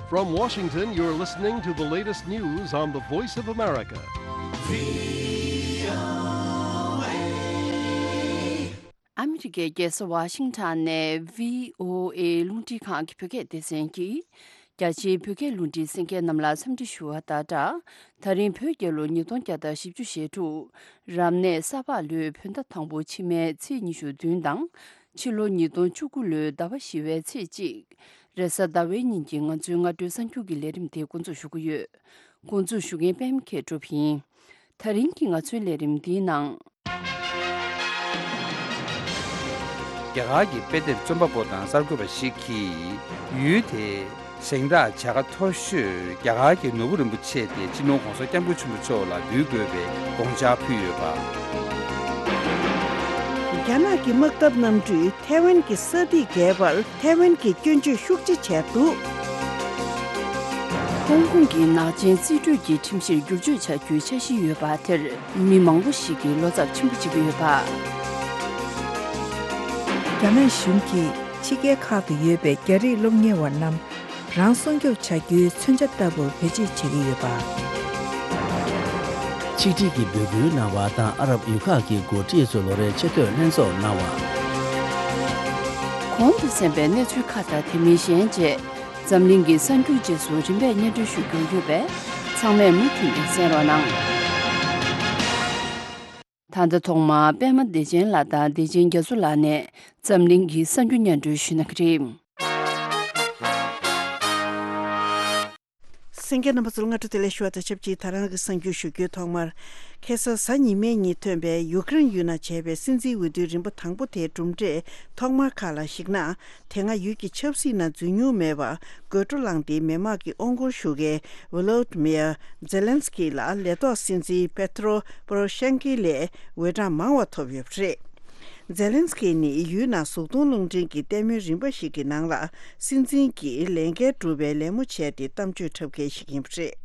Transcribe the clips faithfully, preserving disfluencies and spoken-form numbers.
From Washington, you're listening to the latest news on the Voice of America. ཨ་མི་རི་ཀའི་རྒྱལ་ས་ཝ་ཤིང་ཊོན་ནས་བྷི་ཨོ་ཨེ་རླུང་འཕྲིན་ཁང་གི་བོད་སྐད་སྡེ་ཚན་གྱིས། རྒྱ་ཆེའི་བོད་སྐད་རླུང་འཕྲིན་གསན་མཁན་རྣམས་ལ་འཚམས་འདྲི་ཞུ་བ་དང་སྦྲགས། ད་རིང་བོད་རྒྱལ་ལོ་ཉིས་སྟོང་བརྒྱ་དང་བཞི་བཅུ་ཞེ་དྲུག་རབ་གནས་ས་ཕག་ལོའི་བོད་ཟླ་དང་པོ་ཕྱི་མའི་ཚེས་ཉི་ཤུ་བདུན་དང་། ཕྱི་ལོ་ཉིས་སྟོང་བཅུ་དགུ་ལོའི་ཟླ་བ་བཞི་བའི་ཚེས་གཅིག་རེས་གཟའ་ཟླ་བའི་ཉིན་གྱི་ང་ཚོའི་སྔ་དྲོའི་གསར་འགྱུར་གྱི་ལས་རིམ་དེ་འགོ་འཛུགས་ཞུ་གི་ཡོད། འགོ་འཛུགས་ཞུ་མཁན་པད་མ་མཁས་གྲུབ་ཡིན། ད་རིང་གི་ང་ཚོའི་ལས་རིམ་འདིའི་ནང་། རྒྱ་གར་གྱི་དཔེ་དེབ་རྩོམ་པ་པོ་དང་གསར་འགོད་པ་ཞིག་གིས་ཡུལ་དེའི་གཟེངས་རྟགས་བྱ་དགའ་མཐོ་ཤོས་རྒྱ་གར་གྱི་ནོར་བུ་རིན་པོ་ཆེ་སྟེ་སྤྱི་ནོར་༧གོང་ས་༧སྐྱབས་མགོན་ཆེན་པོ་མཆོག་ལ་འབུལ་དགོས་པའི་དགོངས་འཆར་ཕུལ་ཡོད་པ། རྒྱ་ནག་གི་དམག་འཐབ་གནམ་གྲུས་ཐའེ་ཝན་གྱི་ས་ཐིག་བརྒལ་བར་ཐའེ་ཝན་གྱི་སྐྱོན་བརྗོད་ཤུགས་ཆེ་བྱས་འདུག་ཧོང་ཀོང་གི་ནག་ཅན་རྩིས་སྤྲོད་ཀྱི་ཁྲིམས་གཞིར་བསྒྱུར་བཅོས་བྱ་རྒྱུའི་འཆར་གཞི་ཡོད་པ་དེར་མི་མང་པོ་ཞིག་གིས་བློ་འཚབ་ཆེན་པོ་བྱེད་ཀྱི་ཡོད་པ། རྒྱ་ནག་གཞུང་གིས་ཕྱི་རྒྱལ་ཁག་ཏུ་ཡོད་པའི་རྒྱ་རིགས་སློབ་གཉེར་བ་རྣམས་རང་སྲུང་སྐྱོབ་བྱ་རྒྱུའི་མཚོན་ཆ་ལྟ་བུར་བེད་སྤྱོད་བྱེད་ཀྱི་ཡོད་པ། ཆིག་སྒྲིལ་གྱི་འབོད་སྐུལ་གནང་བ་དང་ཨ་རབ་ཡུལ་ཁག་གི་འགོ་ཁྲིད་ཚོས་ལོ་རེའི་ཆེས་མཐོའི་ལྷན་ཚོགས་གནང་བ། གོང་དུ་གསན་པའི་གནས་ཚུལ་ཁག་དང་དེ་མིན་གཞན་བཅས་འཛམ་གླིང་གི་གསར་འགྱུར་རྗེས་སུ་རིམ་པས་སྙན་སྒྲོན་ཞུ་རྒྱུ་ཡོད་པས་ཚང་མས་མུ་མཐུད་ནས་གསན་རོགས་གནང་། ད་ལྟ་ཐོག་མར་པད་མ་བདེ་ཆེན་ལགས་དང་བདེ་ཆེན་རྒྱ་མཚོ་ལགས་ནས་འཛམ་གླིང་གི་གསར་འགྱུར་སྙན་སྒྲོན་ཞུ་གནང་གི་རེད། གསན་མཁན་རྣམ་པ་ཚོར་སྔ་དྲོ་བདེ་ལེགས་ཞུ་བ་དང་ཆབས་ཅིག་ད་རང་གི་གསར་འགྱུར་ཞུ་རྒྱུའི་ཐོག་མར། ཁ་སང་གཟའ་ཉི་མའི་ཉིན་ཐོན་པའི་ཡུ་ཀེ་རེན་ཡུལ་ནང་བྱས་པའི་སྲིད་འཛིན་འོས་བསྡུའི་རིམ་པ་དང་པོ་དེའི་གྲུབ་འབྲས་ཐོག་མར་ཁག་ལ་གཞིགས་ན། དེ་སྔ་ཡུལ་གྱི་ཆབ་སྲིད་ནང་འཛུལ་མྱོང་མེད་པར་དགོད་བྲོ་བསླངས་ཏེ་མི་དམངས་ཀྱི་དབང་སྒོར་ཞུགས་མཁན་ཝོ་ལོ་ཏི་མིར་ཛེ་ལན་སི་ཀི་ལ་ལས་ཐོག་སྲིད་འཛིན་པེ་ཏྲོ་པོ་རོ་ཤན་ཀི་ལས་འོས་གྲངས་མང་བ་ཐོབ་ཡོད་པ་རེད། ཛེ་ལན་སི་ཀི་ནི་ཡུལ་ནང་གཟུགས་མཐོང་རླུང་འཕྲིན་གྱི་ལྟད་མོའི་རིམ་པ་ཞིག་གི་ནང་ལ་སྲིད་འཛིན་གྱི་ལས་འགན་སྒྲུབ་པའི་ལད་མོ་བྱས་ཏེ་གཏམ་བརྗོད་འཁྲབ་མཁན་ཞིག་ཡིན་པ་རེད།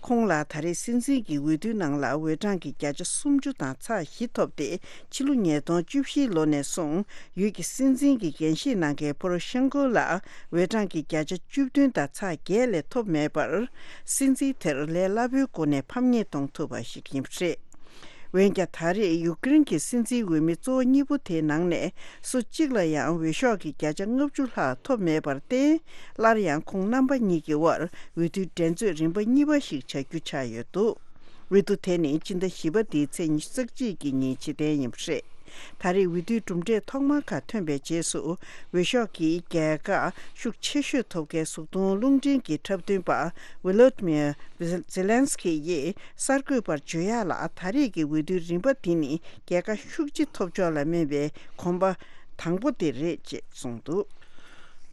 ཁོང་ལ་ད་རེས་སྲིད་འཛིན་གྱི་འོས་བསྡུའི་ནང་ལ་འོས་གྲངས་ཀྱི་བརྒྱ་ཆ་སུམ་ཅུ་དང་ཚེག་བཞི་ཐོབ་སྟེ། ཕྱི་ལོ་ཉིས་སྟོང་བཅུ་བཞི་ལོ་ནས་བཟུང་ཡུལ་གྱི་སྲིད་འཛིན་གྱི་འགན་བཞེས་གནང་མཁན་པོ་རོ་ཤན་ཀོ་ལ་འོས་གྲངས་ཀྱི་བརྒྱ་ཆ་བཅུ་བདུན་དང་ཚེག་བརྒྱད་ལས་ཐོབ་མེད་པར། སྲིད་འཛིན་དེར་ལས་སླ་པོའི་སྒོ་ནས་ཕམ་ཉེས་གཏོང་ཐུབ་པ་ཞིག་ཡིན་པ་རེད། འོན་ཀྱང་ད་རེས་ཡུཀ་རེན་གྱི་སྲིད་འཛིན་འོས་མི་གཙོ་བོ་གཉིས་པོ་དེའི་ནང་ནས་སུ་གཅིག་ལ་ཡང་འོས་ཤོག་གི་བརྒྱ་ཆ་ལྔ་བཅུ་ལྷག་ཐོབ་མེད་པར་བརྟེན། སླར་ཡང་ཁོང་རྣམ་པ་གཉིས་ཀྱི་དབར་འོས་བསྡུའི་འགྲན་རྩོད་རིམ་པ་གཉིས་པ་ཞིག་བྱ་རྒྱུ་ཆགས་ཡོད་འདུག་འོས་བསྡུ་དེ་ནི་སྤྱི་ཟླ་བཞི་པ་འདིའི་ཚེས་ཉི་ཤུ་རྩ་གཅིག་གི་ཉིན་སྤྱི་བཏང་ཡིན་པ་རེད། ད་རེས་འོས་བསྡུའི་གྲུབ་འབྲས་ཐོག་མ་ཁག་ཐོན་པའི་རྗེས་སུ་འོས་ཤོག་གི་རྒྱལ་ཁ་ཤུགས་ཆེ་ཤོས་ཐོབ་མཁན་གཟུགས་མཐོང་རླུང་འཕྲིན་གྱི་འཁྲབ་སྟོན་པ་ཝི་ལོ་ཏི་མིར་ཛེ་ལན་སི་ཀི་ཡིས་གསར་འགོད་པར་བརྗོད་ཡག་ལ། ད་རེས་ཀྱི་འོས་བསྡུའི་རིམ་པ་འདི་ནི་རྒྱལ་ཁ་ཤུགས་ཆེ་ཐོབ་ཕྱོགས་ལ་སྨན་པའི་གོམ་པ་དང་པོ་དེ་རེད་ཅེས་གསུངས་འདུག་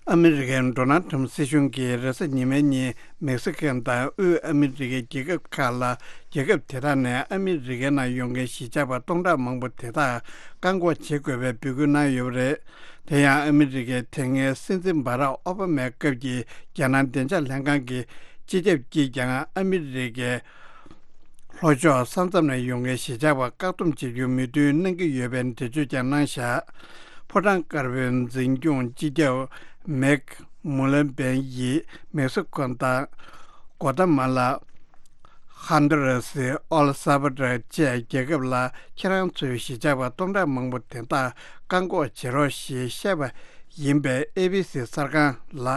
ཨ་མི་རི་ཀའི་ཌོ་ནལ་ཊམ་སྲིད་གཞུང་གིས་རེས་གཟའ་ཉི་མའི་ཉིན་མེག་སི་ཀོ་དང་དབུས་ཨ་མི་རི་ཀའི་རྒྱལ་ཁབ་ཁག་ལ། རྒྱལ་ཁབ་དེ་དག་ནས་ཨ་མི་རི་ཀའི་ནང་ཡོང་མཁན་གཞིས་ཆགས་པ་སྟོང་ཕྲག་མང་པོ་དེ་དག་བཀག་འགོག་བྱེད་དགོས་པའི་འབོད་སྐུལ་གནང་ཡོད་པ་རེད། དེ་ཡང་ཨ་མི་རི་ཀའི་དེ་སྔའི་སྲིད་འཛིན་བྷ་རག་ཨོ་བྷ་མའི་སྐབས་ཀྱི་རྒྱ་ནག་བདེ་འཇགས་ལྷན་ཁང་གི་སྤྱི་ཁྱབ་ཀྱིས་ཀྱང་ཨ་མི་རི་ཀའི་ལྷོ་ཕྱོགས་ས་མཚམས་ནས་ཡོང་མཁན་གཞིས་ཆགས་པ་བཀག་སྡོམ་བྱེད་རྒྱུར་མོས་མཐུན་གནང་གི་ཡོད་པའི་འགྲེལ་བརྗོད་ཀྱང་གནང་བཞག་ཕོ་བྲང་དཀར་པོའི་འཛིན་སྐྱོང་སྤྱི་ཁྱབ་མེག་མུ་ལེ་བན་ཡིས་མེག་སི་ཀོ་དང་། གོ་ཏ་མ་ལ། ཧོན་ཌུ་ར་སི། ཨེལ་སཱལ་ཝ་ཌོར་བཅས་རྒྱལ་ཁབ་ལ་ཁྱེད་རང་ཚོའི་གཞིས་ཆགས་པ་སྟོང་ཕྲག་མང་པོ་དེ་དག་བཀག་འགོག་བྱེད་རོགས་ཞེས་བཤད་པ་ཡིན་པས། ཨེ་བྷི་སི་གསར་ཁང་ལ་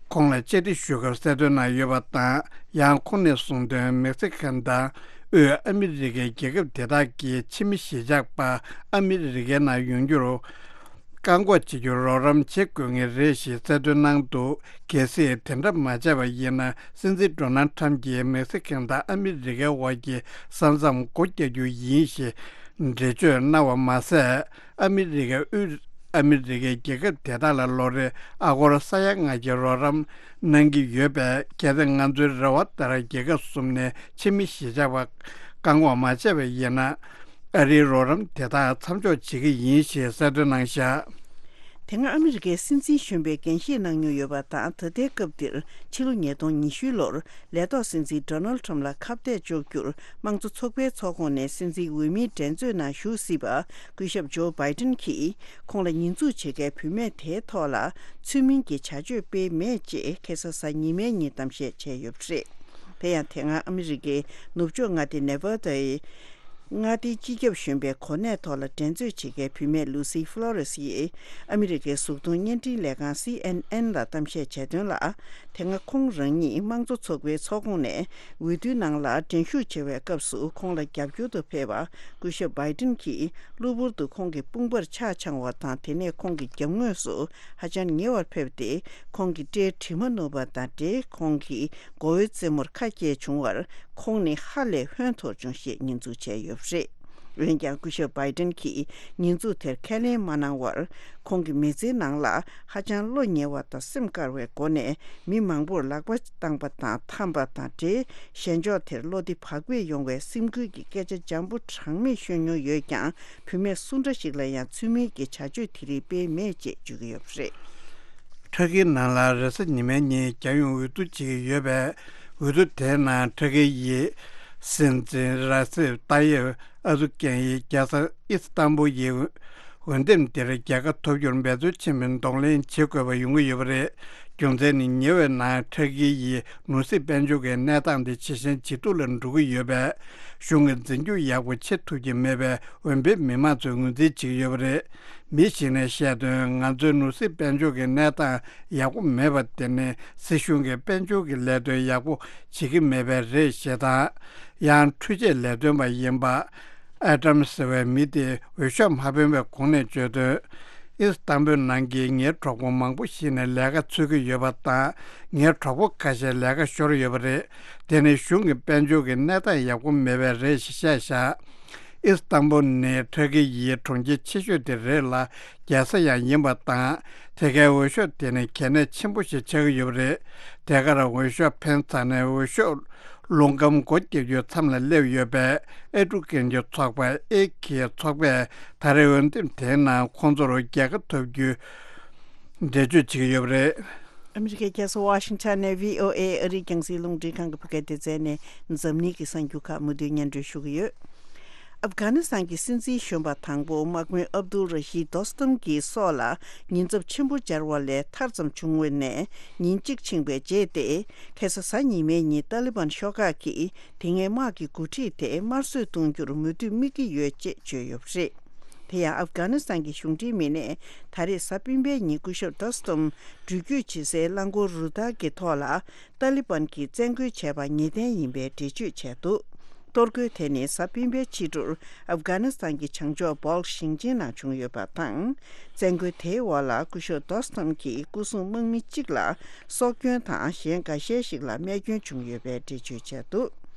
ཁོང་ལ་བཅར་འདྲི་ཞུ་སྐབས་གསལ་སྟོན་གནང་ཡོད་པ་དང་། ཡང་ཁོང་ནས་གསུངས་དོན། མེག་སི་ཀན་དང་དབུས་ཨ་མི་རི་ཀའི་རྒྱལ་ཁབ་དེ་དག་གིས་ཕྱི་མི་གཞིས་ཆགས་པ་ཨ་མི་རི་ཀའི་ནང་ཡོང་རྒྱུར། བཀག་འགོག་བྱེད་རྒྱུར་རོགས་རམ་བྱེད་དགོས་ངེས་རེད་ཞེས་གསལ་སྟོན་གནང་འདུག་གལ་སྲིད་དེ་འདྲ་མ་བྱས་པ་ཡིན་ན། སྲིད་འཛིན་ཌོ་ནལ་ཁྲམ་གྱིས་མེག་སི་ཀན་དང་ཨ་མི་རི་ཀའི་དབར་གྱི་ས་མཚམས་སྒོ་རྒྱག་རྒྱུ་ཡིན་ཞེས་འགྲེལ་བརྗོད་གནང་བ་མ་ཟད། ཨ་མི་རི་ཀས་དབུས་ཨ་མི་རི་ཀའི་རྒྱལ་ཁབ་དེ་དག་ལ་ལོ་རེར་ཨ་སྒོར་ས་ཡ་ལྔ་བརྒྱའི་རོགས་རམ་གནང་གི་ཡོད་པས། གལ་ཏེ་ང་ཚོའི་རེ་བ་ལྟར་རྒྱལ་ཁབ་གསུམ་ནས་ཕྱི་མི་གཞིས་ཆགས་པ་བཀག་འགོག་མ་བྱས་པ་ཡིན་ན། ཨ་རིའི་རོགས་རམ་དེ་དག་མཚམས་འཇོག་བྱེད་ཀྱི་ཡིན་ཞེས་གསལ་སྟོན་གནང་བཞག་དེ་སྔ་ཨ་མི་རི་ཀའི་སྲིད་འཛིན་གཞོན་པའི་འགན་བཞེས་གནང་མྱོང་ཡོད་པ་དང་། ད་ལྟའི་སྐབས་འདིར་ཕྱི་ལོ་ཉིས་སྟོང་ཉི་ཤུ་ལོར་ལས་ཐོག་སྲིད་འཛིན་ཌོ་ནལ་ཊམ་ལ་ཁ་གཏད་གཅོག་རྒྱུར་དམངས་གཙོ་ཚོགས་པའི་ཚོགས་ཁོངས་ནས་སྲིད་འཛིན་འོས་མིའི་འགྲན་རྩོད་ནང་ཞུགས་སྲིད་པ། སྐུ་ཞབས་ཇོ་བྷའི་ཏིན་གྱིས་ཁོང་ལ་ཉེས་འཛུགས་བྱེད་མཁན་བུད་མེད་དེའི་ཐོག་ལ་ཚུལ་མིན་གྱི་བྱ་སྤྱོད་སྤེལ་མེད་ཅེས་ཁ་སང་གཟའ་ཉི་མའི་ཉིན་གཏམ་བཤད་བྱས་ཡོད་པ་རེད། དེ་ཡང་དེ་སྔ་ཨ་མི་རི་ཀའི་ནུབ་ཕྱོགས་མངའ་སྡེ་ནེ་ཝ་དཱའི་མངའ་སྡེའི་སྤྱི་ཁྱབ་གཞོན་པའི་གོ་གནས་ཐོག་ལ་འགྲན་རྩོད་བྱེད་མཁན་བུད་མེད་ལུ་སི་ཧྥ་ལོ་རེས་ཡིས་ཨ་མི་རི་ཀའི་གཟུགས་མཐོང་བརྙན་འཕྲིན་ལས་ཁང་སི་ཨེན་ཨེན་ལ་གཏམ་བཤད་བྱས་དོན་ལ། དེ་སྔ་ཁོང་རང་ཉིད་དམངས་གཙོ་ཚོགས་པའི་ཚོགས་ཁོངས་ནས་འོས་བསྡུའི་ནང་ལ་འགྲན་ཞུགས་བྱེད་པའི་སྐབས་སུ་ཁོང་ལ་རྒྱབ་སྐྱོར་དུ་ཕེབས་པ་སྐུ་ཞབས་བྷའི་ཏིན་གྱིས་གློ་བུར་དུ་ཁོང་གི་དཔུང་པར་ཆག་འཆང་བ་དང་། དེ་ནས་ཁོང་གི་རྒྱབ་ངོས་སུ་ཧ་ཅང་ཉེ་བར་ཕེབས་ཏེ་ཁོང་གི་སྐྲའི་དྲི་མ་བསྣུབས་པ་དང་འབྲེལ། ཁོང་གི་མགོ་བོའི་རྩེ་མོར་ཁ་སྐྱེས་བྱུང་བར་ཁོང་ནི་ཧ་ལས་ཧོན་འཐོར་བྱུང་ཞེས་ཉེས་འཛུགས་བྱས་ཡོད་པ་རེད། འོན་ཀྱང་སྐུ་ཞབས་བྷའི་ཏིན་གྱིས་ཉེས་འཛུགས་དེར་ཁས་ལེན་མ་གནང་བར། ཁོང་གི་མི་ཚེའི་ནང་ལ་ཧ་ཅང་བློ་ཉེ་བ་དང་སེམས་དཀར་བའི་སྒོ་ནས་མི་མང་པོར་ལག་པ་བཏང་པ་དང་འཐམས་པ་དང་འབྲེལ། ཞལ་འཇོག་དེར་བློ་བདེ་བག་ཕེབས་ཡོང་བའི་སེམས་འགུལ་གྱི་སྐད་ཆ་འཇམ་པོ་གྲངས་མེད་ཤོད་མྱོང་ཡོད་ཀྱང་། བུད་མེད་སུ་འདྲ་ཞིག་ལ་ཡང་ཚུལ་མིན་གྱི་བྱ་སྤྱོད་དེ་རིགས་སྤེལ་མེད་ཅེས་བརྗོད་ཀྱི་ཡོད་པ་རེད། ཕྲ་གིའི་ནང་ལ་རེས་གཟའ་ཉི་མའི་ཉིན་རྒྱལ་ཡོངས་འོས་བསྡུ་བྱེད་ཀྱི་ཡོད་པས། འོས་བསྡུ་དེའི་ནང་ཕྲ་གི་ཡི་སྲིད་འཛིན་ར་སེབ་ཏཱ་ཡེབ་ཨར་དུ་གྷན་ཡིས་རྒྱལ་ས་ཨི་སི་ཏམ་བུལ་ཡི་འོས་འདེམས་དེར་རྒྱལ་ཁ་ཐོབ་རྒྱུར་འབད་རྩོལ་ཆེན་པོས་གདོང་ལེན་བྱེད་དགོས་པ་ཡོང་གི་ཡོད་པ་རེད། རྒྱུ་མཚན་ནི་ཉེ་བའི་ནང་ཕྲ་གི་ཡི་ནོར་སྲིད་དཔལ་འབྱོར་གྱི་གནས་སྟངས་དེ་ཇེ་ཞན་ཇེ་སྡུག་ལ་འགྲོ་གི་ཡོད་པས། གཞུང་གི་འཛིན་སྐྱོང་ཡག་པོ་བྱེད་ཐུབ་ཀྱི་མེད་པའི་འོས་འཕེན་མི་མང་ཚོས་ངོས་འཛིན་བྱེད་ཀྱི་ཡོད་པ་རེད། མི་ཞིག་ནས་བཤད་དོན། ང་ཚོའི་ནོར་སྲིད་དཔལ་འབྱོར་གྱི་གནས་སྟངས་ཡག་པོ་མེད་པ་དེ་ནི་སྲིད་གཞུང་གིས་དཔལ་འབྱོར་གྱི་ལས་དོན་ཡག་པོ་བྱེད་ཀྱི་མེད་པས་རེད་ཞེས་དང་། ཡང་འཕྲུལ་ཆས་ལས་དོན་པ་ཡིན་པ་ཨེ་ཏམ་ཟེར་བའི་མི་དེས་འོས་ཤོག་མ་འཕེན་པའི་གོང་ནས་བརྗོད་དོན། ཨི་སི་ཏམ་བུལ་ནང་གི་ངའི་གྲོགས་པོ་མང་པོ་ཞིག་ནས་ལས་ཀ་འཚོལ་གྱི་ཡོད་པ་དང་། ངའི་གྲོགས་པོ་ཁ་ཤས་ལས་ཀ་ཤོར་ཡོད་པ་རེད། དེ་ནི་གཞུང་གི་དཔལ་འབྱོར་གྱི་གནས་སྟངས་ཡག་པོ་མེད་པས་རེད་ཞེས་བཤད་བཞག་ཨི་སི་ཏམ་བུལ་ནི་ཕྲ་གི་ཡི་གྲོང་ཁྱེར་ཆེ་ཤོས་དེ་རེད་ལ། རྒྱལ་ས་ཡང་ཡིན་པ་དང་། དེ་གའི་འོས་ཤོག་དེ་ནི་གལ་གནད་ཆེན་པོ་ཞིག་ཆགས་ཀྱི་ཡོད་པ་རེད། དེ་གར་འོས་ཤོག་འཕེན་ཚར་ནས་འོས་ཤོག་རླུང་སྐམ་སྒོ་བརྒྱབ་རྒྱུའི་མཚམས་ལ་སླེབས་ཡོད་པས། ཨེ་ཀྲུ་ཀན་གྱི་ཚོགས་པ་ཨེ་ཀི་ཚོགས་པས་ད་རེས་འོས་འདེམས་དེའི་ནང་ཁོང་ཚོར་རྒྱལ་ཁ་ཐོབ་རྒྱུའི་འགྲེལ་བརྗོད་བྱེད་ཀྱི་ཡོད་པ་རེད། ཨ་མི་རི་ཀའི་རྒྱལ་ས་ཝ་ཤིང་ཊོན་ནས་བྷི་ཨོ་ཨེ་ཨ་རིའི་རྒྱང་སྲིང་རླུང་འཕྲིན་ཁང་གི་བོད་སྐད་སྡེ་ཚན་ནས་འཛམ་གླིང་གི་གསར་འགྱུར་ཁག་མུ་མཐུད་སྙན་སྒྲོན་ཞུ་གི་ཡོད། ཨབ་གྷ་ནི་སི་ཐན་གྱི་སྲིད་འཛིན་གཞོན་པ་དང་པོ་དམག་དཔོན་ཨབ་དུལ་ར་ཤིད་དོ་སྟམ་གྱི་སྲོག་ལ་ཉེན་ཚབས་ཆེན་པོ་སྦྱར་བ་ལས་ཐར་ཙམ་བྱུང་བ་ནས་ཉིན་གཅིག་ཕྱིན་པའི་རྗེས་ཏེ། ཁ་སང་གཟའ་ཉི་མའི་ཉིན་ཏཱ་ལི་བན་ཤོག་ཁག་གིས་དེ་སྔའི་དམག་གི་འགོ་ཁྲིད་དེ་དམར་གསོད་གཏོང་རྒྱུར་མོས་མཐུན་དམིགས་ཀྱི་ཡོད་ཅེས་བརྗོད་ཡོད་པ་རེད། དེ་ཡང་ཨབ་གྷ་ནི་སི་ཐན་གྱི་གཞུང་འབྲེལ་མི་སྣས་ད་རེས་གཟའ་སྤེན་པའི་ཉིན་སྐུ་ཞབས་དོ་སྟོམ་འགྲུལ་སྐྱོད་བྱེད་སའི་རླངས་འཁོར་རུ་སྟར་གྱི་ཐོག་ལ་ཏཱ་ལི་བན་གྱིས་བཙན་རྒོལ་བྱས་པ་ངེས་གཏན་ཡིན་པའི་འགྲེལ་བརྗོད་བྱས་འདུག་གཏོར་རྒོལ་དེ་ནི་གཟའ་སྤེན་པའི་ཕྱི་དྲོར་ཨབ་གྷ་ནི་སི་ཐན་གྱི་བྱང་ཕྱོགས་སྦོལ་ཞིང་ཆེན་ནང་བྱུང་ཡོད་པ་དང་། བཙན་རྒོལ་དེའི་འོག་ལ་སྐུ་ཞབས་དོ་སྟོམ་གྱི་སྐུ་སྲུང་དམག་མི་གཅིག་ལ་སྲོག་སྐྱོན་དང་། གཞན་འགའ་ཤས་ཤིག་ལ་རྨས་སྐྱོན་བྱུང་ཡོད་པའི་འགྲེལ་བརྗོད་བྱས་འདུག་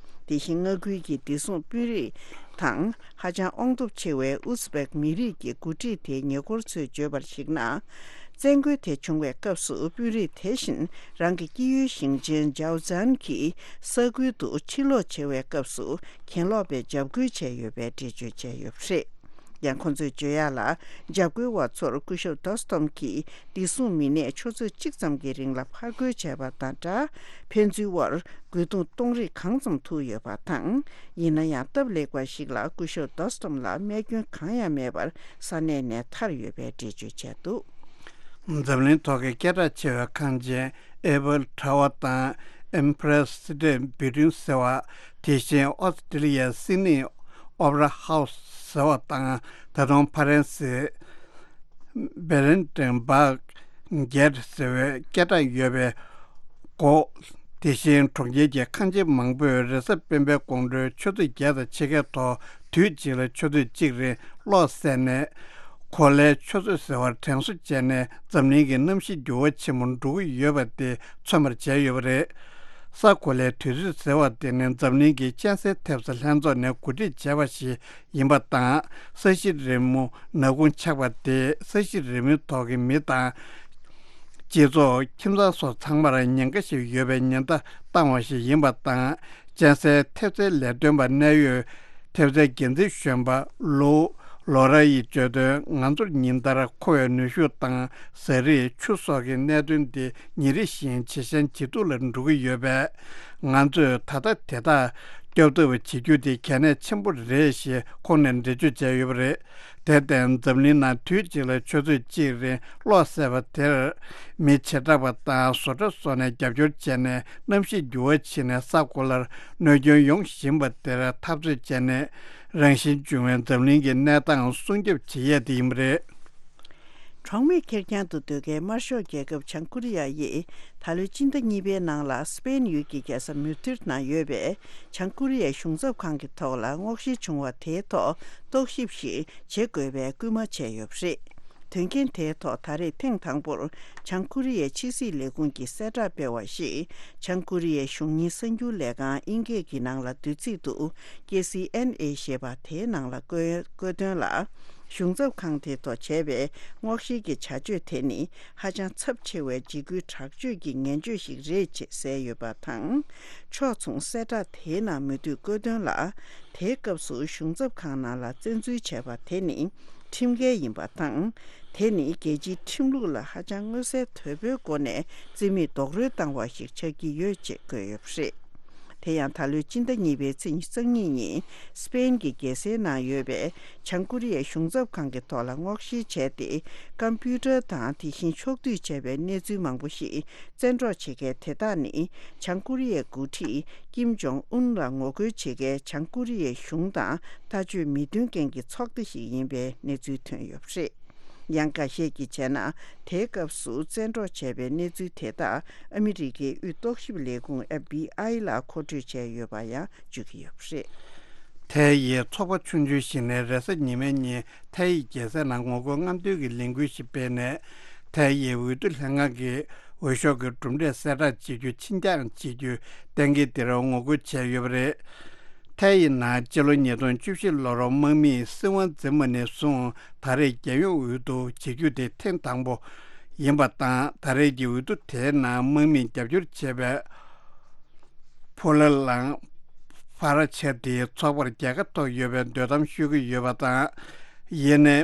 དེ་བཞིན་མངའ་ཁུལ་གྱི་བདེ་སྲུང་དཔོན་རིགས་དང་། ཧ་ཅང་དབང་སྟོབས་ཆེ་བའི་ཨུ་ཛི་བེག་མི་རིགས་ཀྱི་འགོ་ཁྲིད་དེའི་ཉེ་འཁོར་ཚོས་བརྗོད་པར་གཞིགས་ན། བཙན་རྒོལ་དེ་བྱུང་བའི་སྐབས་སུ་དཔོན་རིགས་དེ་བཞིན་རང་གི་སྐྱེས་ཡུལ་ཞིང་ཆེན་ཇའོ་ཛན་གྱི་ས་ཁུལ་དུ་ཕྱིར་ལོག་བྱེད་པའི་སྐབས་སུ་གྱེན་ལོག་པའི་འཇབ་རྒོལ་བྱས་ཡོད་པའི་འགྲེལ་བརྗོད་བྱས་ཡོད་པ་རེད། ཡང་ཁོ་ཚོས་བརྗོད་ཡག་ལ། འཇབ་རྒོལ་བ་ཚོར་སྐུ་ཞབས་དོ་སྟོམ་གྱི་བདེ་སྲུང་མི་སྣས་ཆུ་ཚོད་གཅིག་ཙམ་གྱི་རིང་ལ་ཕར་རྒོལ་བྱས་པ་དང་སྦྲགས། ཕན་ཚུན་དབར་རྒོལ་རྡུང་གཏོང་རིགས་གང་ཙམ་ཐུག་ཡོད་པ་དང་། ཡིན་ན་ཡང་སྟབས་ལེགས་པ་ཞིག་ལ་སྐུ་ཞབས་དོ་སྟོམ་ལ་རྨས་སྐྱོན་གང་ཡང་མེད་པར་ས་གནས་ནས་ཐར་ཡོད་པའི་འགྲེལ་བརྗོད་བྱས་འདུག་འཛམ་གླིང་ཐོག་གི་སྐད་གྲགས་ཆེ་བའི་ཁང་ཆེན་ཨེ་ཕལ་ཊ་ཝར་དང་ཨེམ་པི་རེ་སི་ཊེཊ་བིལ་ཌིང་ཟེར་བ། དེ་བཞིན་ཨོ་སི་ཀྲི་ལི་ཡའི་སིད་ནི་ཨོ་པེ་ར་ཧའུ་སི་ཟེར་བ་དང་། ད་དུང་ཕ་རན་སི་བྷེ་རན་ཊེན་སྦག་གེ་ཊི་ཟེར་བའི་སྐད་གྲགས་ཡོད་པའི་སྒོ། དེ་བཞིན་གྲོང་ཁྱེར་གྱི་ཁང་ཆེན་མང་པོས་རེས་གཟའ་སྤེན་པའི་དགོང་དྲོའི་ཆུ་ཚོད་བརྒྱད་དང་ཕྱེད་ཀའི་ཐོག་དུས་གཅིག་ལ་ཆུ་ཚོད་གཅིག་རིང་གློག་བསད་ནས། གོ་ལའི་ཆུ་ཚོད་ཟེར་བར་དྲན་གསོ་བྱས་ནས། འཛམ་གླིང་གི་གནམ་གཤིས་འགྱུར་བ་ཆེན་པོ་འགྲོ་གི་ཡོད་པ་དེ་མཚོན་པར་བྱས་ཡོད་པ་རེད། ས་གོ་ལའི་དུས་ཚོད་ཟེར་བ་དེ་ནི་འཛམ་གླིང་གི་གཅན་གཟན་ཐེབས་རྩ་ལྷན་ཚོགས་ནས་གོ་སྒྲིག་བྱས་པ་ཞིག་ཡིན་པ་དང་། ས་གཞི་རི་མོ་ནག་ཁུང་ཆགས་པ་དེས་ས་གཞི་རི་མོའི་ཐོག་གི་མི་དང་། སྤྱི་ཚོགས། ཁྱིམ་ཚང་སོགས་ཚང་མར་ཉེན་ཁ་ཞིག་ཡོད་པའི་ཉེན་བརྡ་བཏང་བ་ཞིག་ཡིན་པ་དང་། གཅན་གཟན་ཐེབས་རྩའི་ལས་དོན་པ་གནད་ཡོད་ཐེབས་རྩའི་འགན་འཛིན་གཞོན་པ་ལོ། ལོ་ར་ཡིས་བརྗོད་དོན། ང་ཚོར་ཉིན་ལྟར་མཁོ་བའི་ནུས་ཤུགས་དང་། ཟས་རིགས། ཆུ་སོགས་ཀྱི་གནད་དོན་འདི་ཉིན་རེ་བཞིན་ཇེ་ཞན་ཇེ་སྡུག་ལ་འགྲོ་གི་ཡོད་པས། ང་ཚོས་ད་ལྟ་དེ་དག་སྐྱོབ་ཐབས་བྱེད་རྒྱུ་དེ་གལ་གནད་ཆེན་པོ་རེད་ཞེས་ཁོང་ནས་འགྲེལ་བརྗོད་བྱས་ཡོད་པ་རེད། དེར་བརྟེན། འཛམ་གླིང་ནང་དུས་གཅིག་ལ་ཆུ་ཚོད་གཅིག་རིང་གློག་བསད་པ་དེར། མི་བྱེ་བྲག་པ་དང་བཟོ་གྲྭ་སོགས་ནས་རྒྱབ་སྐྱོར་བྱས་ནས། གནམ་གཤིས་འགྱུར་བ་ཕྱིན་ནས་ས་གོ་ལར་གནོད་སྐྱོན་ཡོང་བཞིན་པ་དེར་འཐབ་རྩོད་བྱས་ནས། རང་བཞིན་བྱུང་བའི་འཛམ་གླིང་གི་གནས་སྟངས་སྲུང་སྐྱོབ་བྱེད་ཡས་དེ་ཡིན་པ་རེད། གྲོགས་མེད་ཁེར་རྐྱང་དུ་སྡོད་མཁན་དམར་ཤོག་རྒྱལ་ཁབ་བྱང་ཀོ་རི་ཡ་ཡིས། ད་ལོའི་སྤྱི་ཟླ་གཉིས་པའི་ནང་ལ་སི་པེན་ཡུལ་གྱི་རྒྱལ་ས་མུ་དྷིར་ནང་ཡོད་པའི་བྱང་ཀོ་རི་ཡའི་གཞུང་ཚབ་ཁང་གི་ཐོག་ལ་སྔོག་བཤེར་བྱུང་བ་དེའི་ཐོག་རྟོག་ཞིབ་ཞིག་བྱེད་དགོས་པའི་སྐུལ་མ་བྱས་ཡོད་པ་རེད། དོན་རྐྱེན་དེའི་ཐོག་ད་རེས་ཐེངས་དང་པོར་བྱང་ཀོ་རི་ཡའི་ཕྱི་སྲིད་ལས་ཁུངས་ཀྱིས་གསལ་བསྒྲགས་སྤེལ་བ་ཞིག་བྱང་ཀོ་རི་ཡའི་གཞུང་གཉེར་གསར་འགྱུར་ལས་ཁང་དབྱིན་སྐད་ཀྱི་ནང་ལ་བསྡུས་ཚིག་ཏུ་ཀེ་སི་ཨེན་ཨེ་ཞེས་པ་དེའི་ནང་ལ་བཀོད་བཀོད་དོན་ལ། གཞུང་ཚབ་ཁང་དེའི་ཐོག་བྱས་པའི་སྔོག་བཤེར་གྱི་བྱ་སྤྱོད་དེ་ནི་ཧ་ཅང་ཚབས་ཆེ་བའི་འཇིགས་སྐུལ་དྲག་སྤྱོད་ཀྱི་ངན་སྤྱོད་ཞིག་རེད་ཅེས་གསལ་ཡོད་པ་དང་། ཕྱོགས་མཚུངས་གསལ་བསྒྲགས་དེའི་ནང་མུ་མཐུད་བཀོད་དོན་ལ། དེའི་སྐབས་སུ་གཞུང་ཚབ་ཁང་ནང་ལ་བཙན་འཛུལ་བྱས་པ་དེ་ནི་ཁྲིམས་འགལ་ཡིན་པ་དང་། དེ་ནི་རྒྱལ་སྤྱིའི་ཁྲིམས་ལུགས་ལ་ཧ་ཅང་མངོན་གསལ་དོད་པོའི་སྒོ་ནས་རྩིས་མེད་རྡོག་རོལ་བཏང་བ་ཞིག་ཆགས་ཀྱི་ཡོད་ཅེས་བཀོད་ཡོད་པ་རེད། དེ་ཡང་ད་ལོའི་སྤྱི་ཟླ་གཉིས་པའི་ཚེས་ཉི་ཤུ་རྩ་གཉིས་ཉིན་སི་པེན་གྱི་རྒྱལ་སའི་ནང་ཡོད་པའི་བྱང་ཀོ་རི་ཡའི་གཞུང་ཚབ་ཁང་གི་ཐོག་ལ་སྔོག་བཤེར་བྱས་ཏེ། ཀམ་པུ་ཊར་དང་དེ་བཞིན་ཕྱོགས་བསྡུས་བྱས་པའི་གནས་ཚུལ་མང་པོ་ཞིག་བཙན་འཕྲོག་བྱེད་མཁན་དེ་དག་ནི། བྱང་ཀོ་རི་ཡའི་འགོ་ཁྲིད་ཀིམ་ཇོང་ཨུན་ལ་ངོ་རྒོལ་བྱེད་མཁན་བྱང་ཀོ་རི་ཡའི་གཞུང་དང་ལྟ་སྤྱོད་མི་མཐུན་མཁན་གྱི་ཚོགས་སྡེ་ཞིག་ཡིན་པའི་གནས་ཚུལ་ཐོན་ཡོད་པ་རེད། ཡང་འགའ་ཤས་ཀྱིས་བྱས་ན། དེའི་སྐབས་སུ་བཙན་འཕྲོག་བྱས་པའི་གནས་ཚུལ་དེ་དག་ཨ་མི་རི་ཀའི་དབུས་རྟོག་ཞིབ་ལས་ཁུངས་ཨེཕ་བི་ཨའི་ལ་མཁོ་སྤྲོད་བྱས་ཡོད་པ་ཡང་བརྗོད་ཀྱི་ཡོད་པ་རེད། ཐའེ་ཡི་ཚོགས་པ་ཆུང་ཆུང་ཞིག་ནས་རེས་གཟའ་ཉི་མའི་ཉིན་ཐའེ་ཡི་རྒྱལ་སའི་ནང་ངོ་རྒོལ་རྔམ་སྟོན་གྱི་ལས་འགུལ་ཞིག་སྤེལ་ནས། ཐའེ་ཡི་འོས་བསྡུ་ལྷན་ཁང་གིས་འོས་ཤོག་གི་གྲུབ་འབྲས་གསལ་བསྒྲགས་བྱེད་རྒྱུ་ཕྱིར་འགྱངས་བྱེད་རྒྱུའི་གཏན་འཁེལ་དེར་ངོ་རྒོལ་བྱས་ཡོད་པ་རེད། ཐའེ་ཡི་ནང་སྤྱི་ལོ་ཉིས་སྟོང་བཅུ་བཞི་ལོར་དམག་མིས་སྲིད་དབང་འཛིན་པ་ནས་བཟུང་ད་རེས་རྒྱལ་ཡོངས་འོས་བསྡུ་བྱེད་རྒྱུ་དེ་ཐེངས་དང་པོ་ཡིན་པ་དང་། ད་རེས་ཀྱི་འོས་བསྡུ་དེའི་ནང་དམག་མིས་རྒྱབ་སྐྱོར་བྱས་པའི་ཕོ་ལ་ལང་ཕ་ར་ཆེ་དེའི་ཚོགས་པར་རྒྱལ་ཁ་ཐོབ་ཡོད་པའི་འདོད་གཏམ་ཤོད་ཀྱི་ཡོད་པ་དང་། ཡིན་ནའི།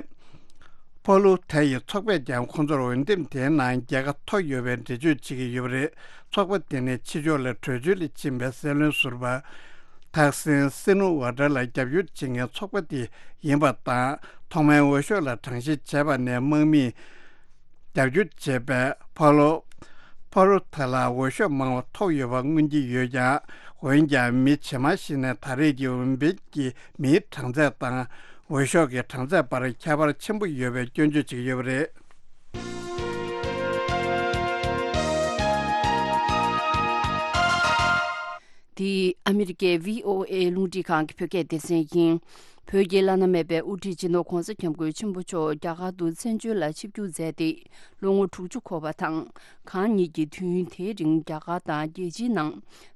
ཕོ་ལུ་ཐའེ་ཡི་ཚོགས་པས་ཀྱང་ཁོང་ཚོར་འོས་འདེམས་དེའི་ནང་རྒྱལ་ཁ་ཐོབ་ཡོད་པའི་འགྲེལ་བརྗོད་བྱེད་ཀྱི་ཡོད་པ་རེད། ཚོགས་པ་དེ་ནི་ཕྱི་ཕྱོགས་ལ་བྲོས་བྱོལ་ལ་ཕྱིན་པའི་སྲིད་བློན་ཟུར་པ་ཐག་སིན་སི་ནུ་ཝ་ཏྲ་ལ་རྒྱབ་སྐྱོར་བྱེད་མཁན་ཚོགས་པ་དེ་ཡིན་པ་དང་། ཐོག་མའི་འོས་ཤོག་ལ་གྲངས་བཤེར་བྱས་པ་ནས་དམག་མིས་རྒྱབ་སྐྱོར་བྱས་པའི་ཕོ་ལོ་ཕོ་རུ་ཐ་ལ་འོས་ཤོག་མང་བ་ཐོབ་ཡོད་པ་མངོན་གྱི་ཡོད་ཀྱང་། འོན་ཀྱང་མི་ཇེ་མང་ཞིག་ནས་ད་རེས་ཀྱི་འོས་འཕེན་གྱི་མིའི་གྲངས་ཚད་དང་། འོས་ཤོག་གི་གྲངས་ཚད་བར་ཁྱད་པར་ཆེན་པོ་ཡོད་པའི་སྐྱོན་བརྗོད་བྱེད་ཀྱི་ཡོད་པ་རེད། འདི་ཨ་མི་རི་ཀའི་བྷི་ཨོ་ཨེ་རླུང་འཕྲིན་ཁང་གི་བོད་སྐད་སྡེ་ཚན་ཡིན། བོད་ཀྱི་བླ་ན་མེད་པའི་དབུ་ཁྲིད་སྤྱི་ནོར་༧གོང་ས་༧སྐྱབས་མགོན་ཆེན་པོ་མཆོག་རྒྱ་གར་དུ་བཙན་བྱོལ་ལ་ཆིབས་བསྒྱུར་མཛད་དེ་ལོ་ངོ་དྲུག་ཅུ་འཁོར་བ་དང་། གང་ཉིད་ཀྱིས་དུས་ཡུན་དེའི་རིང་རྒྱ་གར་དང་རྒྱལ་སྤྱིའི་ནང་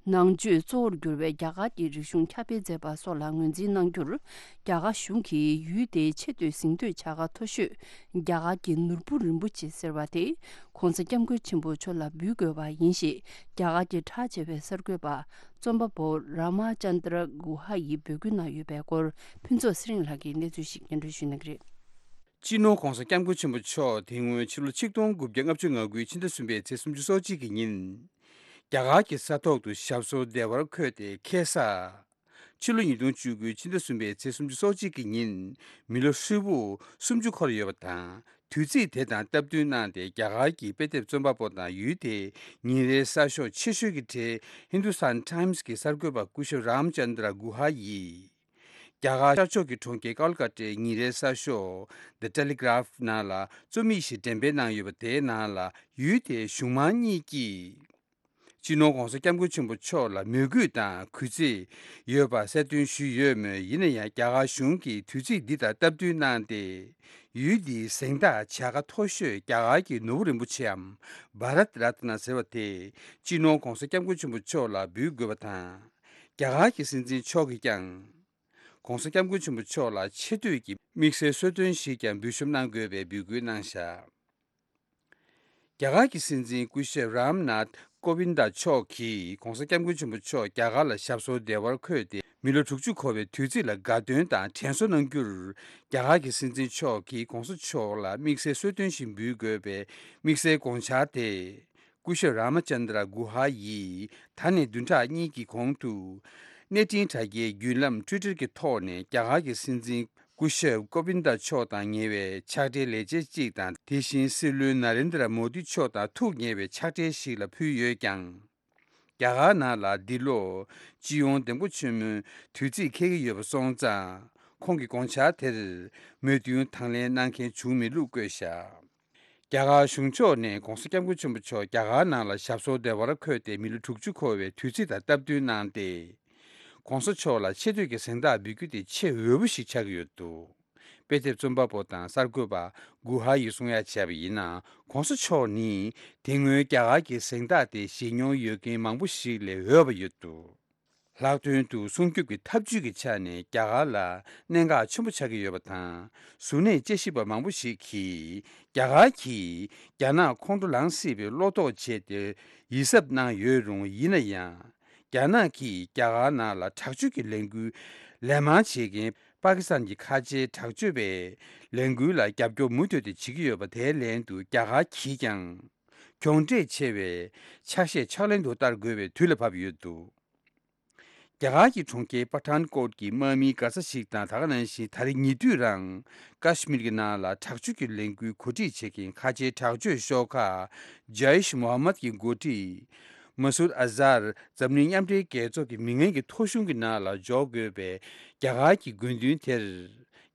ནང་ཆོས་གཙོ་བོར་གྱུར་བའི་རྒྱ་གར་གྱི་རིག་གཞུང་ཁྱབ་སྤེལ་མཛད་པ་སོགས་ལ་ངོས་འཛིན་གནང་རྒྱུར། རྒྱ་གར་གཞུང་གིས་ཡུལ་དེའི་ཆེས་མཐོའི་གཟེངས་བསྟོད་བྱ་དགའ་མཐོ་ཤོས་རྒྱ་གར་གྱི་ནོར་བུ་རིན་པོ་ཆེ་ཟེར་བ་དེ་༧གོང་ས་༧སྐྱབས་མགོན་ཆེན་པོ་མཆོག་ལ་འབུལ་དགོས་པ་ཡིན་ཞེས་རྒྱ་གར་གྱི་གྲགས་ཆེ་བའི་གསར་འགོད་པ་རྩོམ་པ་པོ་རཱ་མ་ཅན་དྲ་གུ་ཧ་ཡིས་འབོད་སྐུལ་གནང་ཡོད་པའི་སྐོར་ཕུན་ཚོགས་ཚེ་རིང་ལགས་ཀྱིས་གནས་ཚུལ་ཞིག་སྙན་སྒྲོན་ཞུ་གནང་གི་རེད། སྤྱི་ནོར་༧གོང་ས་༧སྐྱབས་མགོན་ཆེན་པོ་མཆོག་དེ་སྔོན་ཕྱི་ལོ་ཆིག་སྟོང་དགུ་བརྒྱ་ལྔ་བཅུ་ང་དགུའི་ཕྱི་ཟླ་གསུམ་པའི་ཚེས་སོ་གཅིག་གི་ཉིན། རྒྱ་གར་གྱི་ས་ཐོག་ཏུ་ཞབས་སོར་བདེ་བར་འཁོད་དེ་ཁ་སང་། ཕྱི་ལོ་ཉིས་སྟོང་བཅུ་དགུའི་ཕྱི་ཟླ་གསུམ་པའི་ཚེས་སོ་གཅིག་གི་ཉིན། མི་ལོ་ཧྲིལ་པོ་སུམ་ཅུ་འཁོར་ཡོད་པ་དང་། དུས་ཚིགས་དེ་དང་སྟབས་བསྟུན་གནང་སྟེ་རྒྱ་གར་གྱི་དཔེ་དེབ་རྩོམ་པ་པོ་དང་ཡུལ་དེའི་ཉིན་རེའི་གསར་ཤོག་ཆེ་ཤོས་ཀྱི་གྲས་Hindustan Times གྱི་གསར་འགོད་པ་སྐུ་ཞབས་རཱམ་ཅན་དྲ་གུ་ཧ་ཡིས། རྒྱ་གར་ཤར་ཕྱོགས་ཀྱི་གྲོང་ཁྱེར་ཀལ་ཀ་ཏའི་ཉིན་རེའི་གསར་ཤོག་The Telegraph ནང་ལ་རྩོམ་ཡིག་ཞིག་འགྲེམས་སྤེལ་གནང་ཡོད་པ་དེའི་ནང་ལ་ཡུལ་དེའི་གཞུང་མང་གཉིས་ཀྱིས། སྤྱི་ནོར་༧གོང་ས་༧སྐྱབས་མགོན་ཆེན་པོ་མཆོག་ལ་མོས་གུས་དང་གུས་བརྩི་ཡོད་པ་གསལ་སྟོན་ཞུས་ཡོད་མོད། ཡིན་ན་ཡང་རྒྱ་གར་གཞུང་གིས་དུས་ཚིགས་འདི་དང་སྟབས་བསྟུན་གནང་སྟེ། ཡུལ་འདིའི་གཟེངས་རྟགས་བྱ་དགའ་མཐོ་ཤོས་རྒྱ་གར་གྱི་ནོར་བུ་རིན་པོ་ཆེའམ་བྷ་རཏ་རཏ་ན་ཟེར་བ་དེ་སྤྱི་ནོར་༧གོང་ས་༧སྐྱབས་མགོན་ཆེན་པོ་མཆོག་ལ་འབུལ་དགོས་པ་དང་། རྒྱ་གར་གྱི་སྲིད་འཛིན་མཆོག་གིས་ཀྱང་༧གོང་ས་༧སྐྱབས་མགོན་ཆེན་པོ་མཆོག་ལ་ཆེ་བསྟོད་ཀྱི་དམིགས་བསལ་གསོལ་སྟོན་ཞིག་ཀྱང་འབུལ་ཞབས་གནང་དགོས་པའི་འབོད་སྐུལ་གནང་བཞག་རྒྱ་གར་གྱི་སྲིད་འཛིན་སྐུ་ཞབས་རམ་ནཱཐ་ཀོ་བིན་ད་མཆོག་གིས་༧གོང་ས་༧སྐྱབས་མགོན་ཆེན་པོ་མཆོག་རྒྱ་གར་ལ་ཞབས་སོར་བདེ་བར་འཁོད་དེ་མི་ལོ་དྲུག་ཅུ་འཁོར་བའི་དུས་ཚིགས་ལ་དགའ་སྟོན་དང་དྲན་གསོ་གནང་རྒྱུར། རྒྱ་གར་གྱི་སྲིད་འཛིན་མཆོག་གིས་༧གོང་ས་མཆོག་ལ་དམིགས་བསལ་གསོལ་སྟོན་ཞིག་འབུལ་དགོས་པའི་དམིགས་བསལ་དགོངས་འཆར་དེ། སྐུ་ཞབས་རཱ་མ་ཅན་དྲ་གུ་ཧ་ཡིས་ད་ནས་བདུན་ཕྲག་གཉིས་ཀྱི་གོང་དུ། གནས་འཕྲིན་དྲ་རྒྱའི་བརྒྱུད་ལམ་ཊུའི་ཊར་གྱི་ཐོག་ནས་རྒྱ་གར་གྱི་སྲིད་འཛིན་སྐུ་ཞབས་ཀོ་བིན་ད་མཆོག་དང་ཉེ་བའི་ཕྱག་སྦྲེལ་ལས་བྱེད་ཅིག་དང་། དེ་བཞིན་སྲིད་བློན་ན་རེན་དྲ་མོ་དི་མཆོག་དང་ཐུགས་ཉེ་བའི་ཕྱག་སྦྲེལ་ཞིག་ལ་ཕུལ་ཡོད་ཀྱང་། རྒྱ་གར་ནང་ལ་འདི་ལོ་སྤྱི་ཡོངས་འདེམས་བསྐོ་ཆེན་མོའི་དུས་ཚིགས་འཁེལ་གྱི་ཡོད་པ་སོང་ཙང་། ཁོང་གི་དགོངས་འཆར་དེར་མོས་མཐུན་དང་ལེན་གནང་མཁན་བྱུང་མེད་ལུགས་བཀོད་བཞག་རྒྱ་གར་གཞུང་ཕྱོགས་ནས་༧གོང་ས་༧སྐྱབས་མགོན་ཆེན་པོ་མཆོག་རྒྱ་གར་ནང་ལ་ཞབས་སོར་བདེ་བར་འཁོད་དེ་མི་ལོ་དྲུག་ཅུ་འཁོར་བའི་དུས་ཚིགས་དང་སྟབས་བསྟུན་གནང་སྟེ། ༧གོང་ས་མཆོག་ལ་ཆེ་བསྟོད་ཀྱི་གཟེངས་རྟགས་འབུལ་རྒྱུ་དེ་ཆེས་འོས་པ་ཞིག་ཆགས་ཀྱི་ཡོད་འདུག་དཔེ་དེབ་རྩོམ་པ་པོ་དང་གསར་འགོད་པ་གུ་ཧ་ཡིས་གསུང་ཡ་བྱས་པ་ཡིན་ན། ༧གོང་ས་མཆོག་ནི་དེ་སྔོན་རྒྱ་གར་གྱི་གཟེངས་རྟགས་དེ་བཞེས་མྱོང་ཡོད་མཁན་མང་པོ་ཞིག་ལས་འོས་པ་ཡོད་འདུག་ལྷག་དོན་དུ་སྲུང་སྐྱོབ་ཀྱི་ཐབས་ཇུས་ཀྱི་ཆ་ནས་རྒྱ་གར་ལ་གནད་འགག་ཆེན་པོ་ཆགས་ཀྱི་ཡོད་པ་དང་། གཟུར་གནས་དཔྱད་ཞིབ་པ་མང་པོ་ཞིག་གིས་རྒྱ་གར་གྱིས་རྒྱ་ནག་ཁོང་ཁྲོ་ལངས་སྲིད་པའི་བློ་དོགས་བྱས་ཏེ་ཡིད་གཟབ་གནང་ཡོད་རུང་། ཡིན་ན་ཡང་། རྒྱ་ནག་གིས་རྒྱ་གར་ནང་ལ་དྲག་སྤྱོད་ཀྱི་ལས་འགུལ་ལན་མང་བྱེད་མཁན་པ་ཀི་སི་ཐན་གྱི་ཁ་ཆེའི་དྲག་སྤྱོད་པའི་ལས་འགུལ་ལ་རྒྱབ་སྐྱོར་མུ་མཐུད་དུ་བྱེད་ཀྱི་ཡོད་པ། དེའི་ལན་དུ་རྒྱ་གར་གྱིས་ཀྱང་གྱོང་འབྲས་ཆེ་བའི་ཆ་ཤས་ཕྱག་ལེན་དུ་བསྟར་དགོས་པའི་དུས་ལ་བབ་ཡོད་འདུག་རྒྱ་གར་གྱི་གྲོང་ཁྱེར་པ་ཐན་ཀོཊ་གྱི་དམག་མིའི་མགར་ས་ཞིག་དང་། ད་ག་ནང་བཞིན་ད་རེས་ཉེ་དུས་རང་ཀ་ཤི་མིར་གྱི་ནང་ལ་དྲག་སྤྱོད་ཀྱི་ལས་འགུལ་གོ་སྒྲིག་བྱེད་མཁན་ཁ་ཆེའི་དྲག་སྤྱོད་ཤོག་ཁག་ཇཱིཤ་མོ་ཧམ་མད་ཀྱི་འགོ་ཁྲིད་མ་སུར་ཨ་ཛར་འཛམ་གླིང་མཉམ་འབྲེལ་རྒྱལ་ཚོགས་ཀྱི་མི་ངན་གྱི་ཐོ་གཞུང་གི་ནང་ལ་འཇོག་དགོས་པའི་རྒྱ་གར་གྱི་དགོས་འདུན་དེར།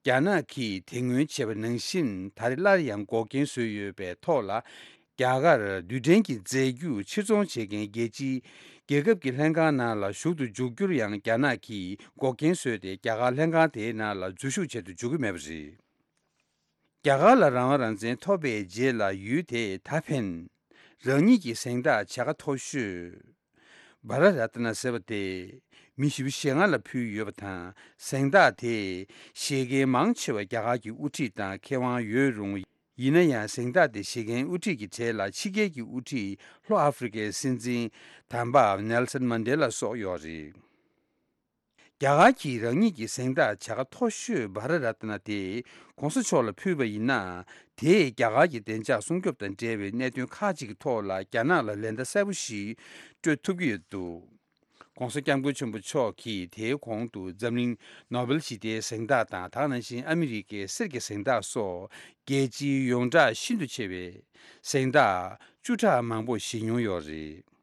རྒྱ་ནག་གིས་དེ་སྔོན་བྱས་པ་ནང་བཞིན་ད་རེས་སླར་ཡང་འགོག་རྐྱེན་བཟོས་ཡོད་པའི་ཐོག་ལ། རྒྱ་གར་རྡུལ་ཕྲན་གྱི་རྫས་འགྱུར་ཕྱིར་ཚོང་བྱེད་མཁན་རྒྱལ་སྤྱིའི་རྒྱལ་ཁབ་ཀྱི་ལྷན་ཁང་ནང་ལ་ཞུགས་ཏུ་འཇུག་རྒྱུར་ཡང་རྒྱ་ནག་གིས་འགོག་རྐྱེན་བཟོས་ཏེ། རྒྱ་གར་ལྷན་ཁང་དེའི་ནང་ལ་འཛུལ་ཞུགས་བྱེད་དུ་འཇུག་གི་མེད་པ་རེད། རྒྱ་གར་ལ་རང་དབང་རང་བཙན་ཐོབ་པའི་རྗེས་ལ་ཡུལ་དེས་ད་ཕན། རང་ཉིད་ཀྱི་གཟེངས་རྟགས་བྱ་དགའ་མཐོ་ཤོས། བྷ་ར་ར་ཏི་ན་ཟེར་བ་དེ་མི་བཞི་བཅུ་ཞེ་ལྔ་ལ་ཕུལ་ཡོད་པ་དང་། གཟེངས་རྟགས་དེ་བཞེས་མཁན་མང་ཆེ་བ་རྒྱ་གར་གྱི་དབུ་ཁྲིད་དང་མཁས་དབང་ཡོད་རུང་། ཡིན་ན་ཡང་། གཟེངས་རྟགས་དེ་བཞེས་མཁན་དབུ་ཁྲིད་ཀྱི་གྲས་ལ་ཕྱི་རྒྱལ་གྱི་དབུ་ཁྲིད་ལྷོ་ཨ་ཧྥེ་རི་ཁའི་སྲིད་འཛིན་དམ་པ་ནེལ་སན་མན་ཌེ་ལ་སོགས་ཡོད་རེད། རྒྱ་གར་གྱིས་རང་ཉིད་ཀྱི་གཟེངས་རྟགས་བྱ་དགའ་མཐོ་ཤོས་བྷ་ར་ར་ཏི་ན་དེ་༧གོང་ས་མཆོག་ལ་ཕུལ་བ་ཡིན་ན། དེས་རྒྱ་གར་གྱི་བདེ་འཇགས་སྲུང་སྐྱོབ་དང་འབྲེལ་བའི་གནད་དོན་ཁག་ཅིག་གི་ཐོག་ལ་རྒྱ་ནག་ལ་ལན་བརྡ་གསལ་པོ་ཞིག་སྤྲོད་ཐུབ་ཀྱི་ཡོད་འདུག ༧གོང་ས་༧སྐྱབས་མགོན་ཆེན་པོ་མཆོག་གིས་དེའི་གོང་དུ་འཛམ་གླིང་ནོ་བེལ་ཞི་བདེའི་གཟེངས་རྟགས་དང་། ད་ག་ནང་བཞིན་ཨ་མི་རི་ཀའི་གསེར་གྱི་གཟེངས་རྟགས་སོགས་རྒྱལ་སྤྱིའི་ཡོངས་གྲགས་ཤིན་ཏུ་ཆེ་བའི་གཟེངས་རྟགས་བཅུ་ཕྲག་མང་པོ་བཞེས་མྱོང་ཡོད་རེད།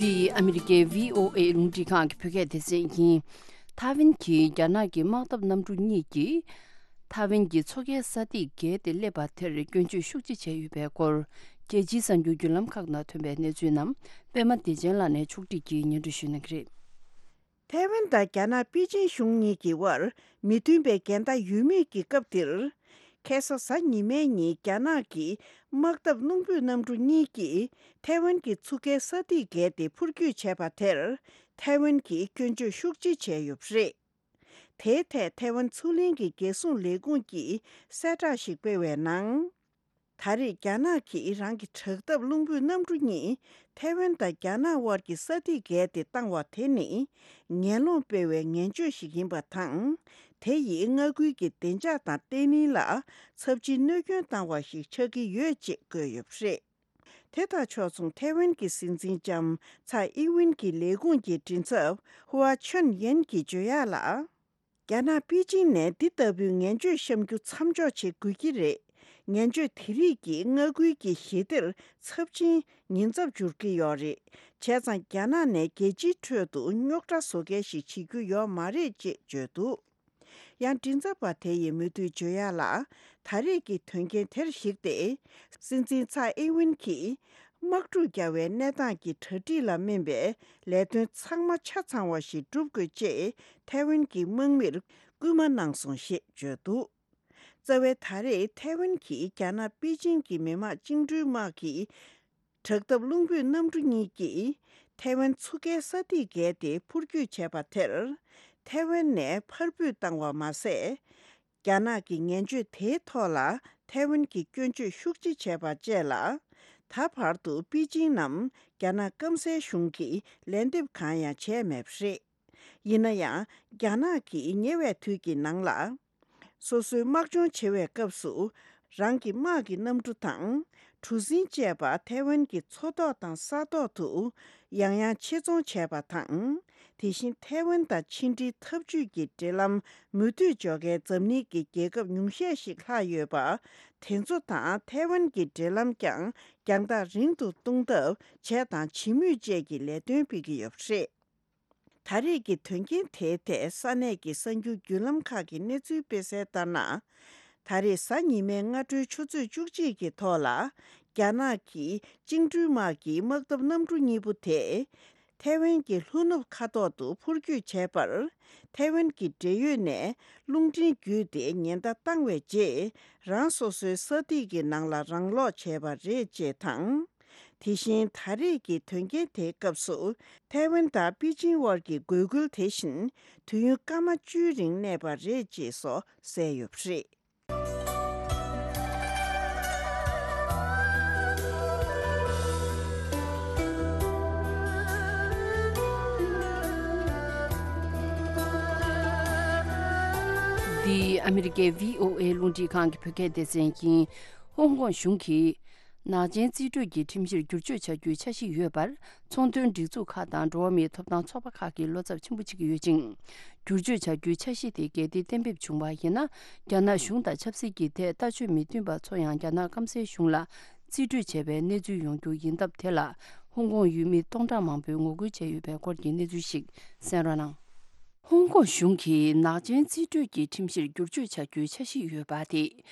འདི་ཨ་མི་རི་ཀའི་བྷི་ཨོ་ཨེ་རླུང་འཕྲིན་ཁང་གི་བོད་སྐད་སྡེ་ཚན་ཡིན། ཐའེ་ཝན་གྱིས་རྒྱ་ནག་གི་དམག་འཐབ་གནམ་གྲུ་གཉིས་ཀྱིས་ཐའེ་ཝན་གྱི་མཚོ་ཁའི་ས་ཐིག་བརྒལ་ཏེ་སླེབས་པ་དེར་སྐྱོན་བརྗོད་ཤུགས་ཆེ་བྱས་ཡོད་པའི་སྐོར། རྒྱལ་སྤྱིའི་གསར་འགྱུར་བརྒྱུད་ལམ་ཁག་ནང་ཐོན་པའི་གནས་ཚུལ་རྣམས་པད་མ་བདེ་ཆེན་ལགས་ནས་ཕྱོགས་སྒྲིག་གིས་སྙན་སྒྲོན་ཞུ་གནང་གི་རེད། ཐའེ་ཝན་དང་རྒྱ་ནག་པེ་ཅིང་གཞུང་གཉིས་ཀྱི་དབར་མི་མཐུན་པའི་འགལ་ཟླ་ཡོད་མེད་ཀྱི་སྐབས་འདིར། ཁ་སང་གཟའ་ཉི་མའི་ཉིན་རྒྱ་ནག་གི་དམག་འཐབ་རླུང་འཕུར་གནམ་གྲུ་གཉིས་ཀྱིས་ཐའེ་ཝན་གྱི་མཚོ་ཁའི་ས་ཐིག་བརྒལ་ཏེ་འཕུར་སྐྱོད་བྱས་པ་དེར། ཐའེ་ཝན་གྱིས་སྐྱོན་བརྗོད་ཤུགས་ཆེ་བྱས་ཡོད་པ་རེད། དེའི་ཐད་ཐའེ་ཝན་མཚོ་གླིང་གི་རྒྱལ་སྲུང་ལས་ཁུངས་ཀྱིས་གསལ་བསྒྲགས་ཤིག་སྤེལ་བའི་ནང་། ད་རེས་རྒྱ་ནག་གིས་རང་གི་དྲག་འཐབ་རླུང་འཕུར་གནམ་གྲུ་གཉིས་ཐའེ་ཝན་དང་རྒྱ་ནག་དབར་གྱི་ས་ཐིག་བརྒལ་ཏེ་བཏང་བ་དེ་ནི་ངན་སློང་སྤེལ་བའི་ངན་བྱུས་ཤིག་ཡིན་པ་དང་། དེ་ཡིས་མངའ་ཁུལ་གྱི་བདེ་འཇགས་དང་བརྟན་ལྷིང་ལ་ཚབས་ཆེའི་གནོད་སྐྱོན་བཏང་བ་ཞིག་ཆགས་ཀྱི་ཡོད་ཅེས་བཀོད་ཡོད་པ་རེད། དེ་དང་ཕྱོགས་མཚུངས་ཐའེ་ཝན་གྱི་སྲིད་འཛིན་ལྕམ་ཚའེ་ཨིན་ཝིན་གྱི་ལས་ཁུངས་ཀྱི་མགྲིན་ཚབ་ཧུའ་ཆོན་ཡན་གྱིས་བརྗོད་ཡག་ལ། རྒྱ་ནག་པེ་ཅིང་ནས་འདི་ལྟ་བུའི་ངན་བྱུས་བཤམ་རྒྱུ་མཚམས་འཇོག་བྱེད་དགོས་ཀྱི་རེད། ངན་བྱུས་དེ་རིགས་ཀྱིས་མངའ་ཁུལ་གྱི་ཞི་བདེར་ཚབས་ཆེན་ཉེན་ཚབས་འབྱོར་གྱི་ཡོད་རེད། བྱས་ཙང་རྒྱ་ནག་ནས་རྒྱལ་སྤྱིའི་ཁྲོད་དུ་རྙོག་དྲ་བཟོ་མཁན་ཞིག་བྱེད་རྒྱུ་ཡོད་མ་རེད་ཅེས་བརྗོད་འདུག་ཡང་མགྲིན་ཚབ་པ་དེ་ཡིས་མུ་མཐུད་བརྗོད་ཡག་ལ། ད་རེས་ཀྱི་དོན་རྐྱེན་དེར་གཞིགས་ཏེ། སྲིད་འཛིན་ཚའེ་ཨིན་ཝིན་གྱིས་དམག་འཁྲུག་རྒྱག་པའི་གནས་སྟངས་ཀྱི་གྲ་སྒྲིག་ལ་སྨན་པའི་ལས་དོན་ཚང་མ་ཆ་ཚང་བ་ཞིག་བསྒྲུབ་དགོས་ཅེས་ཐའེ་ཝན་གྱི་དམག་མིར་སྐུལ་མ་གནང་སོང་ཞེས་བརྗོད་འདུག་རྩ་བའི་ད་རེས་ཐའེ་ཝན་གྱིས་རྒྱ་ནག་པེ་ཅིང་གི་མི་དམངས་བཅིངས་འགྲོལ་དམག་གི་དྲག་འཐབ་རླུང་འཕུར་གནམ་གྲུ་གཉིས་ཀྱིས་ ཐའེ་ཝན་མཚོ་ཁའི་ས་ཐིག་བརྒལ་ཏེ་འཕུར་སྐྱོད་བྱས་པ་དེར། ཐའེ་ཝན་ནས་ཕར་འབུད་བཏང་བ་མ་ཟད། རྒྱ་ནག་གི་ངན་བྱུས་དེའི་ཐོག་ལ་ཐའེ་ཝན་གྱིས་སྐྱོན་བརྗོད་ཤུགས་ཆེ་བྱས་པ་བཅས་ལ། ད་བར་དུ་པེ་ཅིང་ནམ་རྒྱ་ནག་སྐམ་སའི་གཞུང་གིས་ལན་འདེབས་གང་ཡང་བྱས་མེད་པ་རེད། ཡིན་ན་ཡང་རྒྱ་ནག་གིས་ཉེ་བའི་དུས་ཀྱི་ནང་ལ། སོ་སོའི་དམག་སྦྱོང་བྱེད་པའི་སྐབས་སུ། རང་གི་དམག་གི་གནམ་གྲུ་དང་། གྲུ་གཟིངས་བཅས་པ་ཐའེ་ཝན་གྱི་མཚོ་ཐོག་དང་ས་ཐོག་ཏུ་ཡང་ཡང་ཆེད་རྫོང་བྱས་པ་དང་། དེ་བཞིན་ཐའེ་ཝན་དང་ཕྱི་འབྲེལ་འཐབ་ཇུས་ཀྱི་འབྲེལ་ལམ་མུ་མཐུད་འཇོག་མཁན་འཛམ་གླིང་གི་རྒྱལ་ཁབ་ཉུང་ཤས་ཤིག་ལྷག་ཡོད་པ། དེ་ཚོ་དང་ཐའེ་ཝན་གྱི་འབྲེལ་ལམ་ཀྱང་རྒྱང་ཐག་རིང་དུ་གཏོང་ཐབས་བྱས་དང་བྱེད་མུས་བཅས་ཀྱི་ལས་དོན་སྤེལ་གྱི་ཡོད་པ་རེད། ད་རེས་ཀྱི་དོན་རྐྱེན་དེའི་ཐད་ས་གནས་ཀྱི་གསར་འགྱུར་བརྒྱུད་ལམ་ཁག་གིས་གནས་ཚུལ་སྤེལ་གསལ་ལྟར་ན། ད་རེས་གཟའ་ཉི་མའི་སྔ་དྲོའི་ཆུ་ཚོད་བཅུ་གཅིག་གི་ཐོག་ལ། རྒྱ་ནག་གི་བཅིངས་འགྲོལ་དམག་གི་དམག་འཐབ་གནམ་གྲུ་གཉིས་པོ་དེ། ཐའེ་ཝན་གྱི་ལྷོ་ནུབ་ཁ་ཐོག་ཏུ་འཕུར་སྐྱོད་བྱས་པར། ཐའེ་ཝན་གྱི་འབྲེལ་ཡོད་ནས་རླུང་འཕྲིན་བརྒྱུད་དེ་ཉེན་བརྡ་བཏང་བའི་རྗེས། རང་སོ་སོའི་ས་ཐིག་གི་ནང་ལ་རང་ལོག་བྱས་པ་རེད་ཅེས་དང་། དེ་བཞིན་ད་རེས་ཀྱི་དོན་རྐྱེན་དེའི་སྐབས་སུ། ཐའེ་ཝན་དང་པེ་ཅིང་དབར་གྱི་འགོས་འཁུལ་དེ་བཞིན་དུས་ཡུན་སྐར་མ་བཅུའི་རིང་གནས་པ་རེད་ཅེས་སོགས་གསལ་ཡོད་པ་རེད། འདི་ཨ་མི་རི་ཀའི་བྷི་ཨོ་ཨེ་རླུང་འཕྲིན་ཁང་གི་བོད་སྐད་སྡེ་ཚན་ཡིན། ཧོང་ཀོང་གཞུང་གིས། ནག་ཅན་རྩིས་སྤྲོད་ཀྱི་ཁྲིམས་གཞིར་བསྒྱུར་བཅོས་བྱ་རྒྱུའི་འཆར་གཞི་ཡོད་པར། ཚོང་དོན་སྒྲིག་འཛུགས་ཁག་དང་འགྲོ་བ་མིའི་ཐོབ་ཐང་ཚོགས་པ་ཁག་གིས་བློ་འཚབ་ཆེན་པོ་བྱེད་ཀྱི་ཡོད་ཅིང་། བསྒྱུར་བཅོས་བྱ་རྒྱུའི་འཆར་གཞི་དེ་གལ་ཏེ་གཏན་འབེབས་བྱུང་བ་ཡིན་ན། རྒྱ་ནག་གཞུང་དང་ཆབ་སྲིད་ཀྱི་ཐད་ལྟ་སྤྱོད་མི་མཐུན་པ་ཚོ་ཡང་རྒྱ་ནག་སྐམ་སའི་གཞུང་ལ་རྩིས་སྤྲོད་བྱས་པའི་གནས་ཚུལ་ཡོང་རྒྱུ་ཡིན་སྟབས། དེ་ལ་ཧོང་ཀོང་ཡུལ་མི་སྟོང་ཕྲག་མང་པོས་ངོ་རྒོལ་བྱས་ཡོད་པའི་སྐོར་གྱི་གནས་ཚུལ་ཞིག་གསན་རོགས་གནང་། ཧོང་ཀོང་གཞུང་གིས་ནག་ཅན་རྩིས་སྤྲོད་ཀྱི་ཁྲིམས་གཞིར་བསྒྱུར་བཅོས་བྱ་རྒྱུའི་འཆར་གཞི་ཡོད་པ་དེ་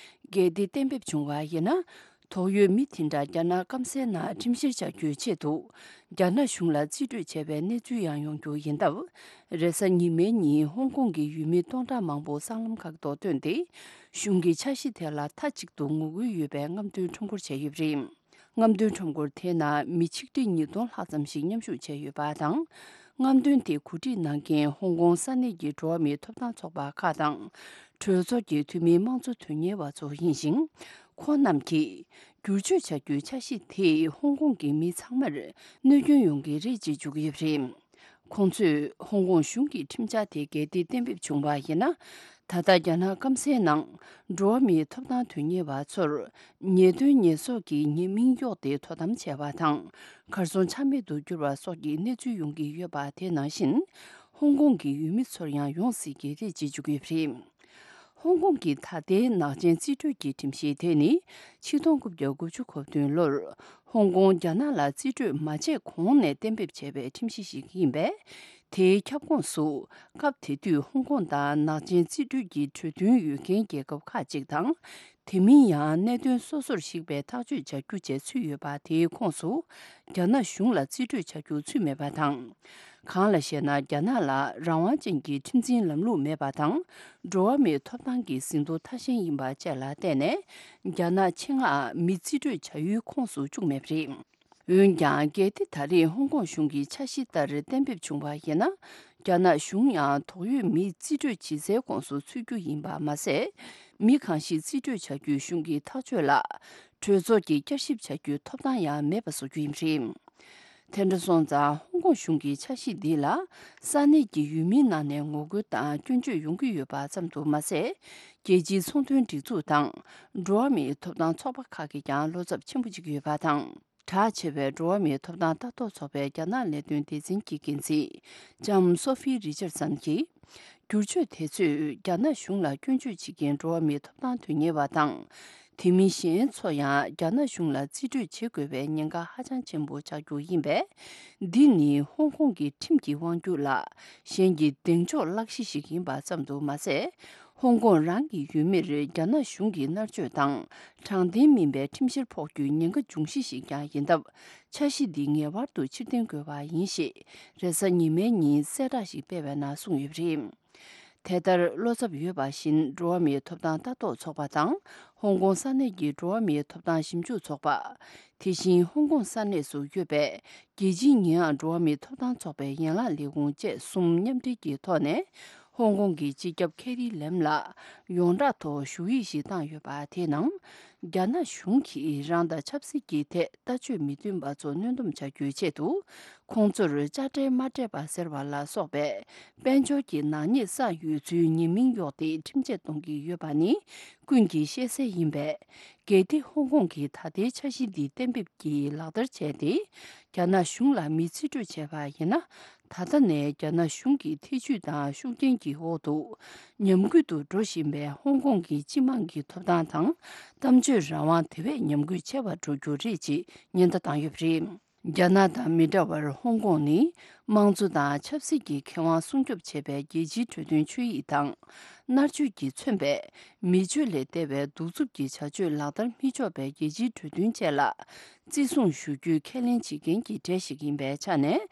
གལ་ཏེ་གཏན་འབེབས་བྱུང་བ་ཡིན་ན། དོགས་ཡོད་མི་དེ་འདྲ་རྒྱ་ནག་སྐམ་སའི་ནང་ཁྲིམས་བཤེར་བྱ་རྒྱུའི་ཆེད་དུ། རྒྱ་ནག་གཞུང་ལ་རྩིས་སྤྲོད་བྱས་པའི་གནས་ཚུལ་ཡང་ཡོང་རྒྱུ་ཡིན་སྟབས། རེས་གཟའ་ཉི་མའི་ཉིན་ཧོང་ཀོང་གི་ཡུལ་མི་སྟོང་ཕྲག་མང་པོ་སྲང་ལམ་ཁག་ཏུ་ཐོན་ཏེ། གཞུང་གི་འཆར་གཞི་དེ་ལ་མཐའ་གཅིག་ཏུ་ངོ་རྒོལ་ཡོད་པའི་རྔམ་སྟོན་ཁྲོམ་སྐོར་བྱས་ཡོད་པ་རེད། རྔམ་སྟོན་ཁྲོམ་སྐོར་དེའི་ནང་མི་ཆིག་ཁྲི་ཉིས་སྟོང་ལྷག་ཙམ་ཞིག་མཉམ་ཞུགས་བྱས་ཡོད་པ་དང་། རྔམ་སྟོན་དེ་གོ་སྒྲིག་གནང་མཁན་ཧོང་ཀོང་ས་གནས་ཀྱི་འགྲོ་བ་མིའི་ཐོབ་ཐང་ཚོགས་པ་ཁག་དང་། གྲོས་ཚོགས་ཀྱི་འཐུས་མིའི་དམངས་གཙོ་དོན་གཉེར་བ་ཚོ་ཡིན་ཞིང་། ཁོང་རྣམས་ཀྱིས། བསྒྱུར་བཅོས་བྱ་རྒྱུའི་འཆར་གཞི་དེས་ཧོང་ཀོང་གི་མི་ཚང་མར་གནོད་སྐྱོན་ཡོང་གི་རེད་ཅེས་བརྗོད་ཀྱི་ཡོད་པ་རེད། ཁོང་ཚོས་ཧོང་ཀོང་གཞུང་གི་ཁྲིམས་འཆར་དེ་གལ་ཏེ་གཏན་འབེབས་བྱུང་བ་ཡིན་ན། ད་ལྟ་རྒྱ་ནག་སྐམ་སའི་ནང་འགྲོ་བ་མིའི་ཐོབ་ཐང་དོན་གཉེར་བ་ཚོར་ཉེས་དོན་ཉེས་གསོག་གི་ཉེས་མིང་གཡོགས་ཏེ་དོ་དམ་བྱས་པ་དང་། གར་སོང་ཆ་མེད་དུ་གྱུར་བ་སོགས་ཀྱི་གནས་ཚུལ་ཡོང་གི་ཡོད་པ་དེ་ནང་བཞིན། ཧོང་ཀོང་གི་ཡུལ་མི་ཚོར་ཡང་ཡོང་སྲིད་ཀྱི་རེད་ཅེས་བརྗོད་ཀྱི་ཡོད་པ་རེད། ཧོང་ཀོང་གི་ད་ལྟའི་ནག་ཅན་རྩིས་སྤྲོད་ཀྱི་ཁྲིམས་གཞི་དེ་ནི་ཆིག་སྟོང་དགུ་བརྒྱ་དགུ་བཅུ་གོ་བདུན་ལོར་ཧོང་ཀོང་རྒྱ་ནག་ལ་རྩིས་སྤྲོད་མ་བྱས་གོང་ནས་གཏན་འབེབས་བྱས་པའི་ཁྲིམས་གཞི་ཞིག་ཡིན་པས། དེའི་ཁྱབ་ཁོངས་སུ་སྐབས་དེ་དུས་ཧོང་ཀོང་དང་ནག་ཅན་རྩིས་སྤྲོད་ཀྱི་གྲོས་མཐུན་ཡོད་མཁན་རྒྱལ་ཁབ་ཁག་ཅིག་དང་། དེ་མིན་ཡང་གནད་དོན་སོ་སོར་གཞིགས་པའི་ཐག་གཅོད་བྱ་རྒྱུ་བཅས་ཚུད་ཡོད་པ། དེའི་ཁོངས་སུ་རྒྱ་ནག་གཞུང་ལ་རྩིས་སྤྲོད་བྱ་རྒྱུ་ཚུད་མེད་པ་དང་། གང་ལ་ཞེ་ན། རྒྱ་ནག་ལ་རང་དབང་ཅན་གྱི་ཁྲིམས་འཛིན་ལམ་ལུགས་མེད་པ་དང་། འགྲོ་བ་མིའི་ཐོབ་ཐང་གི་ཟིན་ཐོ་མཐའ་གཞན་ཡིན་པ་བཅས་ལ་བརྟེན་ནས། རྒྱ་ནག་ཆེད་མངགས་མི་རྩིས་སྤྲོད་བྱ་ཡུལ་ཁོངས་སུ་བཅུག་མེད་པ་རེད། འོན་ཀྱང་། གལ་ཏེ་ད་རེས་ཧོང་ཀོང་གཞུང་གི་འཆར་གཞི་ལྟར་གཏན་འབེབས་བྱུང་བ་ཡིན་ན། རྒྱ་ནག་གཞུང་ཡང་དོགས་ཡོད་མི་རྩིས་སྤྲོད་བྱེད་སའི་ཁོངས་སུ་ཚུད་རྒྱུ་ཡིན་པ་མ་ཟད། མི་གང་ཞིག་རྩིས་སྤྲོད་བྱ་རྒྱུའི་གཞུང་གི་ཐག་གཅོད་ལ། གྲོས་ཚོགས་ཀྱིས་བསྐྱར་ཞིབ་བྱ་རྒྱུའི་ཐོབ་ཐང་ཡང་མེད་པ་བཟོ་རྒྱུ་ཡིན་པ་རེད། དེ་འདྲ་སོང་ཙང་། ཧོང་ཀོང་གཞུང་གི་འཆར་གཞི་འདི་ལ་ས་གནས་ཀྱི་ཡུལ་མིའི་ནང་ནས་ངོ་རྒོལ་དང་སྐྱོན་བརྗོད་ཡོང་གི་ཡོད་པ་ཙམ་དུ་མ་ཟད། རྒྱལ་སྤྱིའི་ཚོང་དོན་སྒྲིག་འཛུགས་དང་། འགྲོ་བ་མིའི་ཐོབ་ཐང་ཚོགས་པ་ཁག་གིས་ཀྱང་བློ་འཚབ་ཆེན་པོ་བྱེད་ཀྱི་ཡོད་པ་དང་། གྲགས་ཆེ་བའི་འགྲོ་བ་མིའི་ཐོབ་ཐང་ལྟ་རྟོག་ཚོགས་པའི་རྒྱ་ནག་ལས་དོན་སྡེ་ཚན་གྱི་འགན་འཛིན་ལྕམ་སོ་ཧྥི་རི་ཅར་སན་གྱིས། བསྒྱུར་བཅོས་དེ་ཚོས་རྒྱ་ནག་གཞུང་ལ་སྐྱོན་བརྗོད་བྱེད་མཁན་འགྲོ་བ་མིའི་ཐོབ་ཐང་དོན་གཉེར་བ་དང་། དེ་མིན་གཞན་ཚོ་ཡང་རྒྱ་ནག་གཞུང་ལ་རྩིས་སྤྲོད་བྱེད་དགོས་པའི་ཉེན་ཁ་ཧ་ཅང་ཆེན་པོ་ཆགས་རྒྱུ་ཡིན་པས། འདི་ནི་ཧོང་ཀོང་གི་ཁྲིམས་ཀྱི་དབང་སྒྱུར་ལ་གཞན་གྱི་གདེང་འཇོག་གླེང་གཞི་ཞིག་ཡིན་པ་ཙམ་དུ་མ་ཟད། ཧོང་ཀོང་རང་གི་ཡུལ་མིར་རྒྱ་ནག་གཞུང་གི་མནར་གཅོད་དང་དྲང་བདེན་མིན་པའི་ཁྲིམས་བཤེར་ཕོག་རྒྱུའི་ཉེན་ཁ་འབྱུང་གཞི་ཞིག་ཀྱང་ཡིན་སྟབས། འཆར་གཞི་འདི་ངེས་པར་དུ་ཕྱིར་འཐེན་དགོས་པ་ཡིན་ཞེས་རེས་གཟའ་ཉི་མའི་ཉིན་གསལ་བསྒྲགས་ཤིག་སྤེལ་བའི་ནང་གསུངས་ཡོད་པ་རེད། དེ་ལྟར་བློ་འཚབ་ཡོད་པ་བཞིན་འགྲོ་བ་མིའི་ཐོབ་ཐང་ལྟ་རྟོག་ཚོགས་པ་དང་ཧོང་ཀོང་ས་གནས་ཀྱི་འགྲོ་བ་མིའི་ཐོབ་ཐང་ཞིབ་འཇུག་ཚོགས་པ། དེ་བཞིན་ཧོང་ཀོང་ས་གནས་སུ་ཡོད་པའི་རྒྱལ་སྤྱིའི་ཉེས་ཡངས་འགྲོ་བ་མིའི་ཐོབ་ཐང་ཚོགས་པའི་ཡན་ལག་ལས་ཁུངས་བཅས་གསུམ་མཉམ་འབྲེལ་གྱི་ཐོག་ནས། ཧོང་ཀོང་གི་སྤྱི་ཁྱབ་ཁེ་རི་ལེམ་ལ་ཡོངས་གྲགས་ཐོག་ཞུ་ཡིག་ཞིག་བཏང་ཡོད་པ་དེའི་ནང་། རྒྱ་ནག་གཞུང་གིས་རང་དང་ཆབ་སྲིད་ཀྱི་ཐད་ལྟ་སྤྱོད་མི་མཐུན་པ་ཚོ་གནོན་སྡོམ་བྱ་རྒྱུའི་ཆེད་དུ། ཁོང་ཚོར་དཔྱ་ཁྲལ་མ་སྤྲད་པ་ཟེར་བ་ལ་སོགས་པའི་དཔལ་འབྱོར་གྱི་ནག་ཉེས་བསགས་ཡོད་ཚུལ་ཉེས་མིང་གཡོགས་ཏེ་ཁྲིམས་ཆད་གཏོང་གི་ཡོད་པ་ནི་ཀུན་གྱིས་ཤེས་གསལ་ཡིན་པས། གལ་ཏེ་ཧོང་ཀོང་གིས་ད་ལྟའི་འཆར་གཞི་འདི་གཏན་འབེབས་ཀྱིས་ལག་བསྟར་བྱས་ཏེ། རྒྱ་ནག་གཞུང་ལ་མི་རྩིས་སྤྲོད་བྱས་པ་ཡིན་ན། ད་ལྟ་ནས་རྒྱ་ནག་གཞུང་གི་ཐེ་ཇུས་དང་ཤུགས་རྐྱེན་གྱི་འོག་ཏུ་ཉམས་རྒུད་དུ་འགྲོ་བཞིན་པའི་ཧོང་ཀོང་གི་སྤྱི་དམངས་ཀྱི་ཐོབ་ཐང་དང་གཏམ་བརྗོད་རང་དབང་དེ་བས་ཉམས་རྒུད་ཆེ་བར་འགྲོ་རྒྱུ་རེད་ཅེས་ཉེན་བརྡ་བཏང་ཡོད་པ་རེད། རྒྱ་ནག་དང་མི་འདྲ་བར་ཧོང་ཀོང་ནི་དམངས་གཙོ་དང་ཆབ་སྲིད་ཀྱི་ཁེ་དབང་སྲུང་སྐྱོབ་བྱེད་པའི་རྒྱལ་སྤྱིའི་གྲོས་མཐུན་ཆོད་ཡིག་དང་། མནར་གཅོད་ཀྱིས་མཚོན་པའི་མི་སྤྱོད་ལས་འདས་པའི་གདུག་རྩུབ་ཀྱི་བྱ་སྤྱོད་ལག་བསྟར་མི་ཆོག་པའི་རྒྱལ་སྤྱིའི་གྲོས་མཐུན་བཅས་ལ་བརྩི་སྲུང་ཞུ་རྒྱུའི་ཁས་ལེན་བྱེད་མཁན་གྱི་གྲས་ཤིག་ཡིན་པའི་ཆ་ནས།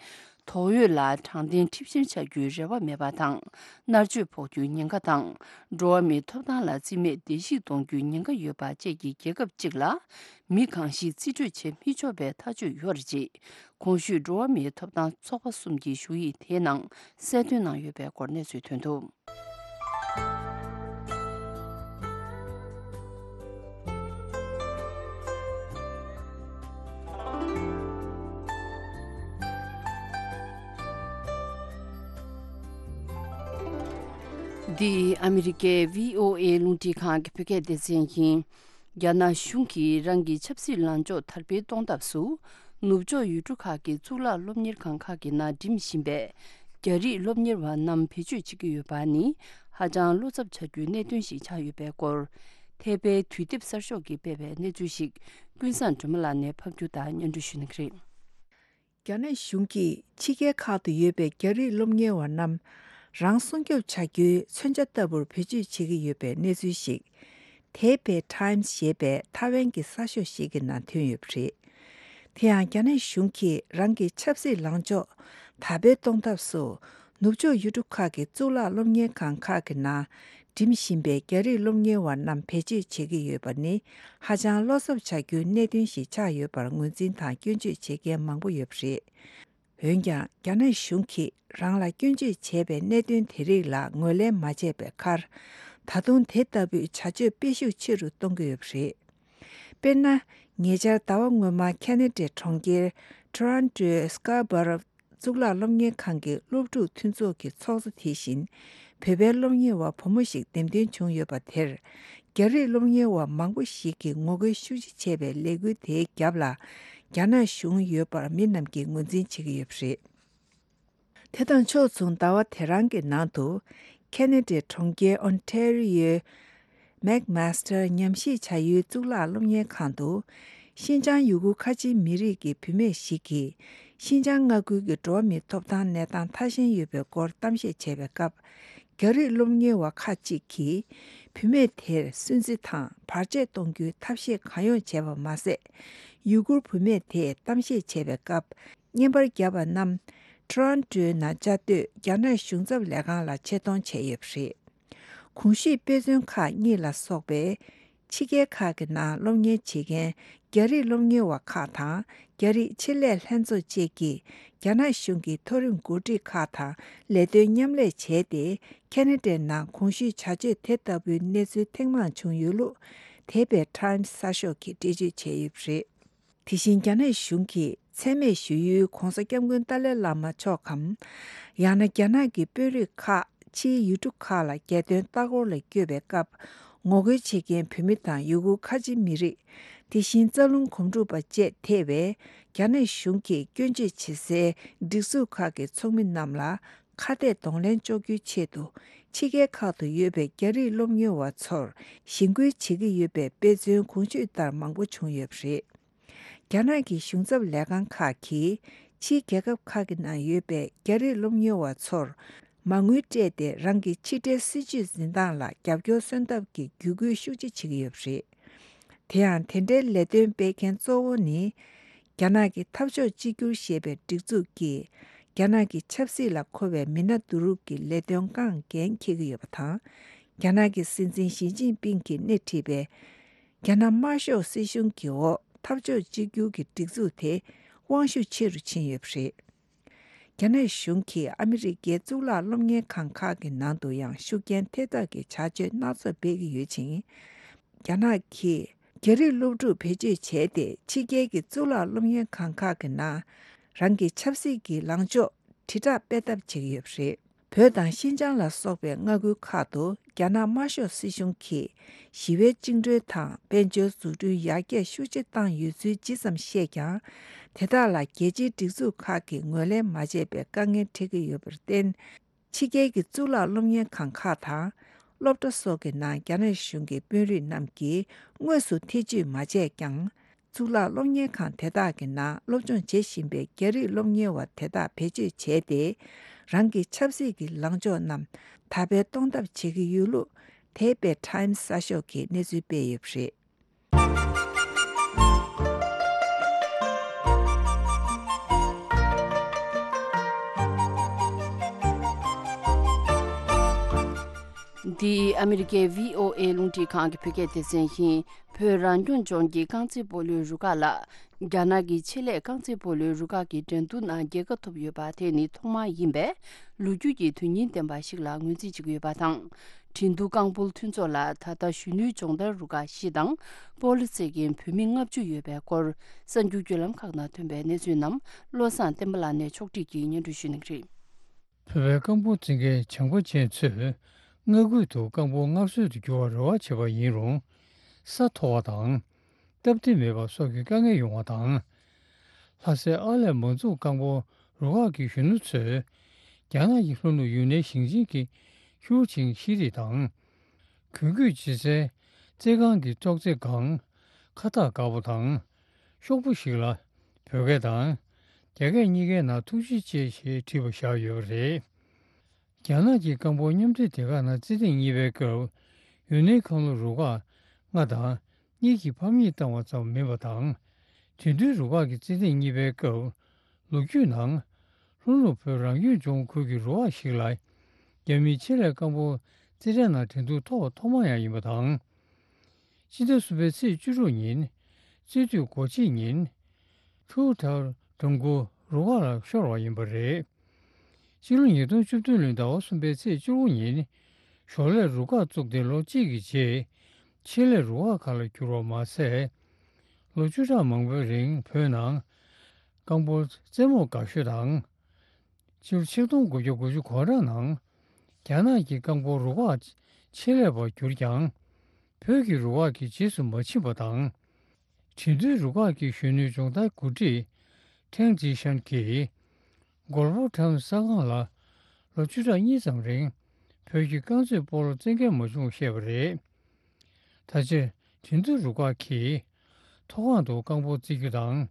དོགས་ཡོད་ལ་དྲང་བདེན་ཁྲིམས་བཤེར་བྱ་རྒྱུའི་རེ་བ་མེད་པ་དང་། མནར་གཅོད་ཕོག་རྒྱུའི་ཉེན་ཁ་དང་། འགྲོ་བ་མིའི་ཐོབ་ཐང་ལ་རྩིས་མེད་བརྡལ་བཤིག་གཏོང་རྒྱུའི་ཉེན་ཁ་ཡོད་པ་བཅས་ཀྱི་རྒྱལ་ཁབ་ཅིག་ལ། མི་གང་ཞིག་རྩིས་སྤྲོད་བྱེད་མི་ཆོག་པའི་ཐག་གཅོད་ཡོད་རེད་ཅེས། གོང་ཞུས་འགྲོ་བ་མིའི་ཐོབ་ཐང་ཚོགས་པ་གསུམ་གྱི་ཞུ་ཡིག་དེའི་ནང་གསལ་སྟོན་གནང་ཡོད་པའི་སྐོར་གནས་ཚུལ་ཐོན་འདུག། འདི་ཨ་མི་རི་ཀའི་བྷི་ཨོ་ཨེ་རླུང་འཕྲིན་ཁང་གི་བོད་སྐད་སྡེ་ཚན་ཡིན། རྒྱ་ནག་གཞུང་གིས་རང་གི་ཆབ་སྲིད་ལངས་ཕྱོགས་དར་སྤེལ་གཏོང་ཐབས་སུ། ནུབ་ཕྱོགས་ཡུལ་གྲུ་ཁག་གི་གཙུག་ལག་སློབ་གཉེར་ཁང་ཁག་གི་ནང་འགྲིམ་བཞིན་པའི་རྒྱ་རིགས་སློབ་གཉེར་བ་རྣམས་བེད་སྤྱོད་བྱེད་ཀྱི་ཡོད་པ་ནི་ཧ་ཅང་བློ་འཚབ་བྱ་རྒྱུའི་གནད་དོན་ཞིག་ཆགས་ཡོད་པའི་སྐོར། ཐེ་པེའི་དུས་དེབ་གསར་ཤོག་གིས་སྤེལ་བའི་གནས་ཚུལ་ཞིག་ཀུན་བཟང་སྒྲོལ་མ་ལགས་ནས་ཕབ་སྒྱུར་དང་སྙན་སྒྲོན་ཞུ་གནང་གི་རེད། རྒྱ་ནག་གཞུང་གིས་ཕྱི་རྒྱལ་ཁག་ཏུ་ཡོད་པའི་རྒྱ་རིགས་སློབ་གཉེར་བ་རྣམས་རང་སྲུང་སྐྱོབ་བྱ་རྒྱུའི་མཚོན་ཆ་ལྟ་བུར་བེད་སྤྱོད་བྱེད་ཀྱི་ཡོད་པའི་གནས་ཚུལ་ཞིག་ཐེ་པེ་ཊའིམ་སི་ཞེས་པའི་ཐའེ་ཝན་གྱི་གསར་ཤོག་ཞིག་གི་ནང་ཐོན་ཡོད་པ་རེད། དེ་ཡང་རྒྱ་ནག་གཞུང་གིས་རང་གི་ཆབ་སྲིད་ལངས་ཕྱོགས་དར་སྤེལ་གཏོང་ཐབས་སུ་ནུབ་ཕྱོགས་ཡུལ་གྲུ་ཁག་གི་གཙུག་ལག་སློབ་གཉེར་ཁང་ཁག་གི་ནང་འགྲིམ་བཞིན་པའི་རྒྱ་རིགས་སློབ་གཉེར་བ་རྣམས་བེད་སྤྱོད་བྱེད་ཀྱི་ཡོད་པ་ནི་ཧ་ཅང་བློ་འཚབ་བྱ་རྒྱུའི་གནད་དོན་ཞིག་ཆགས་ཡོད་པར་ངོས་འཛིན་དང་སྐྱོན་བརྗོད་བྱེད་མཁན་མང་པོ་ཡོད་པ་རེད། འོན་ཀྱང་རྒྱ་ནག་གཞུང་གིས་རང་ལ་སྐྱོན་བརྗོད་བྱས་པའི་གནད་དོན་དེ་རིགས་ལ་ངོས་ལེན་མ་བྱས་པའི་ཁར། ད་དུང་དེ་ལྟ་བུའི་བྱ་སྤྱོད་སྤེལ་ཤུགས་ཆེ་རུ་གཏོང་གི་ཡོད་པ་རེད། དཔེར་ན། ཉེ་ཆར་ཟླ་བ་སྔོན་མ་ཁེ་ན་ཌའི་གྲོང་ཁྱེར་ཊོ་རོན་ཊོའི་སྐར་བྷ་རོ་གཙུག་ལག་སློབ་གཉེར་ཁང་གི་སློབ་ཕྲུག་མཐུན་ཚོགས་ཀྱི་ཚོགས་གཙོ་དེ་བཞིན་བོད་པའི་སློབ་གཉེར་བ་བུ་མོ་ཞིག་འདེམས་ཐོན་བྱུང་ཡོད་པ་དེར། རྒྱ་རིགས་སློབ་གཉེར་བ་མང་པོ་ཞིག་གིས་ངོ་རྒོལ་ཤུགས་ཆེ་བྱས་པའི་ལས་འགུལ་དེའི་རྒྱབ་ལ་རྒྱ་ནག་གཞུང་ཡོད་པར་མི་རྣམས་ཀྱིས་ངོས་འཛིན་བྱེད་ཀྱི་ཡོད་པ་རེད། དེ་དང་ཕྱོགས་མཚུངས་ཟླ་བ་དེ་རང་གི་ནང་དུ། ཁེ་ན་ཌའི་གྲོང་ཁྱེར་ཨོན་ཊེ་རི་ཡོའི་མེག་མཱ་སི་ཊར་ཉམས་ཞིབ་བྱ་ཡུལ་གཙུག་ལག་སློབ་གཉེར་ཁང་དུ། ཤིན་ཅང་ཡུ་གུར་ཁ་ཆེའི་མི་རིགས་ཀྱི་བུད་མེད་ཞིག་གིས། ཤིན་ཅང་མངའ་ཁུལ་གྱི་འགྲོ་བ་མིའི་ཐོབ་ཐང་གནས་སྟངས་ཐ་ཞན་ཡོད་པའི་སྐོར་གཏམ་བཤད་བྱས་པའི་སྐབས། རྒྱ་རིགས་སློབ་གཉེར་བ་ཁག་ཅིག་གིས། བུད་མེད་དེར་སུན་གཙེར་དང་བར་ཆད་གཏོང་རྒྱུའི་ཐབས་ཤེས་གང་ཡོང་བྱས་པ་མ་ཟད། ཡུ་གུར་བུད་མེད་དེས་གཏམ་བཤད་བྱས་པའི་སྐབས། བརྙན་པར་བརྒྱབ་པ་རྣམས་ཊོ་རོན་ཊོའི་ནང་བཅའ་སྡོད་རྒྱ་ནག་གཞུང་ཚབ་ལས་ཁང་ལ་ཆེད་གཏོང་བྱས་ཡོད་པ་རེད། གོང་ཞུས་དཔེ་མཚོན་ཁག་གཉིས་ལ་སོགས་པའི་ཕྱི་རྒྱལ་ཁག་གི་ནང་སློབ་གཉེར་བྱེད་མཁན་རྒྱ་རིགས་སློབ་གཉེར་བ་ཁག་དང་རྒྱ་རིགས་ཆེད་ལས་ལྷན་ཚོགས་བཅས་ཀྱིས་རྒྱ་ནག་གཞུང་གི་མཐོ་རིམ་འགོ་ཁྲིད་ཁག་དང་ལས་དོན་མཉམ་ལས་བྱས་ཏེ། ཁེ་ན་ཌའི་ནང་གོང་ཞུས་བྱ་སྤྱོད་དེ་ལྟ་བུའི་གནས་ཚུལ་ཐེངས་མང་བྱུང་ཡོད་ལུགས་ཐེ་པེ་ཊའིམ་སི་གསར་ཤོག་གིས་འགྲེལ་བརྗོད་བྱས་ཡོད་པ་རེད། དེ་བཞིན་རྒྱ་ནག་གཞུང་གིས་མཚན་སྨད་ཞུ་ཡུལ་༧གོང་ས་༧སྐྱབས་མགོན་ཏཱ་ལའི་བླ་མ་མཆོག་གམ། ཡང་ན་རྒྱ་ནག་གི་དཔོན་རིགས་ཁག་ཕྱིའི་ཡུལ་གྲུ་ཁག་ལ་རྒྱལ་དོན་ལྟ་སྐོར་ལ་བསྐྱོད་པའི་སྐབས། ངོ་རྒོལ་བྱེད་མཁན་བོད་མི་དང་ཡུ་གུར་ཁ་ཆེ་མི་རིགས། དེ་བཞིན་རྩ་རླུང་གོམ་བགྲོད་པ་བཅས་ཐེ་བའི་རྒྱ་ནག་གཞུང་གིས་སྐྱོན་བརྗོད་བྱེད་སའི་སྒྲིག་འཛུགས་ཁག་གི་ཚོགས་མི་རྣམས་ལ་ཁ་གཏད་གདོང་ལེན་གཅོག་རྒྱུའི་ཆེད་དུ། ཕྱི་རྒྱལ་ཁག་ཏུ་ཡོད་པའི་རྒྱ་རིགས་སློབ་གཉེར་བ་ཚོར་ཞེན་སྐུལ་བྱེད་ཀྱི་ཡོད་པའི་དཔེ་མཚོན་གོང་ཞུས་ལྟར་མང་པོ་བྱུང་ཡོད་པ་རེད། རྒྱ་ནག་གི་གཞུང་ཚབ་ལས་ཁང་ཁག་གིས་ཕྱིའི་རྒྱལ་ཁབ་ཁག་གི་ནང་ཡོད་པའི་རྒྱ་རིགས་སློབ་གཉེར་བ་ཚོར་མ་དངུལ་སྤྲད་དེ་རང་གི་ཕྱི་འབྲེལ་སྲིད་ཇུས་འཛིན་སྟངས་ལ་རྒྱབ་སྐྱོར་སོན་ཐབས་ཀྱི་བརྒྱུད་སྐུལ་ཤུགས་ཆེ་བྱེད་ཀྱི་ཡོད་པ་རེད། དེ་ཡང་དེ་འདྲའི་ལས་དོན་སྤེལ་མཁན་གཙོ་བོ་ནི། རྒྱ་ནག་གི་འཐབ་ཕྱོགས་གཅིག་གྱུར་ཞེས་པའི་སྒྲིག་འཛུགས་ཀྱིས། རྒྱ་ནག་གི་ཆབ་སྲིད་ལ་མཁོ་བའི་མི་སྣ་བསྡུ་རུབ་ཀྱི་ལས་དོན་ཁག་འགན་འཁྱེར་གྱི་ཡོད་པ་དང་། རྒྱ་ནག་གི་སྲིད་འཛིན་ཞི་ཅིན་ཕིང་གིས་སྣེ་ཁྲིད་པའི་རྒྱ་ནག་དམར་ཤོག་སྲིད་གཞུང་གི་འོག་འཐབ་ཕྱོགས་གཅིག་གྱུར་གྱི་སྒྲིག་འཛུགས་དེ་དབང་ཤུགས་ཆེ་རུ་ཕྱིན་ཡོད་པ་རེད། རྒྱ་ནག་གཞུང་གིས་ཨ་མི་རི་ཀའི་གཙུག་ལག་སློབ་གཉེར་ཁང་ཁག་གི་ནང་དུ་ཡང་ཤུགས་རྐྱེན་ཐེབས་ཐབས་ཀྱི་བྱ་སྤྱོད་སྣ་ཚོགས་སྤེལ་གྱི་ཡོད་ཅིང་། རྒྱ་ནག་གིས་རྒྱ་རིགས་སློབ་ཕྲུག་བེད་སྤྱོད་བྱས་ཏེ། ཕྱི་རྒྱལ་གྱི་གཙུག་ལག་སློབ་གཉེར་ཁང་ཁག་གི་ནང་རང་གི་ཆབ་སྲིད་ཀྱི་ལངས་ཕྱོགས་དྲིལ་བསྒྲགས་སྤེལ་ཐབས་བྱེད་ཀྱི་ཡོད་པ་རེད། བོད་དང་ཤིན་ཅང་ལ་སོགས་པའི་མངའ་ཁུལ་ཁག་ཏུ་རྒྱ་ནག་དམར་ཤོག་སྲིད་གཞུང་གིས་ཞི་བའི་བཅིངས་འགྲོལ་དང་དཔལ་འབྱོར་འཛུགས་སྐྲུན་ཡར་རྒྱས་ཤུགས་ཆེ་བཏང་ཡོད་ཚུལ་ཇི་ཙམ་བཤད་ཀྱང་། དེ་དག་ལ་རྒྱལ་སྤྱིའི་སྒྲིག་འཛུགས་ཁག་གིས་ངོས་ལེན་མ་བྱས་པའི་དཀའ་ངལ་འཕྲད་ཀྱི་ཡོད་པར་བརྟེན། ཕྱི་རྒྱལ་གྱི་གཙུག་ལག་སློབ་གཉེར་ཁང་ཁག་དང་སློབ་གྲྭ་སོགས་ཀྱི་ནང་རྒྱ་ནག་གཞུང་གི་དཔོན་རིགས་རྣམས་ཀྱིས་དངོས་སུ་ཐེ་ཇུས་མ་བྱས་ཀྱང་། གཙུག་ལག་སློབ་གཉེར་ཁང་དེ་དག་གི་ནང་སློབ་སྦྱོང་བྱེད་བཞིན་པའི་རྒྱ་རིགས་སློབ་གཉེར་བ་དེ་དག་བེད་སྤྱོད་བྱས་ཏེ། རང་གི་ཆབ་སྲིད་ཀྱི་ལངས་ཕྱོགས་རྣམས་དར་སྤེལ་གཏོང་ཐབས་བྱེད་ཀྱི་ཡོད་ལུགས་ཐེ་པེ་ཊའེམ་སི་གསར་ཤོག་གིས་གནས་ཚུལ་སྤེལ་ཡོད་པ་རེད། འདི་ཨ་མི་རི་ཀའི་བྷི་ཨོ་ཨེ་རླུང་འཕྲིན་ཁང་གི་བོད་སྐད་སྡེ་ཚན་ཡིན། བོད་རང་སྐྱོང་ལྗོངས་ཀྱི་རྐང་རྩེད་སྤོ་ལོའི་རུ་ཁག་ལ། རྒྱ་ནག་གི་ཆེད་ལས་རྐང་རྩེད་སྤོ་ལོའི་རུ་ཁག་གི་འགྲན་བསྡུར་ནང་རྒྱལ་ཁ་ཐོབ་ཡོད་པ་དེ་ནི་ཐོག་མ་ཡིན་པས། ལོ་རྒྱུས་ཀྱི་དོན་སྙིང་ལྡན་པ་ཞིག་ལ་ངོས་འཛིན་བྱེད་ཀྱི་ཡོད་པ་དང་། འགྲན་བསྡུར་རྐང་སྤོལ་མཐུན་ཚོགས་ལ་ད་ལྟ་གཞོན་ནུའི་སྦྱོང་བརྡར་རུ་ཁག་བཞི་དང་། སྤོ་ལོ་རྩེད་མཁན་བུད་མེད་ལྔ་བཅུ་ཡོད་པའི་སྐོར། གསར་འགྱུར་བརྒྱུད་ལམ་ཁག་ནང་ཐོན་པའི་གནས་ཚུལ་རྣམས་བློ་བཟང་བསྟན་པ་ལགས་ནས་ཕྱོགས་སྒྲིག་གིས་སྙན་སྒྲོན་ཞུ་གནང་གི་རེད། བོད་པའི་རྐང་སྤོལ་རྩེད་མཁན་བྱམས་པ་ཅན་ཚོས་མངའ་ཁུལ་དུ་རྐང་སྤོལ་སྔར་སྲོལ་དུ་འགྱུར་བར་རེ་བ་བྱེད་པ་ཡིན་རུང་། ས་མཐོ་བ་དང་། སྟབས་བདེ་མེད་པ་སོགས་ཀྱི་དཀའ་ངལ་ཡོང་བ་དང་། ལྷ་སའི་ཨར་ལས་མང་ཚོགས་རྐང་སྤོལ་རུ་ཁག་གི་གཞོན་ནུ་ཚོས། རྒྱ་ནག་གི་ལྷོ་ནུབ་ཡུན་ནན་ཞིང་ཆེན་གྱི་ཧུའུ་ཅིང་ཤེས་རིག་དང་། གུས་གུས་ཅི་སའི་རྩེད་ཁང་གི་ཙོག་རྩེད་སྒང་། ཁ་བཏགས་དཀར་པོ་དང་། ཤོག་བུ་ཞིག་ལ། བོད་སྐད་དང་། རྒྱ་སྐད་གཉིས་ཀའི་ནང་ཐུགས་རྗེ་ཆེ་ཞེས་བྲིས་པ་བཞག་ཡོད་པ་རེད། རྒྱ་ནག་གི་རྐང་སྤོལ་མཉམ་འབྲེལ་སྡེ་ཁག་ནང་རྩེད་ཐེངས་གཉིས་པའི་སྐབས། ཡུན་ནན་ཁང་ལོ་རུ་ཁག་ལྔ་དང་གཉིས་ཀྱིས་ཕམ་ཉེས་བཏང་བ་ཙམ་མིན་པ་དང་། དེང་དུས་རུ་ཁག་གི་རྩེད་ཐེངས་གཉིས་པའི་སྐབས། ལོ་རྒྱུས་ནང་། ལྷོ་ནུབ་བོད་རང་སྐྱོང་ལྗོངས་ཁུལ་གྱི་རུ་ཁག་ཞིག་ལ། རྒྱ་མིའི་ཆེད་ལས་རྐང་སྤོལ་རྩེད་འགྲན་ནང་འགྲན་བསྡུར་ཐོག་ཐོག་མ་ཡང་ཡིན་པ་དང་། སྤྱི་ཟླ་གསུམ་པའི་ཚེས་བཅུ་དྲུག་ཉིན། རྩེད་དུས་སྒོ་ཕྱེ་ཉིན། ཁྲུའུ་ཐར་འགྲམ་མགོ་རུ་ཁག་ལ་ཤོར་བ་ཡིན་པ་རེད། ཕྱི་ལོ་ཉིས་སྟོང་བཅུ་བདུན་ལོའི་ཟླ་བ་གསུམ་པའི་ཚེས་བཅུ་དགུ་ཉིན། ཞོར་ལས་རུ་ཁག་བཙུགས་ཏེ་ལོ་གཅིག་གི་རྗེས། ཆེད་ལས་རུ་ཁག་ཁག་ལ་གྱུར་བ་མ་ཟད། ལོ་བཅུ་ཕྲག་མང་པོའི་རིང་བོད་ནང་། རྐང་སྤོལ་རྩེད་མོ་དགའ་ཤོས་དང་། ཕྱི་ལོ་ཆིག་སྟོང་དགུ་བརྒྱ་དགུ་བཅུ་གོ་གྲངས་ནང་། རྒྱ་ནག་གི་རྐང་སྤོལ་རུ་ཁག་ཆེད་ལས་པར་གྱུར་ཀྱང་། བོད་ཀྱི་རུ་ཁག་གི་རྗེས་སུ་མ་ཕྱིན་པ་དང་། དེང་དུས་རུ་ཁག་གི་གཞོན་ནུའི་སྦྱོང་བརྡར་འགོ་ཁྲིད་ཁྲེང་ཅི་ཤན་གྱིས། གོལ་ཕོ་ཊམ་གསར་ཁང་ལ་ལོ་བཅུ་ཕྲག་གཉིས་ཙམ་རིང་བོད་ཀྱི་རྐང་རྩེད་སྤོ་ལོ་རྩེད་མཁན་མ་བྱུང་བཤད་པ་རེད། ད་ཆ་དེང་དུས་རུ་ཁག་གིས་མཐོ་སྒང་དུ་རྐང་སྤོལ་རྩེད་རྒྱུ་དང་།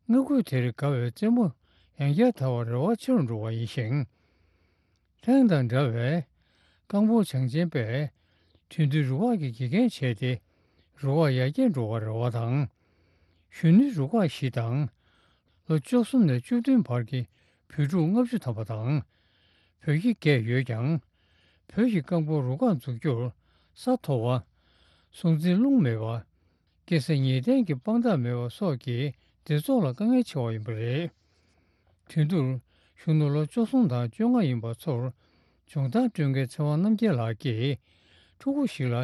མངའ་ཁུལ་དེར་དགའ་བའི་རྩེད་མོ་ཡང་བསྐྱར་དར་བར་རེ་བ་ཆེ་རུ་འགྲོ་བ་ཡིན་ཞིང་། ཐེངས་དང་འདྲ་བའི་རྐང་སྤོལ་བྱང་ཆེན་པས་དེང་དུས་རུ་ཁག་གི་དགེ་རྒན་བྱས་ཏེ་རུ་ཁག་ཡར་རྒྱས་འགྲོ་བར་རེ་བ་དང་། གཞོན་ནུའི་རུ་ཁག་བཞི་དང་། ལོ་བཅུ་གསུམ་ནས་བཅུ་བདུན་བར་གྱི་བོད་ཕྲུག་ལྔ་བཅུ་ཐམ་པ་དང་། བོད་ཀྱི་སྐད་ཡོད་ཀྱང་། བོད་ཀྱི་རྐང་སྤོལ་རུ་ཁག་འཛུགས་རྒྱུར་ས་མཐོ་བ། སྲུང་བརྩི་རླུང་མེད་པ། སྐྱེ་ས་ཉེས་ལྡན་གྱི་དཔང་རྟགས་མེད་པ་སོགས་ཀྱིས་སྡེ་ཚོགས་ལ་དཀའ་ངལ་ཆེ་བ་ཡིན་པ་རེད། དེང་དུས་གཞོན་ནུ་ལོ་བཅུ་གསུམ་དང་བཅོ་ལྔ་ཡིན་པ་ཚོར་སྦྱོང་བརྡར་སྤྲོད་མཁན་ཚེ་དབང་རྣམ་རྒྱལ་ལགས་ཀྱིས་ཕྲུ་གུ་ཞིག་ལ་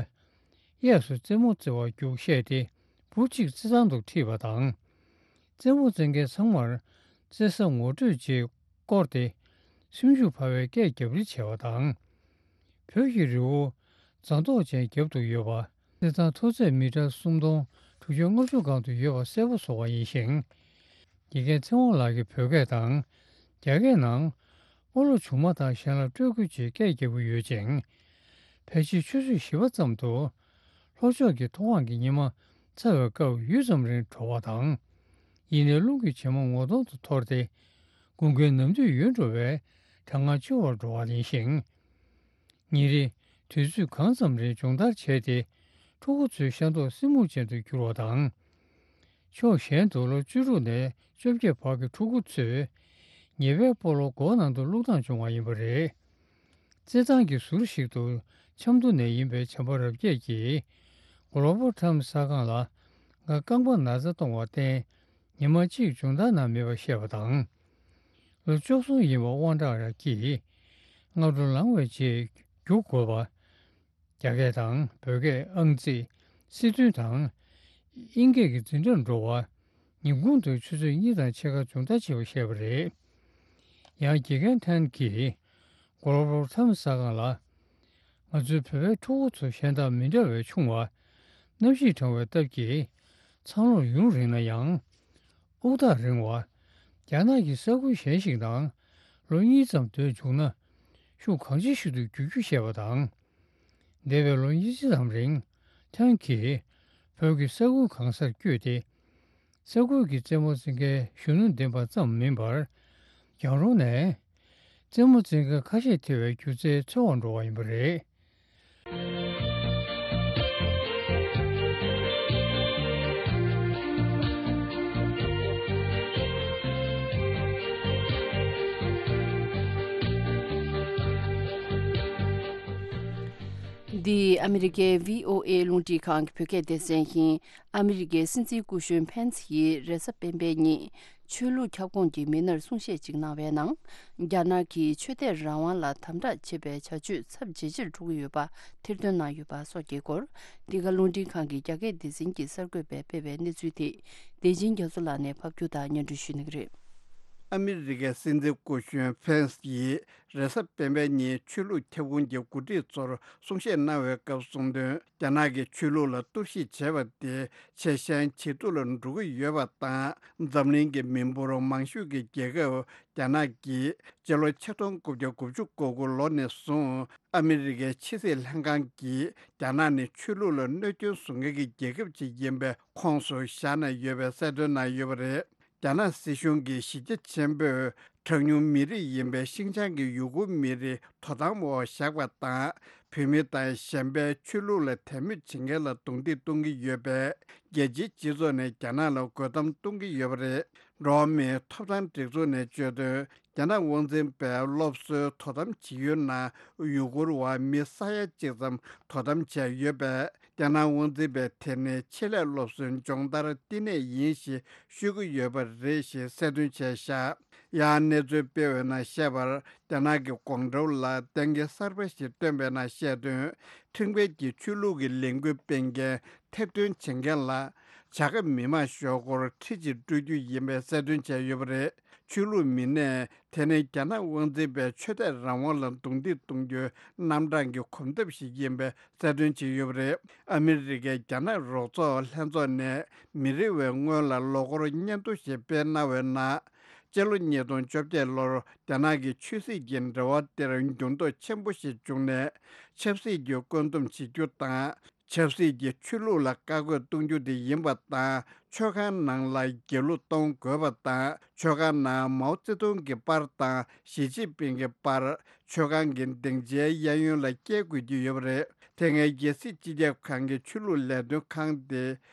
གཡས་སུ་རྩེད་མོ་རྩེ་བར་རྒྱུགས་བཤད་དེ་བུ་གཅིག་རྩེད་ཐང་དུ་ཁྲིད་པ་དང་། རྩེད་མོ་རྩེད་མཁན་ཚང་མར་རྩེད་ས་ངོ་སྤྲོད་ཅེས་བསྐོར་ཏེ་སེམས་ཤུགས་འཕར་བའི་སྐད་རྒྱབ་རེས་བྱས་པ་དང་། བོད་ཀྱི་རི་བོ་རྫ་མདོག་ཅན་རྒྱབ་ཏུ་ཡོད་པ། རྩེད་ཐང་མཐོ་ཚད་མི་ཊར་སུམ་སྟོང་དྲུག་བརྒྱ་ལྔ་བཅུ་སྒང་དུ་ཡོད་པ་གསལ་པོ་བཟོ་བ་ཡིན་ཞིང་། དགེ་རྒན་ཚེ་དབང་ལགས་ཀྱིས་བོད་སྐད་དང་རྒྱ་སྐད་ནང་། སྤོ་ལོ་ཆུང་མ་དང་གཞན་ལ་སྤྲོད་སྐུལ་ཅེས་སྐད་རྒྱག་གི་ཡོད་ཅིང་། ཕལ་ཆེར་ཆུ་ཚོད་བཞི་པ་ཙམ་དུ། ལྷོ་ཕྱོགས་ཀྱི་མཐོ་སྒང་གི་ཉི་མ་ཚ་བའི་སྐབས་ཡུད་ཙམ་རིང་བྲོ་བ་དང་། ཡིན་ནའི་རླུང་གིས་བྱེ་མ་ངོ་གདོང་དུ་འཐོར་ཏེ། དགུན་ཁའི་ནམ་དུས་ཡུལ་འགྲོ་བའི་གྲང་ངར་ཆེ་བར་འགྲོ་བ་ཡིན་ཞིང་། ཉིན་རེ་དུས་ཚོད་གང་ཙམ་རིང་སྦྱོང་བརྡར་བྱས་ཏེ། ཕྲུ་གུ་ཚོའི་ཤ་མདོག་སེར་སྨུག་ཅན་དུ་གྱུར་བ་དང་། ཕྱོགས་གཞན་དུ་ལོ་བཅུ་དྲུག་ནས་བཅོ་བརྒྱད་བར་གྱི་ཕྲུ་གུ་ཚོས། ཉེ་བའི་སྤོ་ལོ་སྒོ་ནང་དུ་བླུགས་སྟངས་བྱུང་བ་ཡིན་པ་རེད། རྩེད་ཐང་གི་ཟུར་ཞིག་ཏུ་ཆབ་མདོ་ནས་ཡིན་པའི་བྱམས་པ་རབ་རྒྱས་ཀྱིས་Global Times གསར་ཁང་ལ་ང་རྐང་པ་ན་ཚ་གཏོང་བར་བརྟེན་ཉི་མ་གཅིག་སྦྱོང་བརྡར་གནང་མེད་པ་བཤད་པ་དང་། ལོ་བཅུ་གསུམ་ཡིན་པ་དབང་གྲགས་ཀྱིས་སྔ་དྲོ་ལངས་པའི་རྗེས་རྒྱུགས་དགོས་པ། རྒྱ་སྐད་དང་བོད་སྐད། ཨང་རྩིས། སྲིད་དོན་དང་དབྱིན་སྐད་ཀྱི་འཛིན་གྲྭར་འགྲོ་བ། ཉིན་གུང་དུ་ཆུ་ཚོད་གཉིས་དང་ཕྱེད་ཀ་སྦྱོང་བརྡར་བྱེད་པ་བཤད་པ་རེད། ཡང་དགེ་རྒན་ཐན་གྱིས་Global Times གསར་ཁང་ལ། ང་ཚོའི་བོད་པའི་ཕྲུ་གུ་ཚོ་གཞན་དང་མི་འདྲ་བའི་ཆུང་བ། གནམ་གཤིས་གྲང་བའི་སྟབས་ཀྱིས་འཚར་ལོངས་ཡུན་རིང་ན་ཡང་། དབུགས་ཐག་རིང་བ། རྒྱ་ནག་གི་ས་ཁུལ་གཞན་ཞིག་ནང་ལོ་གཉིས་ཙམ་སྡོད་བཅུག་ན། ཤུགས་གང་ཆེ་ཤོས་དུ་རྒྱུག་རྒྱུ་བཤད་པ་དང་། འདས་པའི་ལོ་ཉི་ཤུ་ཙམ་རིང་། ཐན་གྱིས་བོད་ཀྱི་ས་ཁུལ་གང་སར་བསྐྱོད་དེ། ས་ཁུལ་གྱི་རྩེད་མོ་རྩེ་མཁན་གཞོན་ནུ་འདེམས་པ་ཙམ་མིན་པར། རྒྱང་རིང་ནས་རྩེད་མོ་རྩེ་མཁན་ཁ་ཤས་ཐེ་བའི་སྒྱུ་རྩལ་འཚོལ་བར་འགྲོ་བ་ཡིན་པ་རེད། འདི་ཨ་མི་རི་ཀའི་བྷི་ཨོ་ཨེ་རླུང་འཕྲིན་ཁང་གི་བོད་སྐད་སྡེ་ཚན་ཡིན། ཨ་མི་རི་ཀའི་སྲིད་འཛིན་སྐུ་གཞོན་ཕེན་སི་ཡིས་རེས་གཟའ་སྤེན་པའི་ཉིན་ཆོས་ལུགས་ཁྱབ་ཁོངས་ཀྱི་མི་སྣར་གསུང་བཤད་ཅིག་གནང་བའི་ནང་། རྒྱ་ནག་གིས་ཆོས་དད་རང་དབང་ལ་དམ་དྲག་བྱེད་པའི་བྱ་སྤྱོད་ཚབས་ཇེ་ཆེར་འགྲོ་གི་ཡོད་པ་ཐེར་འདོན་གནང་ཡོད་པ་སོགས་ཀྱི་སྐོར། འདི་ག་རླུང་འཕྲིན་ཁང་གི་རྒྱ་སྐད་སྡེ་ཚན་གྱིས་གསར་འགོད་པས་སྤེལ་བའི་གནས་ཚུལ་དེ། བདེ་ཆེན་རྒྱ་མཚོ་ལགས་ནས་ཕབ་སྒྱུར་དང་སྙན་སྒྲོན་ཞུ་གནང་གི་རེད། ཨ་མི་རི་ཀའི་སྲིད་འཛིན་སྐུ་གཞོན་ཕེན་སི་ཡིས་རེས་གཟའ་སྤེན་པའི་ཉིན་ཆོས་ལུགས་ཁྱབ་ཁོངས་ཀྱི་འགོ་ཁྲིད་ཚོར་གསུང་བཤད་གནང་བའི་སྐབས་གསུངས་དོན། རྒྱ་ནག་གིས་ཆོས་ལུགས་ལ་གཏོར་བཤིག་བྱས་པ་དེ་ཆེས་ཞན་ཇེ་སྡུག་ལ་འགྲོ་གི་ཡོད་པ་དང་། འཛམ་གླིང་གི་མི་འབོར་མང་ཤོས་ཀྱི་རྒྱལ་ཁབ་རྒྱ་ནག་གིས་སྤྱི་ལོ་ཆིག་སྟོང་དགུ་བརྒྱ་དགུ་བཅུ་གོ་དགུ་ལོ་ནས་བཟུང་ཨ་མི་རི་ཀའི་ཕྱི་སྲིད་ལྷན་ཁང་གིས་རྒྱ་ནག་ནི་ཆོས་ལུགས་ལ་གནོད་སྐྱོན་བཟོ་མཁན་གྱི་རྒྱལ་ཁབ་ཅིག་ཡིན་པའི་ཁོངས་སུ་བཞག་ནས་ཡོད་པའི་གསལ་སྟོན་གནང་ཡོད་པ་རེད། རྒྱ་ནག་སྲིད་གཞུང་གིས་གཞིས་རྒྱ་ཆེན་པོས་གྲངས་ཉུང་མི་རིགས་ཡིན་པའི་ཤིན་ཅང་གི་ཡུ་གུར་མི་རིགས་དོ་དམ་འོག་བཞག་པ་དང་། བོད་མི་དང་གཞན་པའི་ཆོས་ལུགས་ལ་དད་མོས་བྱེད་མཁན་ལ་རྡུང་རྡེག་གཏོང་གི་ཡོད་པས། རྒྱལ་སྤྱིའི་སྤྱི་ཚོགས་ནས་རྒྱ་ནག་ལ་རྒོལ་གཏམ་གཏོང་གི་ཡོད་པ་རེད། འགྲོ་བ་མིའི་ཐོབ་ཐང་སྒྲིག་འཛུགས་ནས་བརྗོད་དོན། རྒྱ་ནག་དབང་འཛིན་པས་སློབ་གསོའི་དོ་དམ་བྱེད་ཡུལ་ནང་ཡུ་གུར་བ་མི་ས་ཡ་གཅིག་ཙམ་དོ་དམ་བྱས་ཡོད་པས། རྒྱ་ནག་དབང་འཛིན་པས་དེ་ནི་ཆེད་ལས་སློབ་གསོའི་སྦྱོང་བརྡར་བསྟི་གནས་ཡིན་ཞེས་ཤོད་ཀྱི་ཡོད་པ་རེད་ཞེས་གསལ་སྟོན་བྱས་བཞག་ཡང་གནས་ཚུལ་སྤེལ་བའི་ནང་བཤད་པར། རྒྱ་ནག་གི་ཀོང་ཀྲོའུ་ལ་གཏན་འཁེལ་གསར་པ་ཞིག་བཏོན་པའི་ནང་བཤད་དོན། ཁྲིམས་འགལ་གྱིས་ཆོས་ལུགས་ཀྱི་ལས་འགུལ་སྤེལ་མཁན་ཐེར་འདོན་བྱེད་མཁན་ལ། བྱ་དགའ་མི་མང་ཞོག་ཁོག་ཁྲི་གཅིག་སྤྲོད་རྒྱུ་ཡིན་པའི་གསལ་སྟོན་བྱས་ཡོད་པ་རེད། ཆོས་ལུགས་མི་སྣས་དེ་ནི་རྒྱ་ནག་དབང་འཛིན་པའི་ཆོས་དད་རང་དབང་ལ་རྡུང་རྡེག་གཏོང་རྒྱུའི་རྣམ་གྲངས་ཀྱི་གོམ་སྟབས་ཤིག་ཡིན་པའི་གསལ་སྟོན་བྱས་ཡོད་པ་རེད། ཨ་མི་རི་ཀའི་རྒྱ་ནག་རོགས་ཚོགས་ལྷན་ཚོགས་ནས་མི་རེ་བའི་སྔོན་ལ་ལོ་འཁོར་སྙན་ཐོ་ཞིག་སྤེལ་གནང་བའི་ནང་། སྤྱི་ལོ་ཉིས་སྟོང་བཅོ་བརྒྱད་ལོར་རྒྱ་ནག་གི་ཆོས་སྲིད་ཀྱི་འབྲེལ་བ་དེར་འགྱུར་ལྡོག་ཆེན་པོ་ཞིག་བྱུང་ནས། ཆབ་སྲིད་ཀྱི་བཀོད་འདོམས་བྱེད་རྒྱུ་དང་། ཆབ་སྲིད་ཀྱི་ཆོས་ལུགས་ལ་བཀའ་བཀོད་གཏོང་རྒྱུ་དེ་ཡིན་པ་དང་། ཆོས་ཁང་ནང་ལ་དགེ་ལུགས་གཏོང་དགོས་པ་དང་། ཆོས་ཁང་ནང་མའོ་ཙེ་ཏུང་གི་པར་དང་ཞི་ཅིན་ཕིང་གི་པར། ཆོས་ཁང་གི་སྡིངས་ཆའི་གཡས་གཡོན་ལ་བཀལ་དགོས་ཀྱི་ཡོད་པ་རེད། དེ་སྔའི་རྒྱལ་སྲིད་སྤྱི་ཁྱབ་ཁང་གི་ཆོས་ལུགས་ལས་དོན་ཁང་དེ།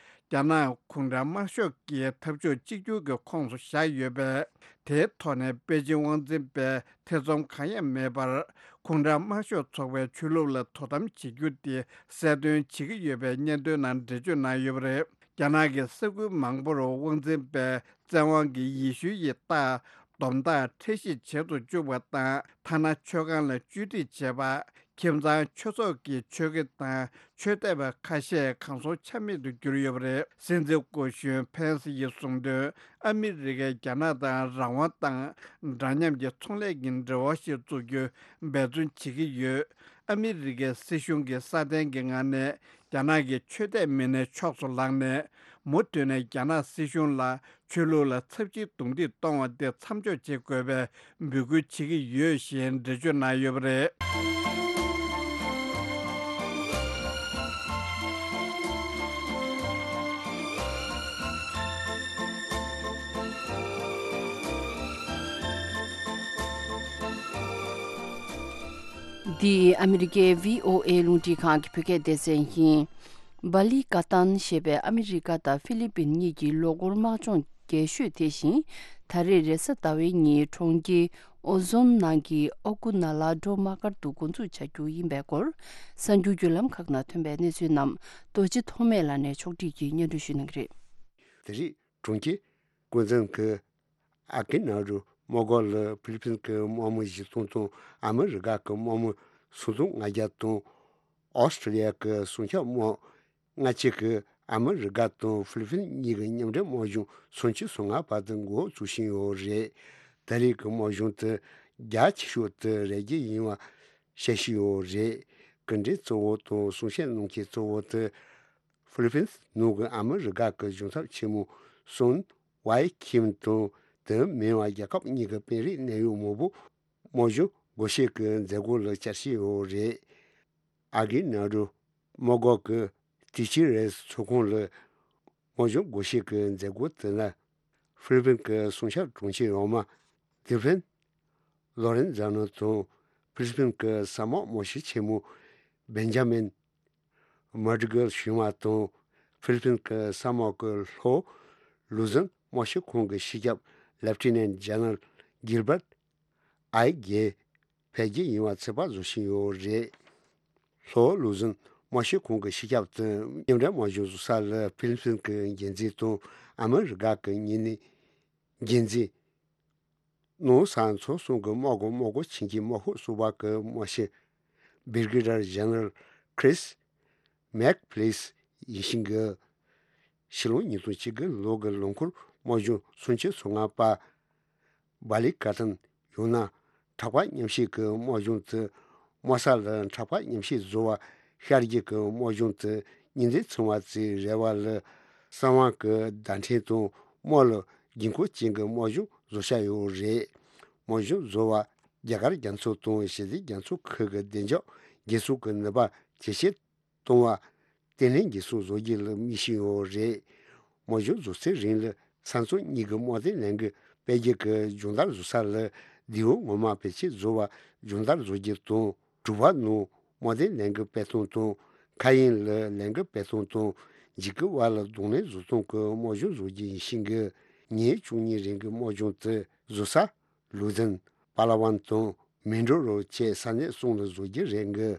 རྒྱ་ནག་གུང་ཁྲན་དམར་ཤོག་གི་འཐབ་ཕྱོགས་གཅིག་གྱུར་གྱི་ཁོངས་སུ་བཞག་ཡོད་པས། དེའི་ཐོག་ནས་པེ་ཅིན་དབང་འཛིན་པས་ཐེ་ཚོམ་གང་ཡང་མེད་པར། གུང་ཁྲན་དམར་ཤོག་ཚོགས་པའི་ཆོས་ལུགས་ལ་དོ་དམ་བྱེད་རྒྱུ་དེ་གསལ་སྟོན་བྱེད་ཀྱི་ཡོད་པའི་སྙན་ཐོའི་ནང་འགྲེལ་བརྗོད་གནང་ཡོད་པ་རེད། རྒྱ་ནག་གི་ས་ཁུལ་མང་པོར་དབང་འཛིན་པས་བཙན་དབང་གིས་ཡེ་ཤུའི་རྟགས། སྡོམ་རྟགས་འཁྲི་གཞི་བྱེད་དུ་བཅུག་པ་དང་། ཐ་ན་ཆོས་ཁང་ལ་བཅོས་སྒྲིག་བྱས་པ། ཁྱིམ་ཚང་ཆོས་ཚོགས་ཀྱི་ཆོས་དགེ་དང་ཆོས་དད་པ་ཁ་ཤས་གང་སར་ཆ་མེད་དུ་གྱུར་ཡོད་པ་རེད། སྲིད་འཛིན་སྐུ་གཞོན་ཕེན་སི་ཡིས་གསུངས་དོན། ཨ་མི་རི་ཀས་རྒྱ་ནག་དང་རང་དབང་དང་འདྲ་མཉམ་གྱི་ཚོང་ལས་ཀྱི་འབྲེལ་བ་ཞིག་བཙུགས་རྒྱུའི་འབད་བརྩོན་བྱེད་ཀྱི་ཡོད། ཨ་མི་རི་ཀའི་སྲིད་གཞུང་གིས་སྲ་བརྟན་གྱི་ངང་ནས་རྒྱ་ནག་གི་ཆོས་དད་མི་སྣའི་ཕྱོགས་སུ་ལངས་ནས། མུ་མཐུད་ནས་རྒྱ་ནག་སྲིད་གཞུང་ལ་ཆོས་ལུགས་ལ་ཚབས་ཆེའི་རྡུང་རྡེག་གཏོང་བ་དེ་མཚམས་འཇོག་བྱེད་དགོས་པའི་འབོད་སྐུལ་བྱེད་ཀྱི་ཡོད་ཞེས་འགྲེལ་བརྗོད་གནང་ཡོད་པ་རེད། འདི་ཨ་མི་རི་ཀའི་བྷི་ཨོ་ཨེ་རླུང་འཕྲིན་ཁང་གི་བོད་སྐད་སྡེ་ཚན་ཡིན། སྦ་ལི་ཀ་ཏན་ཞེས་པའི་ཨ་མི་རི་ཀ་དང་ཧྥི་ལི་པིན་གཉིས་ཀྱི་ལོ་འཁོར་དམག་སྦྱོང་རྒྱས་ཤོས་དེ་བཞིན། ད་རེས་རེས་གཟའ་ཟླ་བའི་ཉིན་གྲོང་ཁྱེར་ཨོ་ཛོན་ནང་གི་ཨོ་ཀུ་ན་ལ་སྒྲོལ་མ་སྒར་དུ་འགོ་འཛུགས་བྱ་རྒྱུ་ཡིན་པའི་སྐོར། གསར་འགྱུར་བརྒྱུད་ལམ་ཁག་ནང་ཐོན་པའི་གནས་ཚུལ་རྣམས་རྡོ་རྗེ་ཐོགས་མེད་ལགས་ནས་ཕྱོགས་སྒྲིག་གིས་སྙན་སྒྲོན་ཞུ་གནང་གི་རེད། དེ་རིང་གྲོང་ཁྱེར་ཀུན་བཟང་གི་ཨ་ཀི་ན་རུ་དམག་སྒར་ལ་ཕི་ལི་ཕིན་གྱི་དམག་མི་བཞི་སྟོང་དང་ཨ་མི་རི་ཀ་གི་དམག་མི་སུམ་སྟོང་ལྔ་བརྒྱ་དང་། ཨོ་སི་ཀྲི་ལི་ཡ་གི་སྲུང་སྐྱོབ་དམག་ལྔ་བཅུ་གིས་ཨ་མི་རི་ཀ་དང་ཧྥི་ལི་ཕིན་གཉིས་ཀྱི་མཉམ་འབྲེལ་དམག་སྦྱོང་སུམ་ཅུ་སོ་ལྔ་པ་དེ་འགོ་བཙུགས་བཞིན་ཡོད་རེད། ད་རེས་ཀྱི་དམག་སྦྱོང་དེ་རྒྱ་ཆེ་ཤོས་དེ་རེ་རྒྱུ་ཡིན་པ་བཤད་བཞིན་ཡོད་རེད། སྐུ་མགྲོན་གཙོ་བོ་དང་གསུང་བཤད་གནང་མཁན་གཙོ་བོ་དེ་ཧྥི་ལི་ཕིན་ནང་གི་ཨ་མི་རི་ཀ་གི་གཞུང་ཚབ་ཆེན་མོ་སོན་ཝའེ་ཁིམ་དང་དེ་མིན་པ་རྒྱལ་ཁབ་གཉིས་ཀྱི་དཔོན་རིགས་གནད་ཡོད་མང་པོ་དམག་སྦྱོང་སྒོ་ཕྱེ་གི་མཛད་སྒོ་ལ་བཅར་བཞིན་ཡོད་རེད། ཨ་ཀི་ན་རུ་དམག་སྒར་གྱི་ཏི་ཅི་རེས་ཚོགས་ཁང་ལ་དམག་སྦྱོང་སྒོ་ཕྱེ་གི་མཛད་སྒོ་དེ་ལ་ཧྥི་ལི་ཕིན་གྱི་སྲུང་སྐྱོབ་དྲུང་ཆེ་འོག་མ་ཏི་ཕན་ལོ་རེན་ཛ་ནོ་དང་ཧྥི་ལི་ཕིན་གྱི་ས་དམག་དམག་སྤྱི་ཆེན་མོ་བེན་ཇ་མིན་མར་ཏི་གལ་ཞུ་མ་དང་ཧྥི་ལི་ཕིན་གྱི་ས་དམག་གི་ལྷོ་ལུ་ཟན་དམག་སྤྱི་ཁང་གི་སྤྱི་ཁྱབ་ལེབ་ཊི་ནན་ཇེ་ནེ་རལ་གིལ་བར་ཨའི་གེ་ཕེབས་རྒྱུ་ཡིན་པ་ཚོད་དཔག་བཟོ་བཞིན་ཡོད་རེད། ལྷོ་ལུ་ཟན་དམག་སྤྱི་ཁང་གི་སྤྱི་ཁྱབ་དང་མཉམ་འབྲེལ་དམག་སྦྱོང་བཟོ་ས་ལ་ཧྥི་ལི་ཕིན་གྱི་འགན་འཛིན་དང་ཨ་མི་རི་ཀ་གི་གཉིས་ནས་འགན་འཛིན། ནང་ས་མཚོ་གསུམ་གྱི་དམག་གི་དམག་སྒོ་ཆེན་གྱི་དམག་ཤོག་གསུམ་པ་གི་དམག་སྤྱི་བྷི་རི་གེ་ཌར་ཇེ་ནེ་རལ་ཁྲིས་མེག་ཕི་ལིས་ཡིན་ཞིང་གི། ཕྱི་ལོ་ཉིས་སྟོང་བཅུ་དགུ་ལོ་གི་ལོ་འཁོར་དམག་སྦྱོང་སུམ་ཅུ་སོ་ལྔ་པ། བ་ལི་ཀ་ཐན་ཡང་ན་དྲག་པ་མཉམ་བཤིག་གི་དམག་སྦྱོང་དེ་དམག་ས་ལ་དྲག་པ་མཉམ་བཤིག་བཟོ་བ་ཤར་རྒྱུ་གི་དམག་སྦྱོང་དེ་ཉིན་མཚན་ཚང་བ་ཙམ་རེ་བ་ལ་གསང་བ་གི་བརྡ་འཕྲིན་དང་དམག་ལ་དགོས་མཁོ་ཅན་གྱི་དམག་སྦྱོང་བཟོ་བྱ་ཡོད་རེད། དམག་སྦྱོང་བཟོ་བ་རྒྱ་གར་རྒྱ་མཚོ་དང་ཞི་བདེ་རྒྱ་མཚོ་ཁུལ་གྱི་བདེ་འཇགས་རྒྱལ་ཚོགས་ཀྱི་ནུས་པ་ཇེ་ཆེར་གཏོང་བ། བརྟན་ལྷིང་རྒྱལ་སྲུང་བཟོ་རྒྱུ་ལ་དམིགས་བཞིན་ཡོད་རེད། དམག་སྦྱོང་བཟོ་ཚེ་རིང་ལ་ས་མཚམས་གཉིས་ཀྱི་དམག་དོན་ལས་འགུལ་སྤེལ་རྒྱུ་གི་སྦྱོང་བརྡར་བཟོ་ས་ལ་མདེའུ་ངོ་མ་བེད་སྤྱོད་བཟོ་བ་སྦྱོང་བརྡར་བཟོ་རྒྱུ་དང་། གྲུ་པ་ནང་དམག་དོན་ལས་འགུལ་སྤེལ་སྟངས་དང་། མཁའ་དབྱིངས་ལ་ལས་འགུལ་སྤེལ་སྟངས་དང་། འཇིགས་སྐུལ་བ་ལ་གདོང་ལེན་བཟོ་སྟངས་ཀྱི་དམག་སྦྱོང་བཟོ་རྒྱུ་ཡིན་ཞིང་གི། ཉིན་བཅུ་གཉིས་རིང་གི་དམག་སྦྱོང་དེ་བཟོ་ས། ལུ་ཛན། པ་ལ་ཝན་དང་མིན་ཌོ་རོ་བཅས་ས་གནས་གསུམ་ལ་བཟོ་རྒྱུ་རེད་འགི།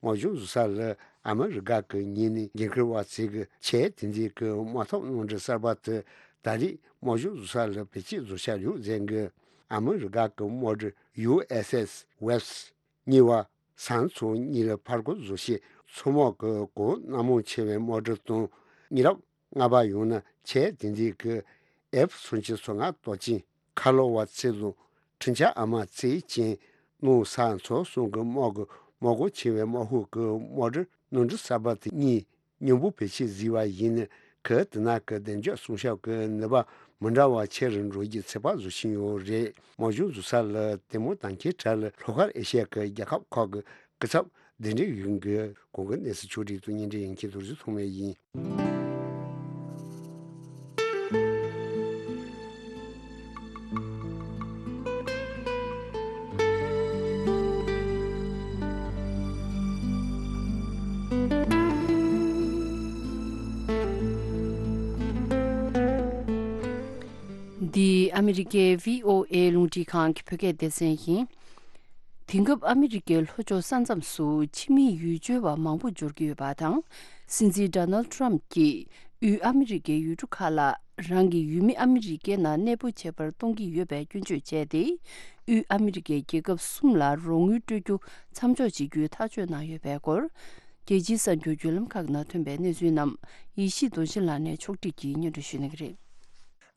དམག་སྦྱོང་བཟོ་ས་ལ་ཨ་མི་རི་ཀ་གི་ཉིན་ནས་འགན་འཁུར་བ་ཚོས་གི་ཆེས་དེང་དུས་ཀྱི་དམག་འཐབ་གནམ་གྲུ་གསར་པ་དེ་ད་རེས་དམག་སྦྱོང་བཟོ་ས་ལ་བེད་སྤྱོད་བཟོ་འཆར་ཡོད་ཟེར་འགི། ཨ་མི་རི་ཀ་གི་དམག་གྲུ་ཡུ་ཨེས་ཨེས་ཝེབས་གཉིས་པ། ས་མཚམས་གཉིས་ལ་ཕར་རྒོལ་བཟོ་ཆེད་མཚོ་དམག་གི་གོ་སྣ་མང་ཆེ་བའི་དམག་གྲུ་དང་། མི་རབས་ལྔ་པ་ཡང་ན་ཆེས་དེང་དུས་ཀྱི་ཨེཕ་སུམ་ཅུ་སོ་ལྔ་སྟོབས་ཅན་ཁ་ལོ་བ་ཚེ་ལོ་འཕྲིན་བཅར་ཨ་མ་ཚེ་ཅན་ནང་ས་མཚོ་གསུམ་གྱི་དམག་གི་དམག་སྒོ་ཆེ་བའི་དམག་ཤོག་གི་དམག་གྲུ་གནམ་གྲུ་གསར་པ་དེ་གཉིས་མཉམ་པོ་བེད་སྤྱོད་བཟོས་པ་ཡིན་ན་ཁུལ་དེ་ན་གི་བདེ་འཇགས་སྲུང་སྐྱོབ་ཀྱི་ནུས་པ་མི་འདྲ་བ་ཆེ་རུ་འགྲོ་རྒྱུའི་ཚོད་དཔག་བཟོ་བཞིན་ཡོད་རེད། དམག་སྦྱོང་བཟོ་ས་ལ་དེ་མོ་དང་ཁའི་གྲས་ལ་ལྷོ་ཤར་ཨེ་ཤི་ཡ་གི་རྒྱལ་ཁབ་ཁག་གི་སྐུ་ཚབ་གདན་འདྲེན་ཡོད་འགི། གོང་གི་གནས་ཚུལ་ཕྱོགས་བསྒྲིགས་དང་སྙན་སྒྲོན་ཡིན་མཁན་རྡོ་རྗེ་ཐོགས་མེད་ཡིན། འདི་ཨ་མི་རི་ཀའི་བྷི་ཨོ་ཨེ་རླུང་འཕྲིན་ཁང་གི་བོད་སྐད་སྡེ་ཚན་ཡིན། དེང་སྐབས་ཨ་མི་རི་ཀའི་ལྷོ་ཕྱོགས་ས་མཚམས་སུ་ཕྱི་མི་ཡུལ་སྐྱོད་པ་མང་པོ་འབྱོར་གྱི་ཡོད་པ་དང་། སྲིད་འཛིན་ཌོ་ནལ་ཊམ་གྱིས་དབུས་ཨ་མི་རི་ཀའི་ཡུལ་གྲུ་ཁག་ལ་རང་གི་ཡུལ་མི་ཨ་མི་རི་ཀའི་ནང་གནས་སྤོ་བྱེད་པར་གཏོང་གི་ཡོད་པའི་སྐྱོན་བརྗོད་བྱས་ཏེ། དབུས་ཨ་མི་རི་ཀའི་རྒྱལ་ཁབ་གསུམ་ལ་རོགས་དངུལ་སྤྲོད་རྒྱུ་མཚམས་འཇོག་བྱེད་རྒྱུའི་ཐག་གཅོད་གནང་ཡོད་པའི་སྐོར། རྒྱལ་སྤྱིའི་གསར་འགྱུར་བརྒྱུད་ལམ་ཁག་ནང་ཐོན་པའི་གནས་ཚུལ་རྣམས་ཡེ་ཤེས་རྡོ་རྗེ་ལགས་ནས་ཕྱོགས་བསྒྲིགས་ཀྱིས་སྙན་སྒྲོན་ཞུ་གནང་གི་རེད།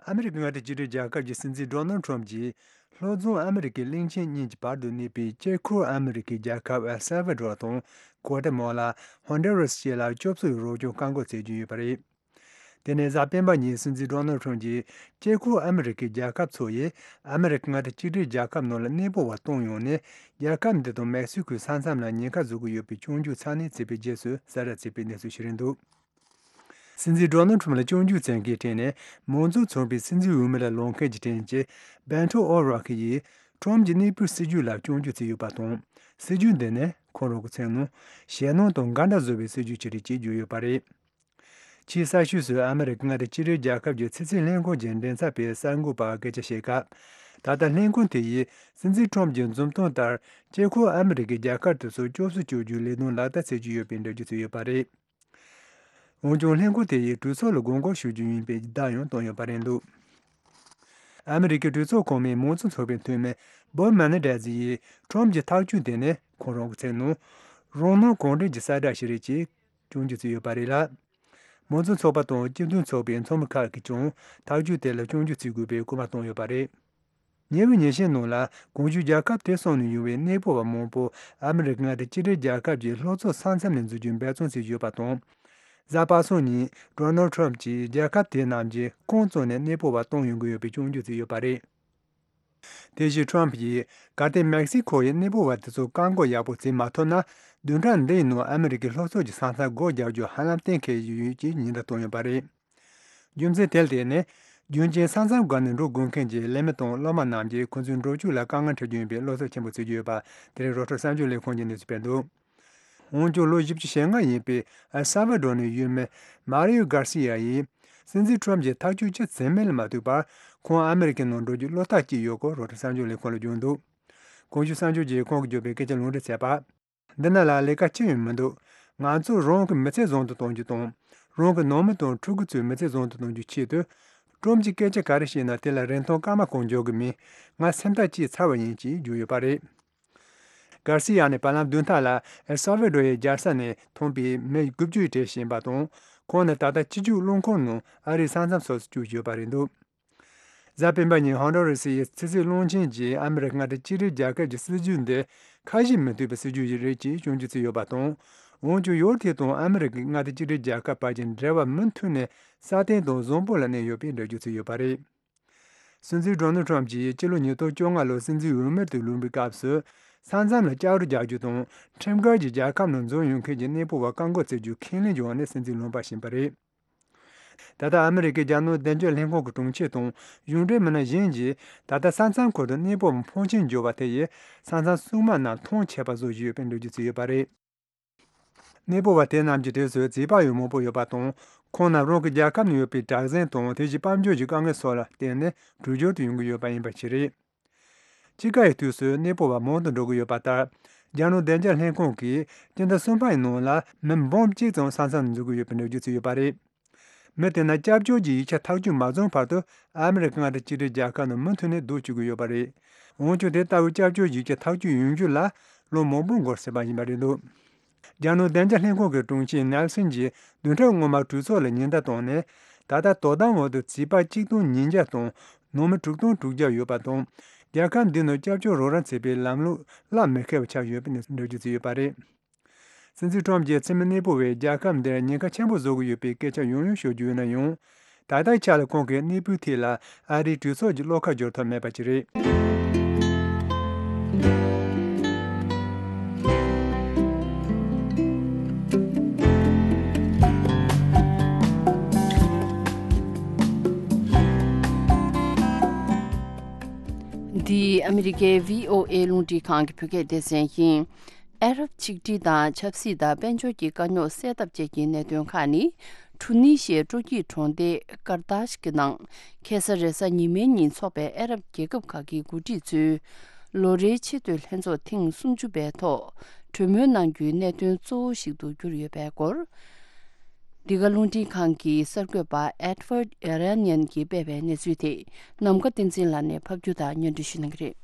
ཨ་མི་རི་ཀའི་མངའ་སྡེ་གཅིག་སྒྲིལ་རྒྱལ་ཁབ་ཀྱི་སྲིད་འཛིན་ཌོ་ནལ་ཊམ་གྱིས། ལྷོ་རྫོང་ཨ་མི་རི་ཀའི་གླིང་ཆེན་གཉིས་ཀྱི་བར་དུ་གནས་པའི་དཀྱིལ་འཁོར་ཨ་མི་རི་ཀའི་རྒྱལ་ཁབ་ཨེལ་སལ་ཝ་ཌོར་དང་། གོ་ཏེ་མ་ལ། ཧོན་ཌུ་རཱས་བཅས་ལ་སྐྱོབ་གསོའི་རོགས་སྐྱོར་བཀག་འགོག་བྱེད་ཀྱི་ཡོད་པ་རེད། དེ་ནས་གཟའ་སྤེན་པ་ཉིན་སྲིད་འཛིན་ཌོ་ནལ་ཊམ་གྱིས། དཀྱིལ་འཁོར་ཨ་མི་རི་ཀའི་རྒྱལ་ཁབ་ཚོ་ཡིས་ཨ་མི་རི་ཀ་མངའ་སྡེ་གཅིག་སྒྲིལ་རྒྱལ་ཁབ་ནང་ལ་གནས་སྤོ་བ་གཏོང་ཡོང་ནས། རྒྱལ་ཁབ་འདི་དང་མེག་སི་ཀོའི་ས་མཚམས་ལ་ཉེན་ཁ་བཟོ་གི་ཡོད་པའི་སྐྱོན་བརྗོད་ཚ་ནན་བྱས་པའི་རྗེས་སུ་གསལ་བསྒྲགས་བྱས་པའི་གནས་ཚུལ་ཞིག་རེད་འདུག་སྲིད་འཛིན་ཌོ་ནལ་ཊམ་ལ་སྐྱོན་བརྗོད་བྱེད་མཁན་གྲས་ནས་མང་གཙོ་ཚོགས་པའི་སྲིད་འཛིན་འོས་མི་ལ་ལངས་མཁན་གྱི་གྲས་ཀྱི་བྷེ་ཊོ་ཨོ་རོག་ཡིས་ཊམ་གྱི་གནས་སྤོའི་སྲིད་ཇུས་ལ་སྐྱོན་བརྗོད་བྱས་ཡོད་པ་དང་། སྲིད་ཇུས་འདི་ནི་ཁོང་རང་གི་མཚན་ནང་ཞེད་སྣང་དང་འགལ་ཟླ་བཟོ་བའི་སྲིད་ཇུས་ཅིག་རེད་ཅེས་བརྗོད་ཡོད་པ་རེད། ཕྱིའི་གསར་ཤོག་སུ་ཨ་མི་རི་ཀ་མངའ་སྡེ་སྤྱི་མཐུན་རྒྱལ་ཁབ་ཀྱི་ཕྱི་སྲིད་ལྷན་ཁང་གི་མགྲིན་ཚབ་པས་གསར་འགོད་པར་སྐད་ཆ་བཤད་སྐབས། ད་ལྟ་ལྷན་ཁང་དེ་ཡིས་སྲིད་འཛིན་ཁྲོམ་གྱི་འཛུམ་སྟོན་ལྟར་དཀྱིལ་འཁོར་ཨ་མི་རི་ཀའི་རྒྱལ་ཁབ་དེ་ཚོ་སྐྱོབ་གསོ་བྱ་རྒྱུའི་ལས་དོན་ལག་བསྟར་བྱེད་ཀྱི་ཡོད་པའི་འགྲེལ་བརྗོད་བྱས་ཡོད་པ་རེད། འོན་ཀྱང་ལྷན་ཁང་དེ་ཡིས་གྲོས་ཚོགས་ལ་དགོངས་སྐོར་ཞུ་རྒྱུ་ཡིན་པའི་བརྡ་ཡང་བཏང་ཡོད་པ་རེད་འདུག་ཨ་མི་རི་ཀའི་གྲོས་ཚོགས་གོང་མའི་མང་གཙོ་ཚོགས་པའི་འཐུས་མི་བོབ་མེ་ནེ་ཌེ་ཛི་ཡིས་ཁྲོམ་གྱི་ཐག་གཅོད་དེ་ནི་ཁོང་རང་གི་མཚན་ནང་རང་སྣང་གང་དྲན་གྱི་གསལ་བསྒྲགས་ཤིག་རེད་ཅེས་སྐྱོན་བརྗོད་བྱས་ཡོད་པ་རེད་ལ། མང་གཙོ་ཚོགས་པ་དང་སྤྱི་མཐུན་ཚོགས་པའི་ཚོགས་མི་ཁག་གིས་ཀྱང་ཐག་གཅོད་དེ་ལ་སྐྱོན་བརྗོད་བྱེད་དགོས་པའི་སྐུལ་མ་བཏང་ཡོད་པ་རེད། ཉེ་བའི་ཉིན་ཤས་ནང་ལ་གོང་ཞུས་རྒྱལ་ཁབ་དེ་གསུམ་ནས་ཡོང་བའི་གནས་སྤོ་བ་མང་པོ་ཨ་མི་རི་ཀ་མངའ་སྡེ་གཅིག་སྒྲིལ་རྒྱལ་ཁབ་ཀྱི་ལྷོ་ཕྱོགས་ས་མཚམས་ནས་འཛུལ་རྒྱུའི་འབད་བརྩོན་བྱེད་ཀྱི་ཡོད་པ་དང་། གཟའ་པ་སངས་ཉིན་ཌོ་ནལ་ཁྲོམ་གྱིས་རྒྱལ་ཁབ་དེ་རྣམས་ཀྱི་ཁོངས་གཙོ་ནས་གནས་སྤོ་བ་གཏོང་ཡོང་གི་ཡོད་པའི་སྐྱོན་བརྗོད་བྱས་ཡོད་པ་རེད། དེ་བཞིན་ཁྲོམ་གྱིས་གལ་ཏེ་མེག་སི་ཁོ་ཡི་གནས་སྤོ་བ་དེ་ཚོ་བཀག་འགོག་ཡག་པོ་བྱེད་མ་ཐུབ་ན། བདུན་ཕྲག་འདིའི་ནང་ཨ་མི་རི་ཀའི་ལྷོ་ཕྱོགས་ཀྱི་ས་མཚམས་སྒོ་རྒྱག་རྒྱུ་ཧ་ལམ་གཏན་འཁེལ་ཡོད་ཅེས་ཉེན་བརྡ་བཏང་ཡོད་པ་རེད། རྒྱུ་མཚན་དེ་ལ་བརྟེན་ནས། རྒྱུན་གྱི་ས་མཚམས་བརྒལ་ནས་འགྲོ་དགོས་མཁན་གྱི་ལས་མི་དང་སློབ་མ་རྣམས་ཀྱིས་ཁོ་ཚོའི་འགྲོ་སྐྱོད་ལ་དཀའ་ངལ་འཕྲད་རྒྱུ་ཡིན་པའི་བློ་འཚབ་ཆེན་པོ་བྱེད་ཀྱི་ཡོད་པ། དེ་རིང་རོའི་ཊར་གསར་འགྱུར་ལས་ཁང་གིས་གནས་ཚུལ་སྤེལ་འདུག་འོན་ཀྱང་ལོ་བཞི་བཅུ་ཞེ་ལྔ་ཡིན་པའི་ཨེལ་སཱ་ཝ་ཌོར་ནས་ཡུལ་མི་མཱ་རི་ཡོ་གྷར་སི་ཡ་ཡིས། སྲིད་འཛིན་ཁྲོམ་གྱིས་ཐག་གཅོད་ཅི་བྱེད་མིན་ལ་མ་ལྟོས་པར། ཁོང་ཨ་མི་རི་ཀའི་ནང་འགྲོ་རྒྱུའི་བློ་ཐག་བཅད་ཡོད་སྐོར་རོའི་ཊར་གསར་འགྱུར་ལས་ཁང་ལ་བརྗོད་འདུག་གོང་ཞུས་གསར་འགྱུར་གྱིས་ཁོང་གིས་བརྗོད་པའི་སྐད་ཆ་ལུང་འདྲེན་བྱས་པ། འདི་ན་ལ་ལས་ཀ་ཅི་ཡང་མི་འདུག་ང་ཚོས་རང་གི་མི་ཚེ་བཟང་དུ་གཏོང་རྒྱུ་དང་། རང་གི་ནང་མི་དང་ཕྲུ་གུ་ཚོའི་མི་ཚེ་བཟང་དུ་གཏོང་རྒྱུའི་ཆེད་དུ། ཁྲོམ་གྱིས་སྐད་ཆ་ག་རེ་བཤད་ན་དེ་ལ་རིན་ཐང་སྐར་མ་གང་འཇོག་གི་མིན། ང་སེམས་ཐག་བཅད་ཚར་བ་ཡིན་ཅེས་བརྗོད་ཡོད་པ་རེད། གར་སི་ཡ་ནི་བར་ལམ་བདུན་ཕྲག་ལ་ཨེལ་སཱ་ཝ་ཌོར་ཡི་རྒྱལ་ས་ནས་ཐོན་པའི་མི་དགུ་བཅུ་ཡི་གྲས་ཤིག་ཡིན་པ་དང་། ཁོང་ནི་ད་ལྟ་སྤྱི་སྤྱོད་རླུང་འཁོར་ནང་ཨ་རིའི་ས་མཚམས་སོགས་སུ་བསྐྱོད་ཡོད་པ་རེད་འདུག་གཟའ་སྤེན་པ་ཉིན་ཧོན་ཌོ་རེ་སི་ཡི་ཕྱི་སྲིད་བློན་ཆེན་གྱིས་ཨ་མི་རི་ཀ་མངའ་སྡེ་གཅིག་སྒྲིལ་རྒྱལ་ཁབ་ཀྱི་སྲིད་ཇུས་འདི་ཁ་ཞེ་མི་མཐུན་པའི་སྲིད་ཇུས་ཤིག་རེད་ཅེས་སྐྱོན་བརྗོད་བྱས་ཡོད་པ་དང་། འོན་ཀྱང་ཡུལ་དེ་དང་ཨ་མི་རི་ཀའི་མངའ་སྡེ་གཅིག་སྒྲིལ་རྒྱལ་ཁབ་བར་གྱི་འབྲེལ་བ་མུ་མཐུད་ནས་སྲ་བརྟན་དང་བཟང་པོ་ལ་གནས་ཡོད་པའི་འགྲེལ་བརྗོད་བྱས་ཡོད་པ་རེད། སྲིད་འཛིན་ཌོ་ནལ་ཁྲོམ་གྱིས་སྤྱི་ལོ་ཉིས་སྟོང་བཅོ་ལྔ་ལོར་སྲིད་འཛིན་འོས་མིར་དུ་ལངས་པའི་སྐབས་སུ། ས་མཚམས་ལ་ལྕགས་རི་རྒྱག་རྒྱུ་དང་། ཁྲིམས་འགལ་གྱིས་རྒྱལ་ཁབ་ནང་འཛུལ་ཡོང་མཁན་གྱི་གནས་སྤོ་བ་བཀག་འགོག་བྱེད་རྒྱུའི་ཁས་ལེན་བྱུང་བ་ནས་སྲིད་འཛིན་ལངས་པ་ཕྱིན་པ་རེད། ད་ལྟ་ཨ་མི་རི་ཀའི་རྒྱལ་ནང་བདེ་འཇགས་ལྷན་ཁང་གི་དྲུང་ཆེ་དང་གཞུང་འབྲེལ་མི་སྣ་གཞན་གྱིས། ད་ལྟ་ས་མཚམས་ཁུལ་དུ་གནས་སྤོ་བ་ཕོན་ཆེན་འབྱོར་བ་དེ་ཡིས་ས་མཚམས་སྲུང་དམག་རྣམས་མཐོང་ཆད་པ་བཟོ་བཞིན་ཡོད་པའི་འགྲེལ་བརྗོད་བྱས་ཡོད་པ་རེད། གནས་སྤོ་བ་དེ་རྣམས་ཀྱི་གྲས་སུ་བྱིས་པ་ཡང་མང་པོ་ཡོད་པ་དང་། ཁོང་རྣམས་རང་གི་རྒྱལ་ཁབ་ནང་ཡོད་པའི་དྲག་ཟིང་དང་དེ་བཞིན་དཔལ་འབྱོར་གྱི་དཀའ་ངལ་སོགས་ལ་བརྟེན་ནས་འགྲུལ་སྐྱོད་དུ་ཡོང་གི་ཡོད་པ་ཡིན་པ་ཞིག་རེད། དཔྱིད་ཀ་ཡི་དུས་སུ་གནས་སྤོ་བ་མང་དུ་འགྲོ་གི་ཡོད་པ་ལྟར། རྒྱལ་ནང་བདེ་འཇགས་ལྷན་ཁང་གིས་སྤྱི་ཟླ་གསུམ་པ་ཡི་ནང་ལ་མི་འབུམ་གཅིག་ཙམ་ས་མཚམས་ནས་འཛུལ་གྱི་ཡོད་པའི་འགྲེལ་བརྗོད་བྱས་ཡོད་པ་རེད། མི་དེ་རྣམས་སྐྱབས་བཅོལ་གྱི་ཡིག་ཆ་ཐག་གཅོད་མ་བྱུང་བར་དུ་ཨ་མི་རི་ཀ་མངའ་སྡེ་གཅིག་སྒྲིལ་རྒྱལ་ཁབ་ནང་མུ་མཐུད་ནས་སྡོད་བཅུག་གི་ཡོད་པ་རེད། འོན་ཀྱང་དེ་ལྟ་བུའི་སྐྱབས་བཅོལ་ཡིག་ཆ་ཐག་གཅོད་ཡོང་རྒྱུ་ལ་ལོ་མང་པོ་འགོར་སྲིད་པ་ཡིན་པ་རེད་འདུག་རྒྱལ་ནང་བདེ་འཇགས་ལྷན་ཁང་གི་དྲུང་ཆེ་ནེལ་སན་གྱིས་བདུན་ཕྲག་སྔོན་མ་གྲོས་ཚོགས་ལ་ཉེན་བརྡ་བཏང་ནས། ད་ལྟ་དོ་དམ་འོག་ཏུ་བྱིས་པ་གཅིག་སྟོང་ཉིས་བརྒྱ་དང་ནང་མི་དྲུག་སྟོང་དྲུག་བརྒྱ་ཡོད་པ་དང་། རྒྱལ་ཁབ་འདི་ནང་སྐྱབས་བཅོལ་རོགས་རམ་བྱེད་པའི་ལམ་ལུགས་གླ་མི་ཁེལ་བ་ཆགས་ཡོད་པའི་འགྲེལ་བརྗོད་བྱས་ཡོད་པ་རེད། སྲིད་འཛིན་ཁྲོམ་གྱིས་འཚེ་མེད་གནས་སྤོ་བས་རྒྱལ་ཁབ་འདིར་ཉེན་ཁ་ཆེན་པོ་བཟོ་གི་ཡོད་པའི་སྐད་ཆ་ཡང་ཡང་ཤོད་ཀྱི་ཡོད་ན་ཡང་། ད་ལྟའི་ཆ་ལ་ཁོང་གི་གནས་སྤོའི་ཐད་ལ་ཨ་རིའི་གྲོས་ཚོགས་ཀྱི་བློ་ཁ་སྦྱོར་ཐབས་མེད་པ་ཅིག་རེད། འདི་ཨ་མི་རི་ཀའི་བྷི་ཨོ་ཨེ་རླུང་འཕྲིན་ཁང་གི་བོད་སྐད་སྡེ་ཚན་ཡིན། ཨ་རབ་ཆིག་སྒྲིལ་དང་ཆབ་སྲིད་དང་དཔལ་འབྱོར་གྱི་དཀའ་རྙོག་སེལ་ཐབས་བཅས་ཀྱི་གནད་དོན་ཁག་ནི། ཁྲུ་ནི་ཤི་ཡའི་སྤྲོ་སྐྱིད་གྲོང་སྡེ་ཀར་ཏཱཤ་གི་ནང་ཁ་སང་རེས་གཟའ་ཉི་མའི་ཉིན་འཚོགས་པའི་ཨ་རབ་རྒྱལ་ཁབ་ཁག་གི་འགོ་ཁྲིད་ཚོའི་ལོ་རེའི་ཆེས་མཐོའི་ལྷན་ཚོགས་ཐེངས་སུམ་ཅུ་པའི་ཐོག་གྲོས་མོལ་གནང་རྒྱུའི་གནད་དོན་གཙོ་བོ་ཞིག་ཏུ་གྱུར་ཡོད་པའི་སྐོར། འདི་ག་རླུང་འཕྲིན་ཁང་གི་གསར་འགོད་པ་ཨེད་ཝར་ཌ་ཨེ་ར་ནི་ཡན་གྱིས་སྤེལ་བའི་གནས་ཚུལ་དེ་ནམ་མཁའ་བསྟན་འཛིན་ལགས་ནས་ཕབ་སྒྱུར་དང་སྙན་སྒྲོན་ཞུ་གནང་གི་རེད།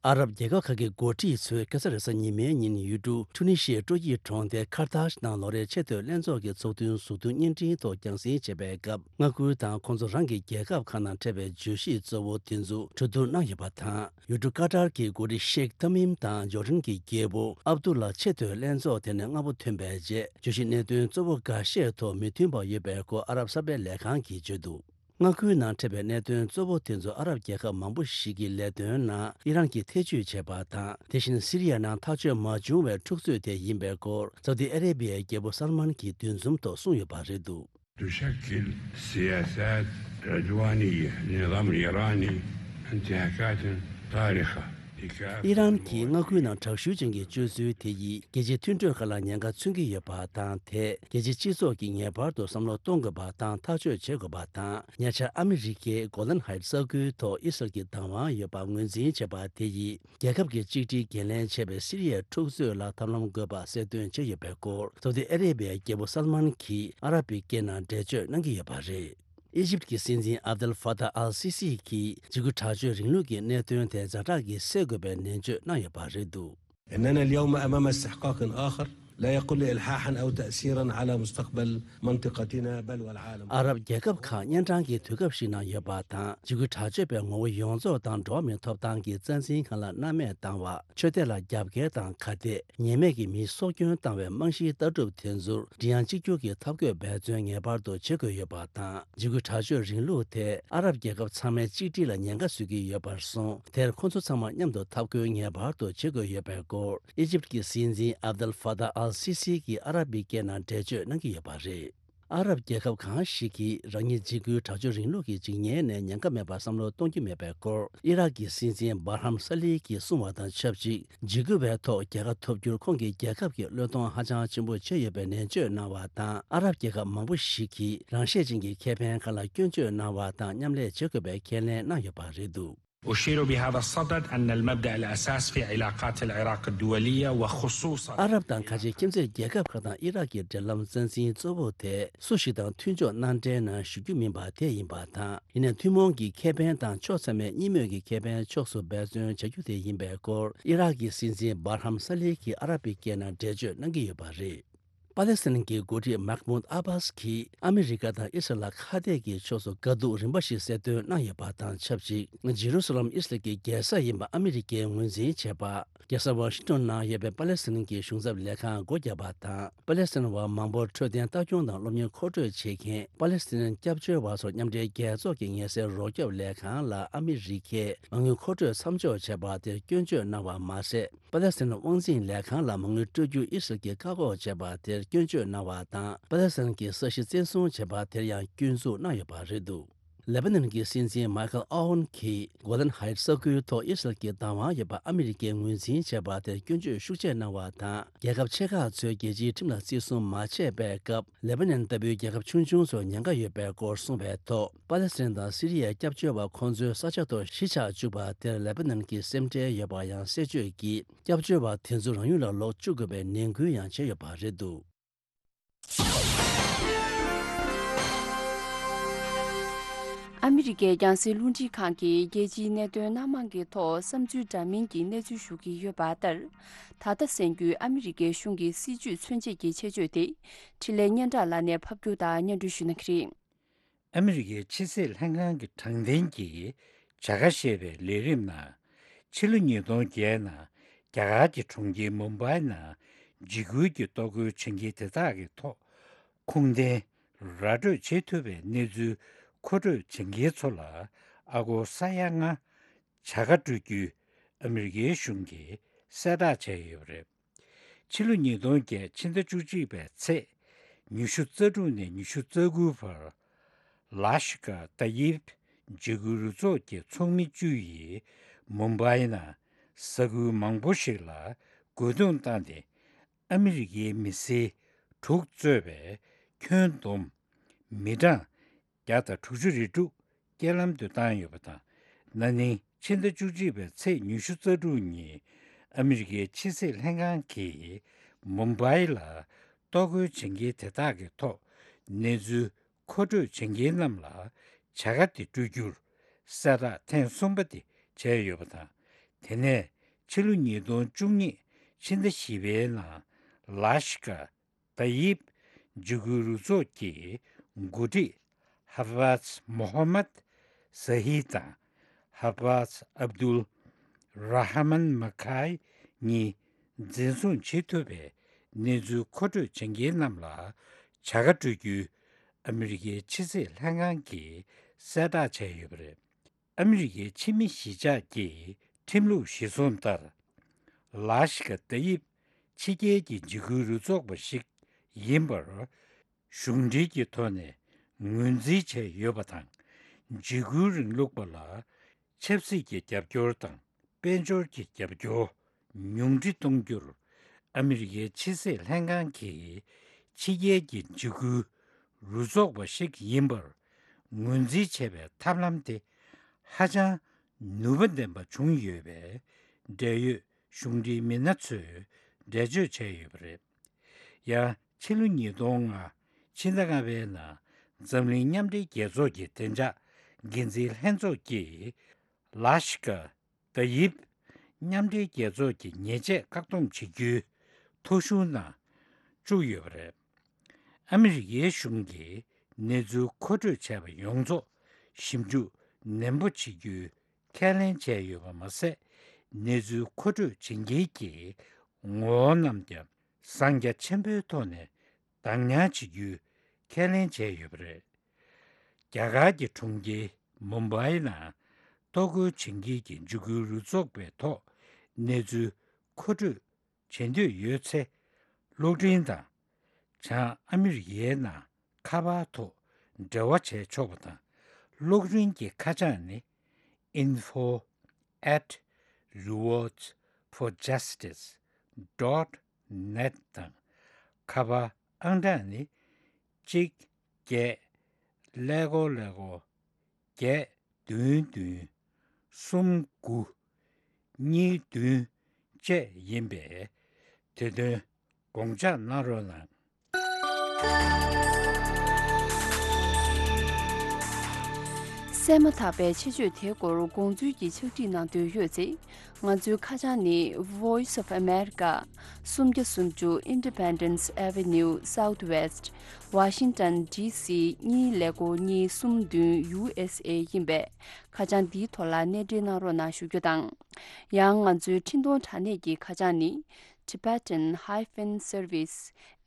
ཨ་རབ་རྒྱལ་ཁབ་ཁག་གི་འགོ་ཁྲིད་ཚོས་ཁ་སང་རེས་གཟའ་ཉི་མའི་ཉིན་ཡུལ་གྲུ་ཁྲུ་ནི་ཤི་ཡའི་སྤྲོ་སྐྱིད་གྲོང་སྡེ་ཁར་ཐཱཤ་ནང་ལོ་རེའི་ཆེས་མཐོའི་ལྷན་ཚོགས་ཀྱི་ཚོགས་ཐུན་གཟུགས་མཐོང་བརྙན་འཕྲིན་ཐོག་རྒྱང་སྲིང་བྱེད་པའི་སྐབས། མངའ་ཁུལ་དང་ཁོང་ཚོ་རང་གི་རྒྱལ་ཁབ་ཁག་ནང་འཕྲད་པའི་བརྗོད་གཞི་གཙོ་བོ་དེ་ཚོ་གྲོས་བསྡུར་གནང་ཡོད་པ་དང་། ཡུལ་གྲུ་ཀ་ཏར་གྱི་འགོ་ཁྲིད་ཤེག་ཐ་མིམ་དང་ཇོར་ཌན་གྱི་རྒྱལ་པོ་ཨབ་དུ་ལ་ཆེས་མཐོའི་ལྷན་ཚོགས་དེ་ནས་སྔ་པོ་ཐོན་པའི་རྗེས། བརྗོད་གཞི་གནད་དོན་གཙོ་བོ་འགའ་ཤས་ཐོག་མི་མཐུན་པ་ཡོད་པའི་སྐོར་ཨ་རབ་གསར་སྤེལ་ལས་ཁང་གིས་བརྗོད་འདུག་མངའ་ཁུལ་ནང་འཕྲད་པའི་གནད་དོན་གཙོ་བོ་དེ་ཚོ་ཨ་རབ་རྒྱལ་ཁབ་མང་པོ་ཞིག་གི་ལས་དོན་ནང་ཨི་རན་གྱིས་ཐེ་བྱུས་བྱས་པ་དང་། དེ་བཞིན་སི་རི་ཡ་ནང་ཐག་གཅོད་མ་བྱུང་བའི་འཁྲུག་རྩོད་དེ་ཡིན་པའི་སྐོར་སའུ་ཏི་ཨ་རེ་བྷི་ཡའི་རྒྱལ་པོ་སལ་མན་གྱིས་འདུ་འཛོམས་ཐོག་གསུངས་ཡོད་པ་རེད་འདུག تشكل سياسات عدوانية للنظام الإيراني انتهاكات صارخة. ཨི་རན་གྱིས་མངའ་ཁུལ་ནང་དྲག་ཤུལ་ཅན་གྱི་སྤྱོད་ཚུལ་དེ་ཡིས་རྒྱལ་སྤྱིའི་མཐུན་གྲོས་ཁག་ལ་ཉེན་ཁ་མཚོན་གྱི་ཡོད་པ་དང་། དེས་རྒྱལ་སྤྱིའི་སྤྱི་ཚོགས་ཀྱིས་ངེས་པར་དུ་བསམ་བློ་གཏོང་དགོས་པ་དང་ཐག་གཅོད་བྱེད་དགོས་པ་དང་། ཉེ་ཆར་ཨ་མི་རི་ཀས་གོ་ལན་ཧའེ་ཊི་ས་ཁུལ་ཐོག་ཨི་སི་རལ་གྱི་བདག་དབང་ཡོད་པ་ངོས་འཛིན་བྱས་པ་དེ་ཡིས། རྒྱལ་ཁབ་ཀྱི་གཅིག་སྒྲིལ་འགན་ལེན་བྱས་པའི་སི་རི་ཡའི་འཁྲུག་རྩོད་ལ་ཐབས་ལམ་དགོས་པ་གསལ་སྟོན་བྱས་ཡོད་པའི་སྐོར། སོ་ཏི་ཨ་རེ་བྷི་ཡའི་རྒྱལ་པོ་སལ་མཱན་གྱིས་ཨ་རབ་པའི་སྐད་ནང་འགྲེལ་བརྗོད་གནང་གི་ཡོད་པ་རེད། ཨི་ཇིབ་ཀྱི་སྲིད་འཛིན་ཨབ་དལ་ཧྥ་ཏཱ་ཨལ་སི་སི་གྱིས་འཇིགས་སྐུལ་དྲག་སྤྱོད་རིང་ལུགས་ཀྱི་གནད་དོན་དེ་ཛ་དྲག་གིས་སེལ་དགོས་པའི་ནན་བརྗོད་གནང་ཡོད་པ་རེད་འདུག། إننا اليوم أمام استحقاق آخر لا يقل إلحاحا أو تأثيرا على مستقبل منطقتنا بل والعالم. ཨ་རབ་རྒྱལ་ཁབ་ཁག་གཉན་འཕྲང་གི་དུས་སྐབས་ཤིག་ནང་ཡོད་པ་དང་། འཇིགས་སྐུལ་དྲག་སྤྱོད་པས་ངོ་བོ་ཡོངས་རྫོགས་དང་འགྲོ་བ་མིའི་ཐོབ་ཐང་གི་རྩ་འཛིན་ཁང་ལ་སྣང་མེད་བཏང་བ། ཆོས་དད་ལ་རྒྱབ་འགལ་དང་ཁ་གཏད། ཉེས་མེད་ཀྱི་མིའི་སྲོག་སྐྱོན་བཏང་བའི་རྨང་གཞིའི་ལྟ་གྲུབ་དེ་ཚོར་སྒྲིག་ཡངས་གཅིག་གྱུར་གྱི་ཐབས་བཀོད་འབད་བརྩོན་ངེས་པར་དུ་བྱེད་དགོས་ཡོད་པ་དང་། འཇིགས་སྐུལ་དྲག་སྤྱོད་རིང་ལུགས་དེ་ཨ་རབ་རྒྱལ་ཁབ་ཚང་མའི་གཅིག་སྒྲིལ་ལ་ཉེན་ཁ་བཟོ་གི་ཡོད་པར་སོང་། དེར་ཁོ་ཚོ་ཚང་མ་མཉམ་དུ་འཐབ་རྒོལ་ངེས་པར་དུ་བྱེད་དགོས་ཡོད་པའི་སྐོར། ཨི་ཇིབ་ཀྱི་སྲིད་འཛིན་ཨབ་དལ་ཧྥ་ཏཱ་ཨལ་སི་སི་གིས་ཨ་རབ་པའི་སྐད་ནང་འགྲེལ་བརྗོད་གནང་གི་ཡོད་པ་རེད། ཨ་རབ་རྒྱལ་ཁབ་གང་ཞིག་གིས་རང་ཉིད་འཇིགས་སྐུལ་དྲག་སྤྱོད་རིང་ལུགས་ཀྱི་འཇིགས་ཉེན་ནས་ཉེན་ཁ་མེད་པར་བསམ་བློ་གཏོང་རྒྱུ་མེད་པའི་སྐོར། ཨི་རག་གི་སྲིད་འཛིན་བྷ་ར་ཧམ་ས་ལི་གིས་གསུངས་པ་དང་ཆབས་ཅིག་འཇིགས་སྐུལ་བའི་ཐོག་རྒྱལ་ཁ་ཐོབ་རྒྱུར་ཁོང་གི་རྒྱལ་ཁབ་ཀྱིས་བློས་གཏོང་ཧ་ཅང་ཆེན་པོ་བྱས་ཡོད་པའི་ནན་བརྗོད་གནང་བ་དང་། ཨ་རབ་རྒྱལ་ཁབ་མང་པོ་ཞིག་གིས་རང་ཤེད་ཅན་གྱི་ཁེ་ཕན་ཁག་ལ་སྐྱོན་བརྗོད་གནང་བ་དང་མཉམ་ལས་བྱེད་དགོས་པའི་ཁས་ལེན་གནང་ཡོད་པ་རེད་འདུག། أشير بهذا الصدد أن المبدأ الأساس في علاقات العراق الدولية وخصوصا ཨ་རབ་དང་ཁ་ཆེ་ཁྱིམ་མཚེས་རྒྱལ་ཁབ་ཁག་དང་ཨི་རག་གི་འབྲེལ་ལམ་རྩ་འཛིན་གཙོ་བོ་དེ་སུ་ཞིག་དང་མཐུན་ཕྱོགས་མནའ་འབྲེལ་ནང་ཞུགས་རྒྱུ་མིན་པ་དེ་ཡིན་པ་དང་། ཡིན་ནའི་ཐུན་མོང་གི་ཁེ་ཕན་དང་ཕྱོགས་ཚང་མའི་གཉིས་མོས་ཀྱི་ཁེ་ཕན་ཕྱོགས་སུ་འབད་བརྩོན་བྱ་རྒྱུ་དེ་ཡིན་པའི་སྐོར། ཨི་རག་གི་སྲིད་འཛིན་བྷ་ར་ཧམ་ས་ལི་གིས་ཨ་རབ་པའི་སྐད་ནང་འགྲེལ་བརྗོད་གནང་གི་ཡོད་པ་རེད། པ་ལེ་སི་ཐན་གྱི་འགོ་ཁྲིད་མཱ་ཁ་མུད་ཨ་བྷ་སི་གིས་ཨ་མི་རི་ཀ་དང་ཨི་སི་རལ་ལ་ཁ་གཏད་ཀྱི་ཕྱོགས་སུ་དཀའ་སྡུག་རིམ་པ་ཞིག་གསལ་སྟོན་གནང་ཡོད་པ་དང་ཆབས་ཅིག་ཇེ་རུ་སཱ་ལམ་ཨི་སི་རལ་གྱི་རྒྱལ་ས་ཡིན་པ་ཨ་མི་རི་ཀས་ངོས་འཛིན་བྱས་པ། རྒྱལ་ས་ཝ་ཤིང་ཏོན་ནང་ཡོད་པའི་པ་ལེ་སི་ཐན་གྱི་གཞུང་ཚབ་ལས་ཁང་སྒོ་བརྒྱབ་པ་དང་། པ་ལེ་སི་ཐན་བ་མང་པོར་འཕྲོད་བསྟེན་ལྟ་སྐྱོང་དང་སློབ་གཉེར་མཁོ་སྤྲོད་བྱེད་མཁན་པ་ལེ་སི་ཐན་སྐྱབས་བཅོལ་བ་ཚོར་མཉམ་འབྲེལ་རྒྱལ་ཚོགས་ཀྱི་ངལ་སེལ་རོགས་སྐྱོབ་ལས་ཁང་ལ་ཨ་མི་རི་ཀས་མ་དངུལ་མཁོ་སྤྲོད་མཚམས་འཇོག་བྱས་པ་དེར་སྐྱོན་བརྗོད་གནང་བ་མ་ཟད། པ་ལེ་སི་ཐན་དབང་འཛིན་ལས་ཁང་ལ་མ་དངུལ་སྤྲོད་རྒྱུར་ཨི་སི་རལ་གྱིས་བཀག་འགོག་བྱས་པ་དེར་སྐྱོན་བརྗོད་གནང་བ་དང་། པ་ལེ་སི་ཐན་གྱི་ས་གཞི་བཙན་བཟུང་བྱས་པ་དེར་ཡང་སྐྱོན་འཛུགས་གནང་ཡོད་པ་རེད་འདུག། ལེ་པ་ནན་གྱི་སྲིད་འཛིན་མཱ་ཁལ་ཨོ་ཝན་གྱིས་གོ་ལན་ཧའེ་ཊི་ས་ཁུལ་ཐོག་ཨི་སི་རལ་གྱི་བདག་དབང་ཡོད་པ་ཨ་མི་རི་ཀས་ངོས་འཛིན་བྱས་པ་དེར་སྐྱོན་བརྗོད་ཤུགས་ཆེ་གནང་བ་དང་། རྒྱལ་ཁབ་ཆེ་ཁག་ཚོས་རྒྱལ་སྤྱིའི་ཁྲིམས་ལ་བརྩི་སྲུང་མ་བྱས་པའི་སྐབས། ལེ་པ་ནན་ལྟ་བུའི་རྒྱལ་ཁབ་ཆུང་ཆུང་ཚོར་ཉེན་ཁ་ཡོད་པའི་སྐོར་གསུངས་པའི་ཐོག་པ་ལེ་སི་ཐན་དང་སི་རི་ཡའི་སྐྱབས་བཅོལ་བ་ཁོང་ཚོའི་ས་ཆ་ཐོག་གཞིས་ཆགས་བཅུག་པ་དེར་ལེ་པ་ནན་གྱིས་སེམས་ཁྲལ་ཡོད་པ་ཡང་གསལ་བརྗོད་ཀྱིས། སྐྱབས་བཅོལ་བ་དེ་ཚོ་རང་ཡུལ་ལ་ལོག་བཅུག་དགོས་པའི་ནན་སྐུལ་ཡང་བྱས་ཡོད་པ་རེད་འདུག། ཨ་མི་རི་ཀའི་རྒྱང་སྲིང་རླུང་འཕྲིན་ཁང་གིས་རྒྱལ་སྤྱིའི་གནད་དོན་སྣ་མང་གི་ཐོག་བསམ་ཚུལ་འདྲ་མིན་གྱི་གནས་ཚུལ་ཞུ་གི་ཡོད་པ་ལྟར། ད་ལྟ་གསན་རྒྱུའི་ཨ་མི་རི་ཀའི་གཞུང་གི་སྲིད་ཇུས་མཚོན་བྱེད་ཀྱི་ཆེད་བརྗོད་དེ། འཕྲིན་ལས་སྙན་གྲགས་ལགས་ནས་ཕབ་སྒྱུར་དང་སྙན་སྒྲོན་ཞུ་གནང་གི་རེད། ཨ་མི་རི་ཀའི་ཕྱི་སྲིད་ལྷན་ཁང་གི་དྲང་བདེན་གྱི་བྱ་དགའ་ཞེས་པའི་ལས་རིམ་ནང་། ཕྱི་ལོ་ཉིས་སྟོང་བརྒྱད་ནང་རྒྱ་གར་གྱི་གྲོང་ཁྱེར་མུམ་བྷའི་ནང་འཇིགས་སྐུལ་གྱི་གཏོར་རྒོལ་བྱེད་མཁན་དེ་དག་གི་ཐོག་ཁུངས་ལྡན་ར་སྤྲོད་བྱེད་ཐུབ་པའི་གནས་ཚུལ་མཁོ་སྤྲོད་བྱེད་མཁན་ཚོ་ལ་ཨ་སྒོར་ས་ཡ་ལྔ་བྱ་དགའ་སྤྲོད་རྒྱུའི་ཨ་མི་རི་ཀའི་གཞུང་གིས་གསལ་བསྒྲགས་བྱས་ཡོད་པ་རེད། ཕྱི་ལོ་ཉིས་སྟོང་བརྒྱད་ཕྱི་ཟླ་བཅུ་གཅིག་པའི་ཚེས་ཉི་ཤུ་རྩ་དྲུག་ནས་ཉི་ཤུ་རྩ་དགུ་བར། ལ་ཤི་ཀ་ཏ་ཡིབ་འཇིགས་སྐུལ་རུ་ཚོགས་ཀྱི་ཚོགས་མི་བཅུ་ཡིས་མུམ་བྷའི་ནང་ས་ཁུལ་མང་པོ་ཞིག་ལ་རྒོལ་རྡུང་བཏང་སྟེ། ཨ་མི་རི་ཀའི་མི་སེར་དྲུག་གཙོས་པའི་ཁྱོན་བསྡོམས་མི་གྲངས་བརྒྱ་དང་དྲུག་ཅུ་རེ་དྲུག་རྐྱེན་ལམ་དུ་བཏང་ཡོད་པ་དང་། ན་ནིང་ཕྱི་ཟླ་བཅུ་གཅིག་པའི་ཚེས་ཉི་ཤུ་རྩ་དྲུག་ཉིན་ཨ་མི་རི་ཀའི་ཕྱི་སྲིད་ལྷན་ཁང་གིས་མུམ་བྷའི་ལ་གཏོར་རྒོལ་བྱེད་མཁན་དེ་དག་གི་ཐོག་གནས་ཚུལ་མཁོ་སྤྲོད་བྱེད་མཁན་རྣམས་ལ་བྱ་དགའ་དེ་སྤྲོད་རྒྱུར་གསལ་བསྒྲགས་ཐེངས་གསུམ་པ་དེ་བྱས་ཡོད་པ་དང་། དེ་ནས་ཕྱི་ལོ་ཉིས་སྟོང་བཅུ་གཉིས་ཕྱི་ཟླ་བཞི་པའི་ནང་ལ་ཤི་ཀ་ཏ་ཡིབ་འཇིགས་སྐུལ་རུ་ཚོགས་ཀྱི་འགོ་ཁྲིད་ཧ་ཧྥཱཛ་མོ་ཧ་མད་ཟ་ཧི་དང་ཧ་ཧྥཱཛ་ཨབ་དུལ་ར་ཧ་མན་མ་ཁའི་གཉིས་འཛིན་བཟུང་བྱེད་ཐུབ་པའི་གནས་ཚུལ་མཁོ་སྤྲོད་བྱེད་མཁན་རྣམས་ལ་བྱ་དགའ་སྤྲོད་རྒྱུའི་ཨ་མི་རི་ཀའི་ཕྱི་སྲིད་ལྷན་ཁང་གིས་གསལ་བསྒྲགས་བྱས་ཡོད་པ་རེད། ཨ་མི་རི་ཀའི་ཕྱི་མི་གཞིས་ཆགས་ཀྱི་ཁྲིམས་ལུགས་གཞིར་བཟུང་ལྟར། ལ་ཤི་ཀ་ཏ་ཡིབ་ཕྱི་རྒྱལ་གྱི་འཇིགས་སྐུལ་རུ་ཚོགས་པ་ཞིག་ཡིན་པར་གཞུང་འབྲེལ་གྱི་ཐོག་ནས་ངོས་འཛིན་བྱས་ཡོད་པ་དང་། འཇིགས་སྐུལ་རིང་ལུགས་པ་ལ་ཆབ་སྲིད་ཀྱི་རྒྱབ་སྐྱོར་དང་ དཔལ་འབྱོར་གྱི་རྒྱབ་སྐྱོར་ཉུང་འཕྲི་གཏོང་རྒྱུར་ཨ་མི་རི་ཀའི་ཕྱི་སྲིད་ལྷན་ཁང་གིས་ཕྱི་རྒྱལ་གྱི་འཇིགས་སྐུལ་རུ་ཚོགས་པ་ཞིག་ཡིན་པར་ངོས་འཛིན་བྱས་པའི་ཐབས་ལམ་དེ་ཧ་ཅང་ནུས་པ་ལྡན་པ་བྱུང་ཡོད་པས། འབྲེལ་ཡོད་གཞུང་འབྲེལ་མི་སྣ་ཚོས་འགྲེལ་བརྗོད་བྱས་ཡོད་པ་རེད། ཡང་ཕྱི་ལོ་ཉིས་སྟོང་ལྔ་ཕྱི་ཟླ་ལྔ་པའི་ནང་འཛམ་གླིང་མཉམ་འབྲེལ་རྒྱལ་ཚོགས་ཀྱི་བདེ་འཇགས་འགན་འཛིན་ལྷན་ཚོགས་ཀྱིས་ལ་ཤི་ཀ་ཏཱ་ཡིབ་མཉམ་འབྲེལ་རྒྱལ་ཚོགས་ཀྱི་ཉེས་ཆད་བཀག་སྡོམ་བྱེད་རྒྱུའི་ཐོ་གཞུང་ནང་བཅུག་ཡོད་པ་རེད། ཨ་མི་རི་ཀའི་གཞུང་གིས་གནས་ཚུལ་མཁོ་སྤྲོད་བྱས་པ་ཡོངས་རྫོགས་ཞིབ་འཇུག་ནན་པོ་བྱེད་རྒྱུའི་ཁས་ལེན་བྱས་ཡོད་པ་མ་ཟད། གནས་ཚུལ་མཁོ་སྤྲོད་བྱེད་མཁན་གྱི་ངོ་བོ་རྣམས་ཀྱང་གཟབ་རྒྱས་ཆེན་པོའི་ཐོག་ནས་བདག་ཉར་བྱེད་རྒྱུའི་ཁས་ལེན་བྱས་ཡོད་པ་རེད། རྒྱ་གར་གྱི་གྲོང་ཁྱེར་མུམ་བྷའི་ནང་གཏོར་རྒོལ་བྱེད་མཁན་གྱི་འཇིགས་སྐུལ་རུ་ཚོགས་པའི་ཐོག་གནས་ཚུལ་མཁོ་སྤྲོད་བྱེད་འདོད་ཡོད་ཚེ། གློག་འཕྲིན་དང་། བྱང་ཨ་མི་རི་ཀའི་ནང་ཁ་པར་ཐོག་འབྲེལ་བ་བྱས་ཆོག་པ་དང་། གློག་འཕྲིན་གྱི་ཁ་བྱང་ནི་info at rewards for justice dot net དང་། ཁ་པར་ཨང་གྲངས་ནི་གཅིག་བརྒྱད་ཀླད་ཀོར་ཀླད་ཀོར་བརྒྱད་བདུན་བདུན་གསུམ་དགུ་གཉིས་བདུན་བཅས་ཡིན་པས། དེ་དོན་དགོངས་འཇགས་གནང་རོགས་གནང་། གསན་མ་ཐག་པའི་ཆེད་བརྗོད་དེའི་སྐོར་དགོངས་ཚུལ་གྱི་ཕྱག་བྲིས་གནང་འདོད་ཡོད་ཚེ། ང་ཚོའི་ཁ་བྱང་ནི་Voice of America། སུམ་བརྒྱ་སུམ་ཅུ། Independence Avenue Southwest། Washington D C གཉིས་ཀླད་ཀོར་གཉིས་གསུམ་བདུན། U S A ཡིན་པས། ཁ་བྱང་འདིའི་ཐོག་ལ་གནས་འབྲེལ་གནང་རོགས་གནང་ཞུ་རྒྱུ་དང་། ཡང་ང་ཚོའི་འཕྲིན་གཏོང་དྲ་གནས་ཀྱི་ཁ་བྱང་ནི་tibetan hyphen service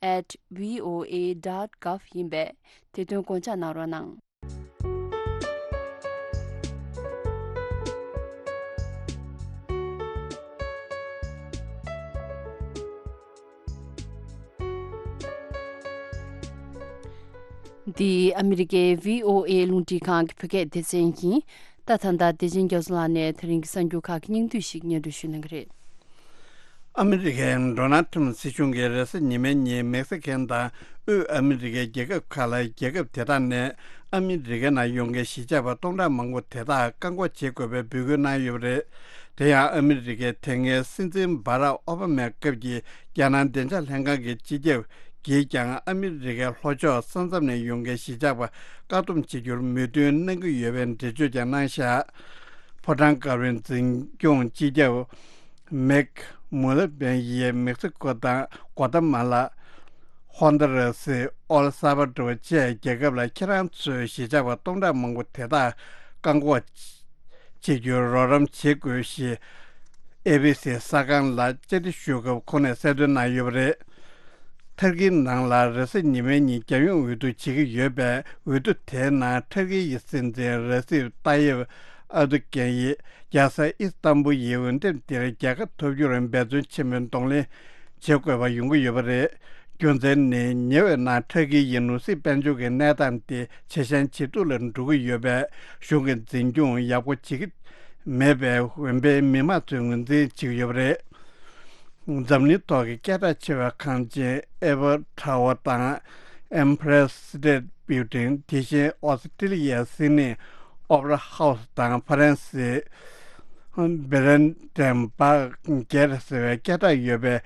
at voa dot gov ཡིན་པས། དེ་དོན་དགོངས་འཇགས་གནང་རོགས་གནང་། འདི་ཨ་མི་རི་ཀའི་བྷི་ཨོ་ཨེ་རླུང་འཕྲིན་ཁང་གི་བོད་སྐད་སྡེ་ཚན་ཡིན། ད་ད་ལྟ་བདེ་ཆེན་རྒྱ་མཚོ་ལགས་ནས་ད་རིང་གི་གསར་འགྱུར་ཁག་གི་སྙིང་བསྡུས་ཤིག་སྙན་སྒྲོན་ཞུ་གནང་གི་རེད། ཨ་མི་རི་ཀའི་ཌོ་ནལ་ཊམ་སྲིད་གཞུང་གིས་རེས་གཟའ་ཉི་མའི་ཉིན་མེག་སི་ཀན་དང་དབུས་ཨ་མི་རི་ཀའི་རྒྱལ་ཁབ་ཁག་ལ། རྒྱལ་ཁབ་དེ་དག་ནས་ཨ་མི་རི་ཀའི་ནང་ཡོང་མཁན་གཞིས་ཆགས་པ་སྟོང་ཕྲག་མང་པོ་དེ་དག་བཀག་འགོག་བྱེད་དགོས་པའི་འབོད་སྐུལ་གནང་ཡོད་པ་རེད། དེ་ཡང་ཨ་མི་རི་ཀའི་དེ་སྔའི་སྲིད་འཛིན་བྷ་རག་ཨོ་བྷ་མའི་སྐབས་ཀྱི་རྒྱལ་ནང་བདེ་འཇགས་ལྷན་ཁང་གི་སྤྱི་ཁྱབ་ཀྱིས་ཀྱང་ཨ་མི་རི་ཀའི་ལྷོ་ཕྱོགས་ས་མཚམས་ནས་ཡོང་མཁན་གཞིས་ཆགས་པ་བཀག་སྡོམ་བྱེད་རྒྱུར་མོས་མཐུན་གནང་གི་ཡོད་པའི་འགྲེལ་བརྗོད་ཀྱང་གནང་བཞག་ཕོ་བྲང་དཀར་པོའི་འཛིན་སྐྱོང་སྤྱི་ཁྱབ་མེག་མུ་ལ་བན་ཡིས་མེག་སི་ཀོ་དང་། གོ་ཏ་མ་ལ། ཧོན་ད་ར་སི། ཨོལ་ས་བ་ཏོ་བཅས་རྒྱལ་ཁབ་ལ་ཁྱེད་རང་ཚོས་གཞིས་ཆགས་པ་སྟོང་ཕྲག་མང་པོ་དེ་དག་བཀག་འགོག་བྱེད་རྒྱུར་རོགས་རམ་བྱེད་དགོས་ཞེས་ཨེ་བྷི་སི་གསར་ཁང་ལ་བཅར་འདྲི་ཞུ་སྐབས་ཁོང་ནས་གསལ་སྟོན་གནང་ཡོད་པ་རེད། ཐར་ཀིའི་ནང་ལ་རེས་གཟའ་ཉི་མའི་ཉིན་རྒྱལ་ཡོངས་འོས་བསྡུ་བྱེད་ཀྱི་ཡོད་པས། འོས་བསྡུ་དེའི་ནང་ཐར་ཀི་ཡི་སྲིད་འཛིན་རེ་སིབ་ཏཱ་ཡེབ་ཨར་དུ་གན་ཡིས་རྒྱལ་ས་ཨི་སི་ཏམ་བུལ་ཡི་འོས་འདེམས་འདིར་རྒྱལ་ཁ་ཐོབ་རྒྱུར་འབད་བརྩོན་ཆེན་པོས་གདོང་ལེན་བྱེད་དགོས་པ་ཡོང་གི་ཡོད་པ་རེད། རྒྱུ་མཚན་ནི་ཉེ་བའི་ནང་ཐར་ཀི་ཡི་ནོར་སྲིད་དཔལ་འབྱོར་གྱི་གནས་སྟངས་དེ་ཇེ་ཞན་ཇེ་སྡུག་ལ་འགྲོ་གི་ཡོད་པས། གཞུང་གི་འཛིན་སྐྱོང་ཡག་པོ་བྱེད་ཀྱི་མེད་པས། འོན་པའི་མི་མང་ཚོས་ངོས་འཛིན་བྱེད་ཀྱི་ཡོད་པ་རེད། འཛམ་གླིང་ཐོག་གི་སྐད་གྲགས་ཆེ་བའི་ཁང་ཆེན་ཨེ་ཕལ་ཊ་ཝར་དང་། Empire State Building། དེ་བཞིན་ཨོ་སི་ཀྲི་ལི་ཡའི་སིད་ནི་ཨོ་པེ་ར་ཧའུ་སི་དང་། ཧྥ་རན་སིའི་བྷི་རན་ཌེན་སྦག་གེ་ཊི་ཟེར་བའི་སྐད་གྲགས་ཡོད་པའི་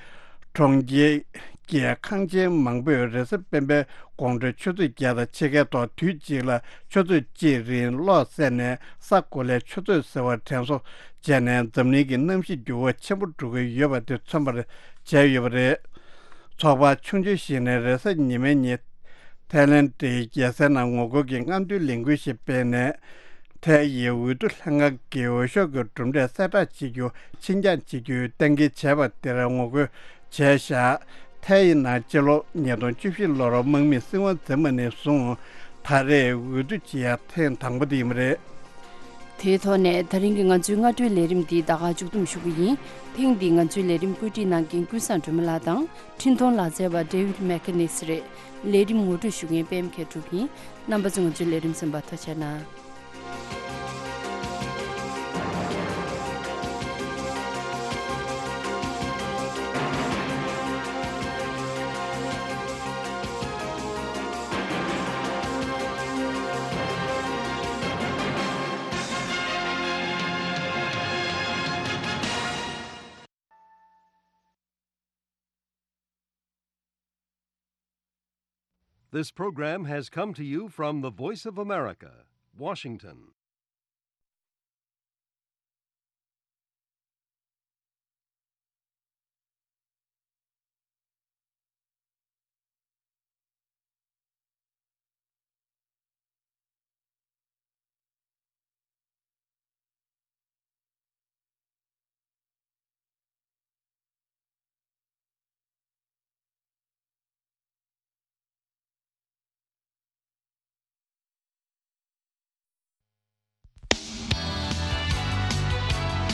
གྲོང་ཁྱེར་གྱི་ཁང་ཆེན་མང་པོས་རེས་གཟའ་སྤེན་པའི་དགོང་དྲོའི་ཆུ་ཚོད་བརྒྱད་དང་ཕྱེད་ཀའི་ཐོག་དུས་གཅིག་ལ་ཆུ་ཚོད་གཅིག་རིང་གློག་བསད་ནས། ས་གོ་ལའི་ཆུ་ཚོད་ཟེར་བ་དྲན་གསོ་བྱས་ནས། འཛམ་གླིང་གི་གནམ་གཤིས་འགྱུར་བ་ཆེན་པོ་འགྲོ་གི་ཡོད་པ་དེ་མཚོན་པར་བྱས་ཡོད་པ་རེད། ཚོགས་པ་ཆུང་ཆུང་ཞིག་ནས་རེས་གཟའ་ཉི་མའི་ཉིན་ཐའི་ལེན་ཌའི་རྒྱལ་སའི་ནང་ངོ་རྒོལ་གྱི་རྔམ་སྟོན་ལས་འགུལ་ཞིག་སྤེལ་ནས། ཐའི་ཡི་འོས་བསྡུ་ལྷན་ཁང་གིས་འོས་ཤོག་གི་གྲུབ་འབྲས་གསལ་བསྒྲགས་བྱེད་རྒྱུ་ཕྱིར་འགྱངས་བྱེད་རྒྱུའི་གཏན་འཁེལ་བྱས་པ་དེར་ངོ་རྒོལ་བྱས་བཞག་ཐའི་ཡི་ནང་སྤྱི་ལོ་ཉིས་སྟོང་བཅུ་བཞི་ལོར་དམག་མིས་སྲིད་དབང་འཛིན་པ་ནས་བཟུང་ད་རེས་འོས་བསྡུ་བྱེད་ཡ་ཐེངས་དང་པོ་དེ་ཡིན་པ་རེད། དེའི་ཐོག་ནས་ད་རིང་གི་ང་ཚོའི་སྔ་དྲོའི་ལས་རིམ་འདི་ད་ག་མཇུག་བསྡོམས་ཞུ་གི་ཡིན། ཐེངས་འདིའི་ང་ཚོའི་ལས་རིམ་བཀོད་སྒྲིག་གནང་མཁན་ཀུན་བཟང་སྒྲོལ་མ་ལགས་དང་། འཕྲིན་གཏོང་ལག་རྩལ་བ་ཌེ་ཝིཌ་མེ་ཁེ་ནིས་རེད། ལས་རིམ་ངོ་སྤྲོད་ཞུ་མཁན་པད་མ་མཁས་གྲུབ་ཡིན། རྣམ་པ་ཚོ་ང་ཚོའི་ལས་རིམ་གསན་པར་ཐུགས་རྗེ་གནང་། This program has come to you from the Voice of America, Washington.